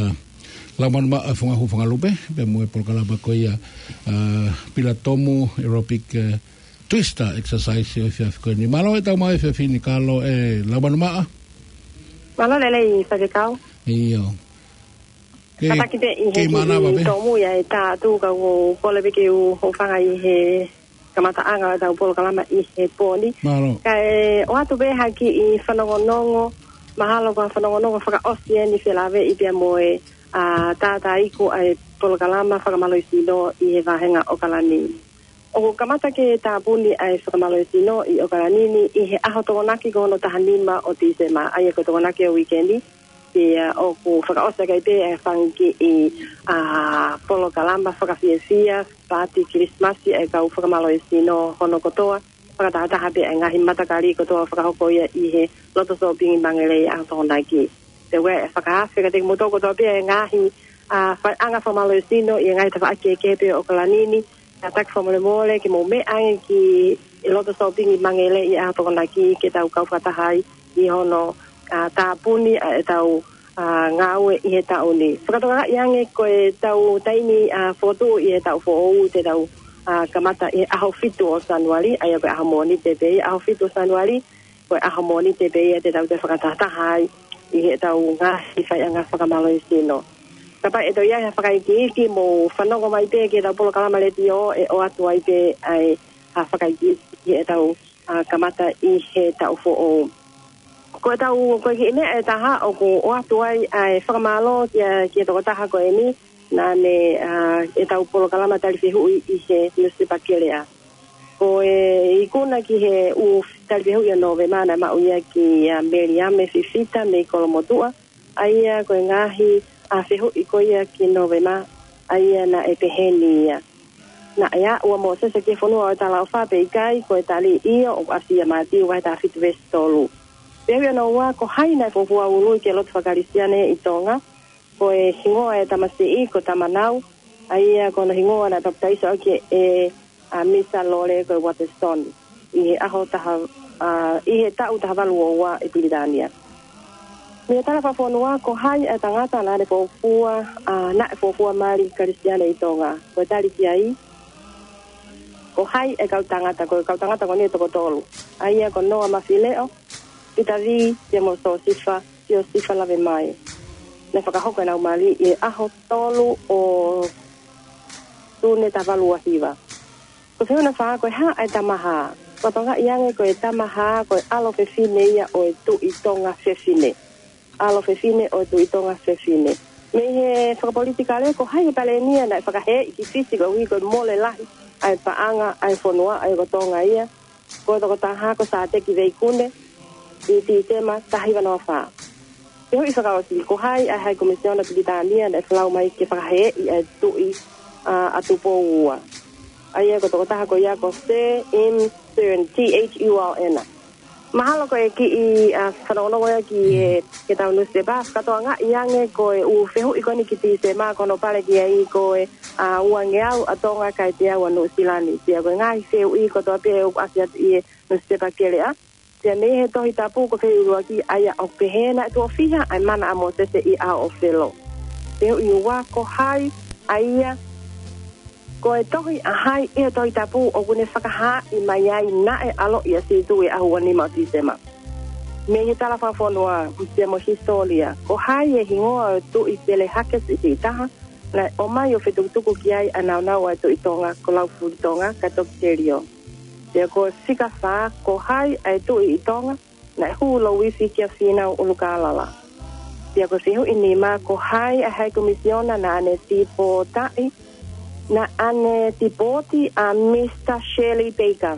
Laumanu Maʻa Funga Hū Funga Lupe, pea mo e polokalama ko ia, ʻa, Pila Tomu Aerobic, ʻe, Twister Exercise ʻo e efiafi ko eni. Mālō e tau maʻu e efiafi ni, Kalo, ʻe, Laumanu Maʻa. Mālō lelei faifekau. ʻIo. Ke, Kātaki pē ʻi he kei mānava kiʻi pē. tōmui ʻa e tā atu ka ʻoku ou kole pē ke u hūfanga ʻi he kamataʻanga ʻo e tau polokalama ʻi he pō ni. Mālō. Kae ʻoatu pē ha kiʻi fanongonongo, mahalo ko ha fanongonongo fakaʻosi eni felāveʻi pea mo e, ʻa, tātāiku ʻa e polokalama fakamālohisino ʻi he vāhenga ʻOkalani. ʻOku kamata ke tāpuni ʻa e fakamālohisino ʻi ʻOkalani ni ʻi he ʻaho Tokonaki ko hono taha nima ʻo Tīsema, ʻa ia ko e Tokonaki ʻo e uike ni, pea ʻoku fakaʻosi ʻaki pē ʻa e fanga kiʻi, ʻa, polokalama fakafiefia, paati Kilisimasi ʻa e kau fakamālohisino hono kotoa, fakatahataha pē ʻa e ngaahi matakali kotoa fakahoko ia ʻi he loto sōpingi Mangelei ʻaho Tokonaki. Pea ʻoku ʻi ai e fakaafe kiate kimoutolu kotoa pē ʻa e ngaahi, ʻa, faiʻanga fakamālohisino ʻi he ngaahi tafaʻaki kehekehe pē ʻo ʻOkalani ni, ʻa, taki fakamolemole ke mou meʻa ange ki he loto sōpingi Mangelei ʻaho Tokonaki ke tau kau fakataha ai ʻi hono, ʻa, tāpuni ʻa e tau, ʻa, ngāue ʻi he taʻu ni. Fakatokangaʻi ange ko e tau taimi, ʻa, fokotuʻu ʻi he taʻu foʻou te tau, ʻa, kamata ʻi he ʻaho fitu ʻo Sānuali, ʻa ia ko e ʻaho Mōnite pē ia ʻaho fitu ʻo Sānuali, ko e ʻaho Mōnite pē ia te tau toe fakatahataha ai ʻi he tau ngaahi faiʻanga fakamālohisino. Kapau ʻe toe ʻi ai ha fakaikiiki mou fanongo mai pē ki he tau polokalama letiō ʻe ʻoatu ai pē ʻa e, ʻa, fakaikiiki ʻi he tau, ʻa, kamata ʻi he taʻu foʻou. Ko e tau, ko e kiʻi meʻa ʻe taha ʻoku ʻoatu ai ʻa e fakamālō kia, ki he tokotaha ko eni, naʻa ne, ʻa, ʻi he tau polokalama tali fehuʻi ʻi he Nusipepa Kelea. Ko e ikuna ki he ʻū tali fehuʻi ʻo Nōvema naʻe maʻu ia kia Meliame Fifita mei Kolomotuʻa, ʻa ia ko e ngaahi, ʻa e fehuʻi ko ia ki Nōvema, ʻa ia naʻe pehē ni ia: Naʻe aʻu ʻa Mōsese ki he fonua ʻo e talaʻofa pe ʻikai? Ko e tali, ʻio, ʻoku ʻasi ʻia Mātiu vahe taha fitu veesi tolu. Fehuʻi hono ua: Ko hai naʻe fuofua ului ki he lotu faka-Kalisitiane ʻi Tonga? Ko e hingoa ʻo e tamasiʻi ko Tamanau, ʻa ia ko hono hingoa naʻe papitaiso ʻaki ʻe ʻa Misa Lole ko e Waterston ʻi he ʻaho taha, ʻa, ʻi he taʻu taha valu ua ua ʻi Pilitānia. Mei he tala fakafonua: Ko hai ʻa e tangata naʻe fuofua, ʻa, naʻe fuofua mali Kalisitiane ʻi Tonga? Ko e tali ki ai: Ko hai ʻa e kau tangata? Ko e kau tangata ko eni ʻe toko tolu, ʻa ia ko Noa Mafileʻo, Pita Vī, pea mo Siosifa, Siosifa Lavemae. Naʻe fakahoko ʻenau mali ʻi he ʻaho tolu ʻo Sune taha valu ua hiva. Ko e fehuʻi hono fā: Ko e hā ʻa e Tamahā? Fakatokangaʻi ange ko e Tamahā ko e ʻalo fefine ia ʻo e Tuʻi Tonga Fefine. ʻAlo fefine ʻo e Tuʻi Tonga Fefine. Mei he fakapolitikale: Ko hai ʻa e palēmia naʻe fakahēʻi ki Fisi koeʻuhi ko e mole lahi ʻa e paʻanga ʻa e fonua, ʻa ia ko Tonga ia? Ko e tokotaha ko Sāteki Veikune, ʻi Tīsema taha hiva noa fā. Fehuʻi fakaʻosi: Ko hai ʻa e High Commissioner Pilitānia naʻe folau mai ke fakahēʻi ʻa e Tuʻi, ʻa, ʻa Tupou Ua? ʻA ia ko e tokotaha ko ia ko Sir M Thurn, T H U R N. Mahalo ko e kiʻi, ʻa, fanongonongo ia ki he, ki heʻetau nusipepa, fakatokangaʻi ange ko e ʻū fehuʻi ko eni ki Tīsema ko hono pale ki ai ko e, ʻa, uangeau ʻa Tonga kae teau ʻa Nuʻusila ni. Pea ko e ngaahi fehuʻi kotoa pē ʻoku ʻasi atu ʻi he nusipepa Keleʻa. Pea mei he Tohi Tapu ko e fehuʻi ʻuluaki, ʻa ia ʻoku pehē: Naʻe tuʻo fiha ʻa e mana ʻa Mōsese ʻi he ʻao ʻo Felo? Fehuʻi ua: Ko hai ʻa ia, ko e tohi ʻa hai ʻi he Tohi Tapu ʻoku ne fakahaaʻi mai ai naʻe ʻaloʻi ʻa Sīsū ʻi he ʻaho ua nima ʻo Tīsema? Mei he tala fakafonua pea mo e hisitōlia: Ko hai ʻa e hingoa ʻo e Tuʻi Pele Hake siʻisiʻi taha naʻe ʻomai ʻo fetukutuku ki ai ʻa e nāunau ʻa e Tuʻi Tonga ko Laufilitonga kae toki telio? Pea ko e fika fā: Ko hai ʻa e tuʻi ʻi Tonga naʻe hū louifi kia Fīnau ʻUlukālala? Pea ko e fehuʻi nima: Ko hai ʻa e High Commissioner naʻa ne tipōtaʻi, naʻa ne tipōti ʻa Misa Shirley Baker?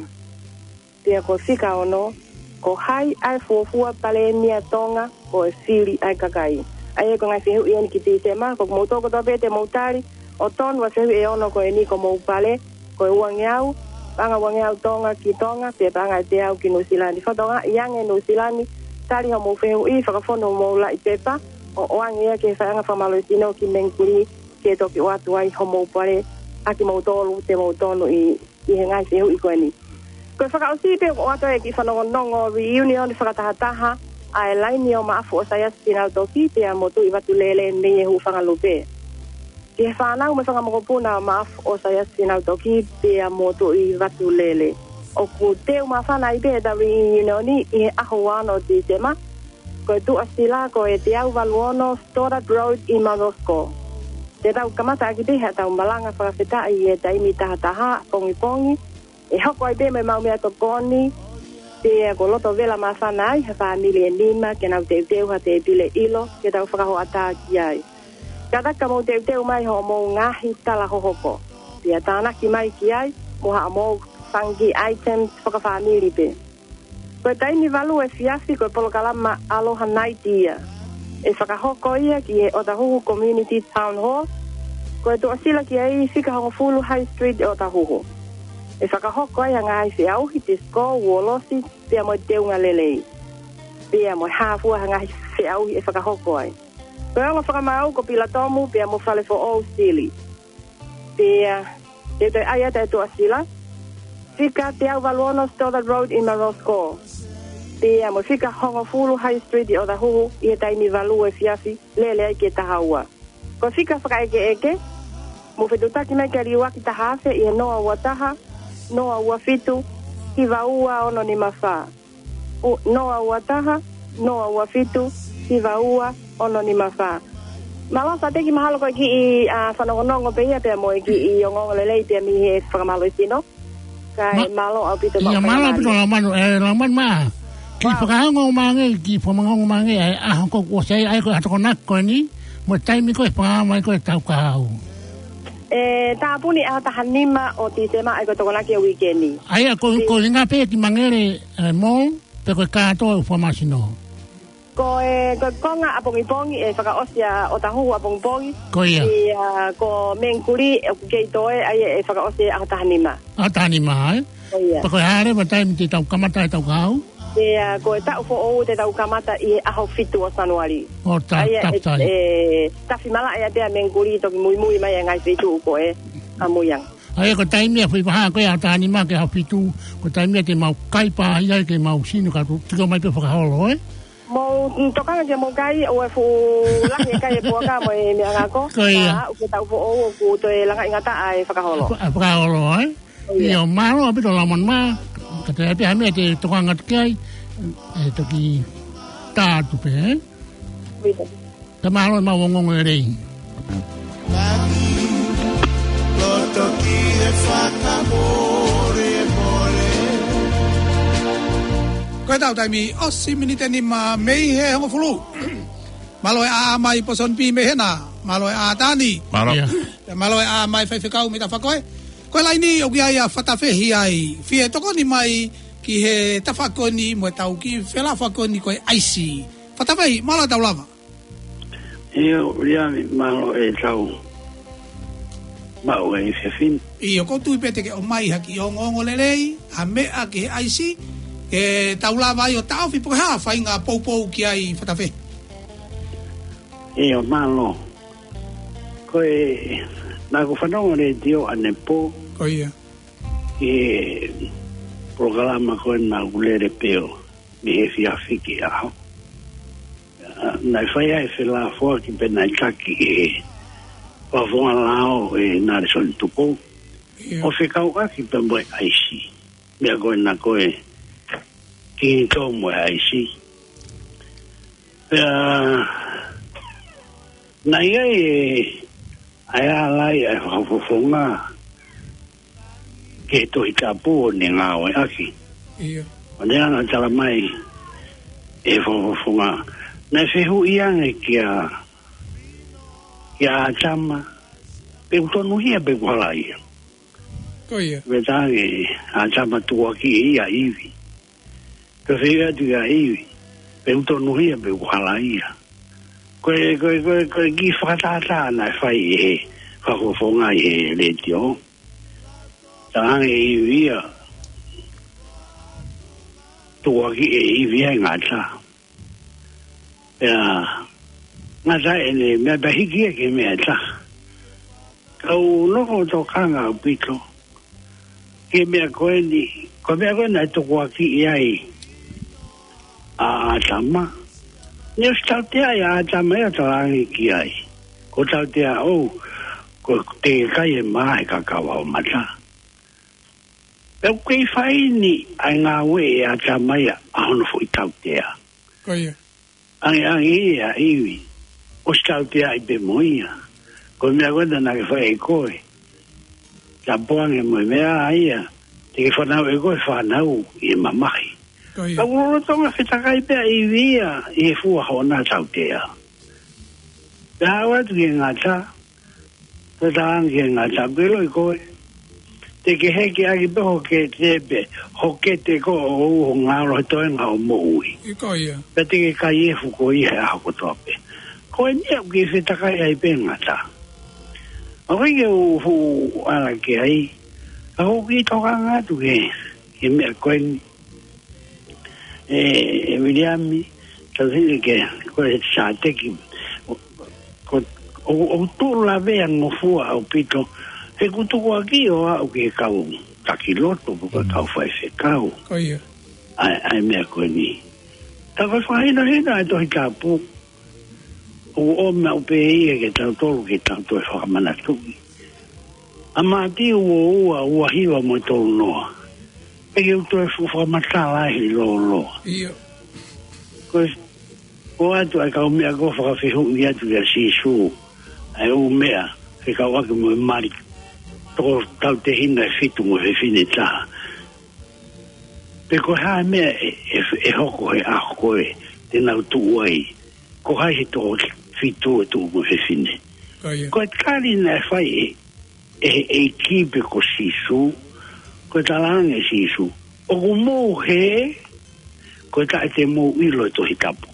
Pea ko e fika ono: Ko hai ʻa e fuofua palēmia Tonga ko e fili ʻa e kakai? ʻA ia ko e ngaahi fehuʻi eni ki Tīsema, ko kimoutolu kotoa pē te mou tali ʻo tonu ʻa e fehuʻi ʻe ono ko eni ki homou pale, ko e uangeau, paʻanga uangeau Tonga ki Tonga, pea paʻanga ʻe teau ki Nuʻusila ni. Fakatokangaʻi ange Nuʻusila ni, tali homou fehuʻi, fakafonu homou laʻi pepa ʻo ʻoange ia ki he faʻahinga fakamālohisino ki Mengkuli, ke toki ʻoatu ai homou pale ʻa kimoutolu te mou tonu ʻi, ʻi he ngaahi fehuʻi ko eni. Ko e fakaʻosi pē ʻoku ʻoatu e kiʻi fanongonongo reunion fakatahataha ʻa e laine ʻo Maʻafu ʻo Saiasi Sinautokī pea mo Tuʻi Vatulele mei he Hūfangalupe. Ki he fānau mo e fanga mokopuna ʻo Maʻafu ʻo Saiasi Sinautokī pea mo Tuʻi Vatulele, ʻoku teu māfana ai pē ʻetau reunion ʻi he ʻaho ua ono ʻo Tīsema. Ko e tuʻasila ko e teau valu ono Stoddard Road ʻi Mount Roskill. Te tau kamata ʻaki pē haʻatau malanga fakafetaʻi ʻi he taimi taha taha pongipongi. ʻE hoko ai pē mo e maʻu meʻatokoni, pea ko e loto vela māfana ai ha fāmili ʻe nima ke nau teuteu ha tēpile ʻilo ke tau fakahoʻatā ki ai. Kātaki ka mou teuteu mai hoʻomou ngaahi tala hohoko, pea tānaki mai ki ai mo haʻamou fanga kiʻi items fakafāmili pē. Ko e taimi valu efiafi ko e polokalama Aloha Night ia. ʻE fakahoko ia ki he ʻOtahuhu Community Town Hall. Ko e tuʻasila ki ai fika hongofulu High Street ʻi ʻOtahuhu. ʻE fakahoko ai ha ngaahi feʻauhi, tisikō, uolosi, pea mo e teunga lelei. Pea mo e hā fua ha ngaahi feʻauhi ʻe fakahoko ai. Ko e ongo fakamaau ko Pilatomu pea mo Falefoʻou Sili. Pea te u toe ʻai atu e tuʻasila: fika teau valu ono Stoddard Road ʻi Mount Roskill. Pea mo e fika hongofulu High Street ʻi ʻOtahuhu ʻi he taimi valu efiafi lele ai ki he taha ua. Ko e fika fakaʻekeʻeke, mou fetuʻutaki mai ki he liuaki taha afe ʻi he noa ua taha, noa ua fitu, hiva ua ono nima fā. ʻO noa ua taha, noa ua fitu, hiva ua ono nima fā. Mālō Sāteki, mahalo ko e kiʻi, ʻa, fanongonongo pē ia pea mo e kiʻi ongoongo lelei pē ia mei he fakamālohisino. Kae mālō ʻaupito. Mālō ʻaupito Laumanu, ʻe Laumanu mā. Kiʻi fakaongo mai ange, kiʻi fakaongo mai ange, ʻa e ʻaho ko ē ʻoku ʻosi ai, ʻa ia ko e ʻaho Tokonaki ko eni, mo e taimi ko ē ʻe fakaongo mai ko ē ʻetau kahaʻu. ʻE tāpuni ʻaho taha nima ʻo Tīsema, ʻa ia ko e Tokonaki ʻo e uike ni. ʻA ia ko, ko e ʻuhinga pē ki Mangere, ʻe, Mall, pe ko e kātoa ʻo e fakamālohisino? Ko e, ko e konga ʻapongipongi ʻe fakaʻosi ʻa ʻOtahuhu ʻapongipongi. Ko ia. ʻIa, ko Mengikuli ʻoku kei toe ai ʻe fakaʻosi ʻaho taha nima. ʻAho taha nima, ē? Ko ia. Pea ko e hā leva e taimi te tau kamata ai ʻetau kahaʻu? ʻIa, ko e taʻu foʻou te tau kamata ʻi he ʻaho fitu ʻo Sānuali. ʻO ta-, ʻa ia tapu e, tai. ʻE, tafi malaʻe ʻa pea Mengikuli toki muimui mai e ngaahi feituʻu ko ē ʻamui ange. ʻA ia ko e taimi ʻa e foʻi vahaʻa ko ē ʻaho taha nima ki he ʻaho fitu, ko e taimi ia te mau kai pāʻia ke mau sino ka tu-, tiko mai pē fakaholo, ē? Mou tokanga ke mou kai, ʻoua ʻe fuʻu lahi e kai e puaka mo e meʻangako. Ko ia. Ka ʻoku taʻu foʻou ʻoku toe langaʻi ngataʻa e fakaholo. Fa-, fakaholo, ē? Ko ia. ʻIo, mālō ʻaupito Lamon mā, ka te ʻai pē ha meʻa te tokanga atu ki ai, ʻe toki tā atu pē, ē? ʻIo. Ka mālō e mau ongoongo lelei. Ko ʻetau taimi, ʻosi miniti ʻe nima mei he hongofulu. Mālō e ʻā mai Pōsoni Pī mei hena, mālō e ʻā Tani. Mālō. ʻIa. Pea mālō e ʻā mai Faifekau mei Tafakoe. Ko e laini ʻoku ʻi ai ʻa Fatafehi ai. Fie tokoni mai ki he tafaʻaki ko eni mo ʻetau kiʻi felāfeaki ko eni ko e ʻaisi. Fatafehi, mālō e tau lava. ʻIo, Uliami, mālō e tau maʻu e fefin. ʻIo, ʻoku ou tui pē te ke ʻomai ha kiʻi ongoongo lelei, ha meʻa ki he ʻaisi, ke tau lava ai ʻo taʻofi pe ko e hā e faʻahinga poupou ki ai Fatafehi. ʻIo, mālō. Ko e, naʻá ku fanongo letiō ʻanepō. Ko ia. Ki he polokalama ko ē naʻá ku lele pē ʻo mei he efiafi ki he ʻaho. ʻA, naʻe fai ai e felāfeaki pea naʻe taki ʻe he Fakafofonga Lao ʻe Nalesoni Tupou. ʻIo. ʻO fekauʻaki pea mo e ʻaisi. Meʻa ko ena ko e kingitomu e ʻaisi. Pea, naʻe ʻi ai e, ʻa e ʻalai ʻa e Fakafofonga ki he Tohi Tapu ʻo ne ngāueʻaki. ʻIo. ʻO ne hanga ʻo tala mai ʻe he Fakafofonga. Naʻe fehuʻi ange kia, kia ʻĀtama, pe ʻoku tonuhia pe ʻoku halaia. Ko ia. Pea talaange ʻe ʻĀtama tukuakiʻi ʻe ia ʻa ʻIvi. Pea fehuʻi atu kia ʻIvi, pe ʻoku tonuhia pe ʻoku halaia. Ko e, ko e, ko e, ko e kiʻi fakatātā naʻe fai ʻe he Fakafofonga ʻi he letiō. Talaange ʻe ʻIvi ia, tukuakiʻi ʻe ʻIvi ʻa e ngata. Pea ngata ʻene meʻa pea hiki ia ki he meʻa ʻe taha. Ka u nofo ʻo tokanga ʻaupito ki he meʻa ko eni, ko e meʻa ko ē naʻe tukuakiʻi ai ʻa ʻĀtama. Naʻe ʻosi tauteaʻi ʻa ʻĀtama ia ʻo talaange ki ai, ko e tautea ʻoku, ko e teʻeki ai e mā ʻe he kakava ʻo e mata. Pea ʻoku kei fai eni ʻa e ngāue ʻe ʻĀtama ia ʻa hono foʻi tautea. Ko ia. Ange, ange ia ʻa ʻIvi, ʻosi tauteaʻi pē mo ia. Ko e meʻa ko ē naʻá ke fai ʻe koe. Tapu ange mo e meʻa ia, te ke fanauʻi ʻe koe e fānau ʻi he mamahi. Ko ia. Ka ʻoku lolotonga fetakai pē ʻa ʻIvi ia ʻi he fua hoʻona tautea. Pea aʻu atu ki he ngata, toe talaange ki he ngata, ʻoku ke ʻiloʻi koe, te ke heke ʻaki pē ho kete pē, ho kete ko ē ʻo ʻoua ʻe ngalo he toenga ʻo e moʻui. ʻIo, ko ia. Pea te ke kai efu koe ʻi he ʻaho kotoa pē. Ko eni ia ʻoku kei fetakai ai pē ngata. ʻOku ʻikai ke u fuʻu ala ki ai, ka ʻoku ou kiʻi tokanga atu ki he, ki he meʻa ko eni. ʻE, ʻe Viliami, tau sini ke, ko e Sāteki, ko, ʻo, ʻo tuʻu lavea ngofua ʻaupito, he ʻoku tukuakiʻi ʻo aʻu ki he kau taki lotu, ko e kau faifekau. Ko ia. ʻA e, ʻa e meʻa ko eni. Ka ko e fakahinohino ʻa e Tohi Tapu, ʻoku ʻomai pē ia ke tau tolu ke tau toe fakamanatuʻi. ʻA Mātiu ua ua, ua hiva mo e tolu noa. Pea ke u toe fuʻu fakamatala ai he lōloa. ʻIo. Ko e, ko atu ʻa e kau meʻa ko ē fakafehuʻi atu kia Sīsū. ʻA e ʻū meʻa, fekauʻaki mo e mali. Toko tautehina ʻe fitu mo e fefine ʻe taha. Pe ko e hā e meʻa ʻe, ʻe, ʻe hoko he ʻaho ko ē, te nau tuʻu ai. Ko hai he toko fitu ʻe tuʻu mo e fefine. Ko ia. Ko e tali naʻe fai ʻe, ʻe he ʻEiki pe ko Sīsū, ko e talaange ʻe Sīsū, ʻoku mou hē, ko e taʻe te mou ʻilo e Tohi Tapu.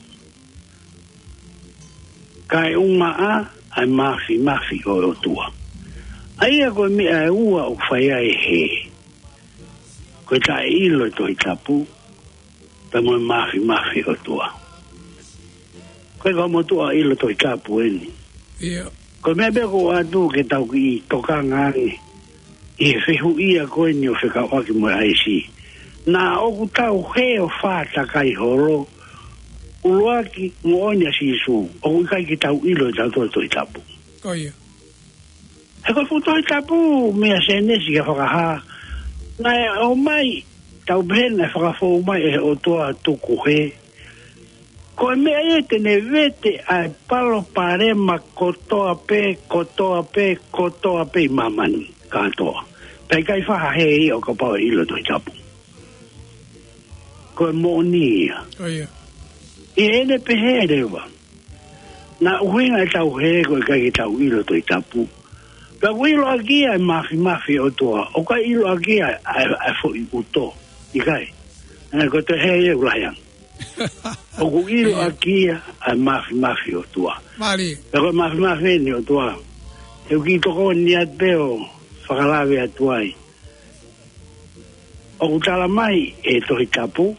Kae ʻumaʻā ʻa e māfimafi ʻo e ʻOtua. ʻA ia ko e meʻa ʻe ua ʻoku fai ai e hē. Ko e taʻeʻilo e Tohi Tapu, pea mo e māfimafi ʻo e ʻOtua. Ko e kau motuʻa ʻilo Tohi Tapu eni. ʻIo. Ko e meʻa pē ʻoku ou ʻoatu ke tau kiʻi tokanga ange ʻi he fehuʻia ko eni ʻo fekauʻaki mo e ʻaisi. Naʻa ʻoku tau hē ʻo fātakai holo, ʻuluaki moʻoni ʻa Sīsū, ʻoku ʻikai ke tau ʻilo ʻe tautolu e Tohi Tapu. Ko ia. He ko e fuʻu Tohi Tapu meia Sēnesi ki he Fakahā, naʻe ʻomai, tau pehē naʻe fakafou mai ʻe he ʻOtua tuku hē. Ko e meʻa ia te ne vete ʻa e palopalema kotoa pē, kotoa pē, kotoa pē ʻi māmani kātoa. Pea ʻikai faʻa hē ia ʻo kapau ʻe ʻilo Tohi Tapu. Ko e moʻoni ia. Ko ia. ʻI heʻene pehē leva, naʻe ʻuhinga ʻetau hē ko e ʻikai ke tau ʻilo Tohi Tapu. Pea ʻoku ʻiloʻaki ia e māfimafi ʻo e ʻOtua, ʻoku ʻikai ʻiloʻaki ia ʻa e, ʻa e foʻi ʻuto. ʻIkai. Ē, ko e toe hē ia ʻoku lahi ange. ʻOku ʻiloʻaki ia ʻa e māfimafi ʻo e ʻOtua. Mālie. Pea ko e māfimafi eni ʻo e ʻOtua, te u kiʻi tokoni atu pē ʻo fakalave atu ai. ʻOku tala mai ʻe he Tohi Tapu,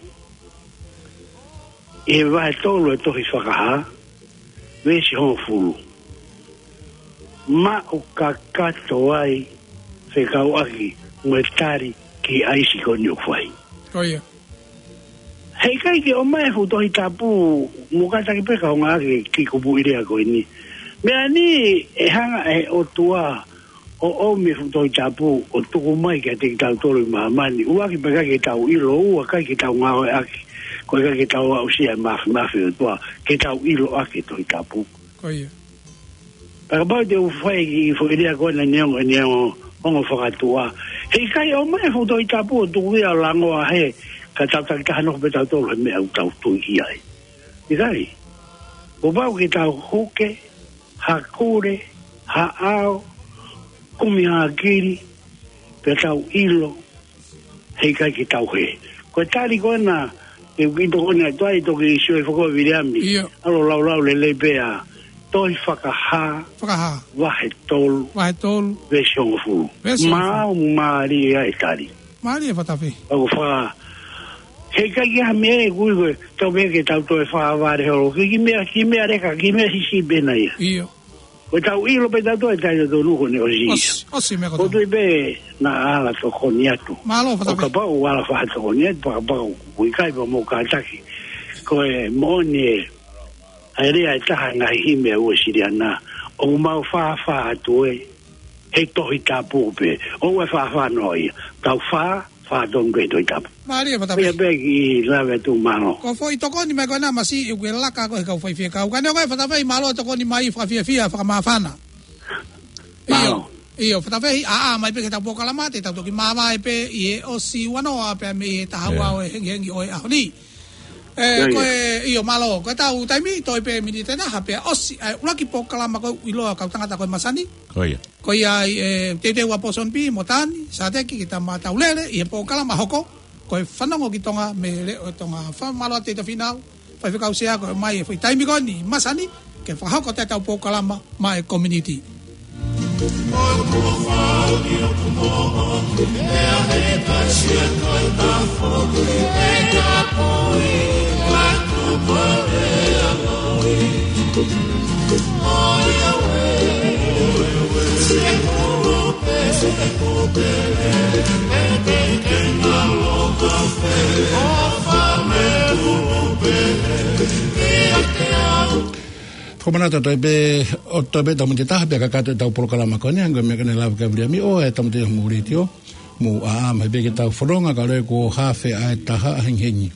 ʻi he vahe tolu ʻo e tohi Fakahā, veesi hongofulu. Maʻu kakato ai fekauʻaki mo e tali ki he ʻaisi ko eni ʻoku fai. Ko ia. Heʻikai ke ʻomai e fuʻu Tohi Tapu, mou kātaki pē kaungā ʻaki e kiʻi kupuʻi lea ko eni. Meʻa ni ʻe hanga ʻe he ʻOtua ʻo ʻomi e fuʻu Tohi Tapu ʻo tuku mai kiate kitautolu ʻi māmani. ʻUluaki pea ʻikai ke tau ʻilo, ua ʻikai ke tau ngāueʻaki, ko e ʻikai ke tau aʻusia e māfimafi ʻo e ʻOtua ke tau ʻiloʻaki e Tohi Tapu. Ko ia. Pea kapau te u fai e kiʻi foʻi lea ko ena neongo, neongo ongo fakatuʻa. Heʻikai ʻomai e fuʻu Tohi Tapu ʻo tuku ia ʻo langoa hē, kae tau takitaha nofo pē tautolu he meʻa ʻoku tau tui ki ai. ʻIkai. Kuo pau ke tau huke, hakule, haʻao, kumi hakili, pea tau ʻilo, heʻikai ke tau hē. Ko e tali ko ena, ʻe kiʻi tokoni atu ai, toki sio e foko Viliami. ʻIo. ʻAlu ʻo laulau lelei pē ʻa e tohi Fakahā, Fakahā. Vahe tolu, Vahe tolu. Veesi hongofulu. Veesi hongofulu. Maau mālie ʻa e tali. Mālie Fatafehi. ʻOku fā. Heʻikai ke ʻi ai ha meʻa ʻe kui ko e, tau pehē ke tau toe fā vale holo. Kiʻi meʻa, kiʻi meʻa leka, kiʻi meʻa siʻisiʻi pē ena ia. ʻIo. Ko ʻetau ʻilo pē tautolu ʻe taʻe totonu ko ʻene ʻosi ia. ʻOsi, ʻosi meʻa kotoa. ʻOku ou tui pē naʻa ala tokoni atu. Mālō, Fatafehi. ʻO kapau ʻe ala faʻa tokoni atu, pea kapau ʻoku ʻikai pea mou kātaki. Ko e moʻoni ē, ʻa e lea ʻe taha ʻi he ngaahi himi ʻa e Uēsiliana, ʻoku mau fāfā atu ē, he Tohi Tapu pē, ʻoua ʻe fāfā noa ia. Tau fā, fā tonu pē he Tohi Tapu. Mālie, Fatafehi. Pea pē kiʻi lave atu, mālō. Ko e foʻi tokoni mai ko ena masiʻi ʻoku ke laka ko ē he kau faifekau. Ka neongo ia Fatafehi, mālō e tokoni mai, fakafiefia, fakamāfana. Mālō. ʻIo, ʻio, Fatafehi, ʻā, ʻā mai pē ki heʻetau polokalama, te tau toki māvae pē ʻi he ʻosi ua noa pea mei he taha ua ʻo e hengihengi ʻo e ʻaho ni. Ē, ko e, ʻio, mālō, ko ʻetau taimi, toe pē miniti ʻe taha pea ʻosi, ē, ʻuluaki polokalama ko ē ʻiloa kau tangata ko ē masani. Ko ia. Ko ia ai, ē, teuteu ʻa Pōsoni Pī mo Tani Sāteki ke tau mataulele ʻi he polokalama hoko, ko e Fanongo ki Tonga mei he Leʻo ʻo Tonga. Fakamālō atu Teuteu Fīnau, Faifekau Sea, ko e mai e foʻi taimi ko eni masani, ke fakahoko atu ʻetau polokalama maʻa e community. Fakamanatu atu pē, ʻo toe pē tau miniti ʻe taha pea kakato ʻetau polokalama ko eni, hangē ko e meʻa ko eni naʻe lave ki ai ʻa Viliami, ʻo e tau miniti ʻi homou letiō, mou ʻā mai pē ke tau fononga, ka ʻoku ʻosi ko e hafe ʻa e taha hengihengi.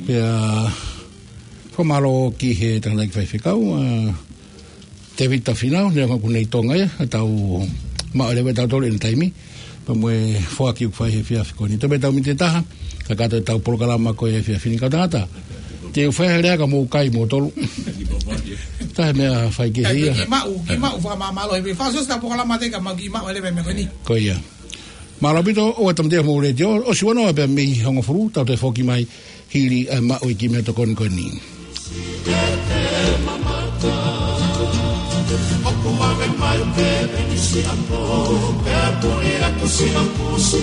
Pea fakamālō ki he tangataʻeiki faifekau, ʻa Tēvita Fīnau, neongo ʻoku ne ʻi Tonga ia, ʻa ʻetau maʻu leva ʻe tautolu ʻene taimi, pea mo e foaki ʻoku fai he efiafi ko eni. Toe pē tau miniti ʻe taha, kakato ʻetau polokalama ko ē he efiafi ni, kau tangata. Te u fai ha lea ka mou kai moutolu. Taha e meʻa fai kehe ia. Kiʻi maʻu, kiʻi maʻu fakamāmālohi pē. Fakaʻosi ʻetau polokalama te ka mau kiʻi maʻu leva e meʻa ko eni. Ko ia. Mālō ʻaupito, ʻo e tau miniti ʻi homou letiō, ʻosi ua noa pea mei he hongofulu, tau toe foki mai, hili ʻa e maʻu e kiʻi meʻatokoni ko eni. Kuo ʻave mai pē ʻeni siʻapō, pea puli atu siʻa pusi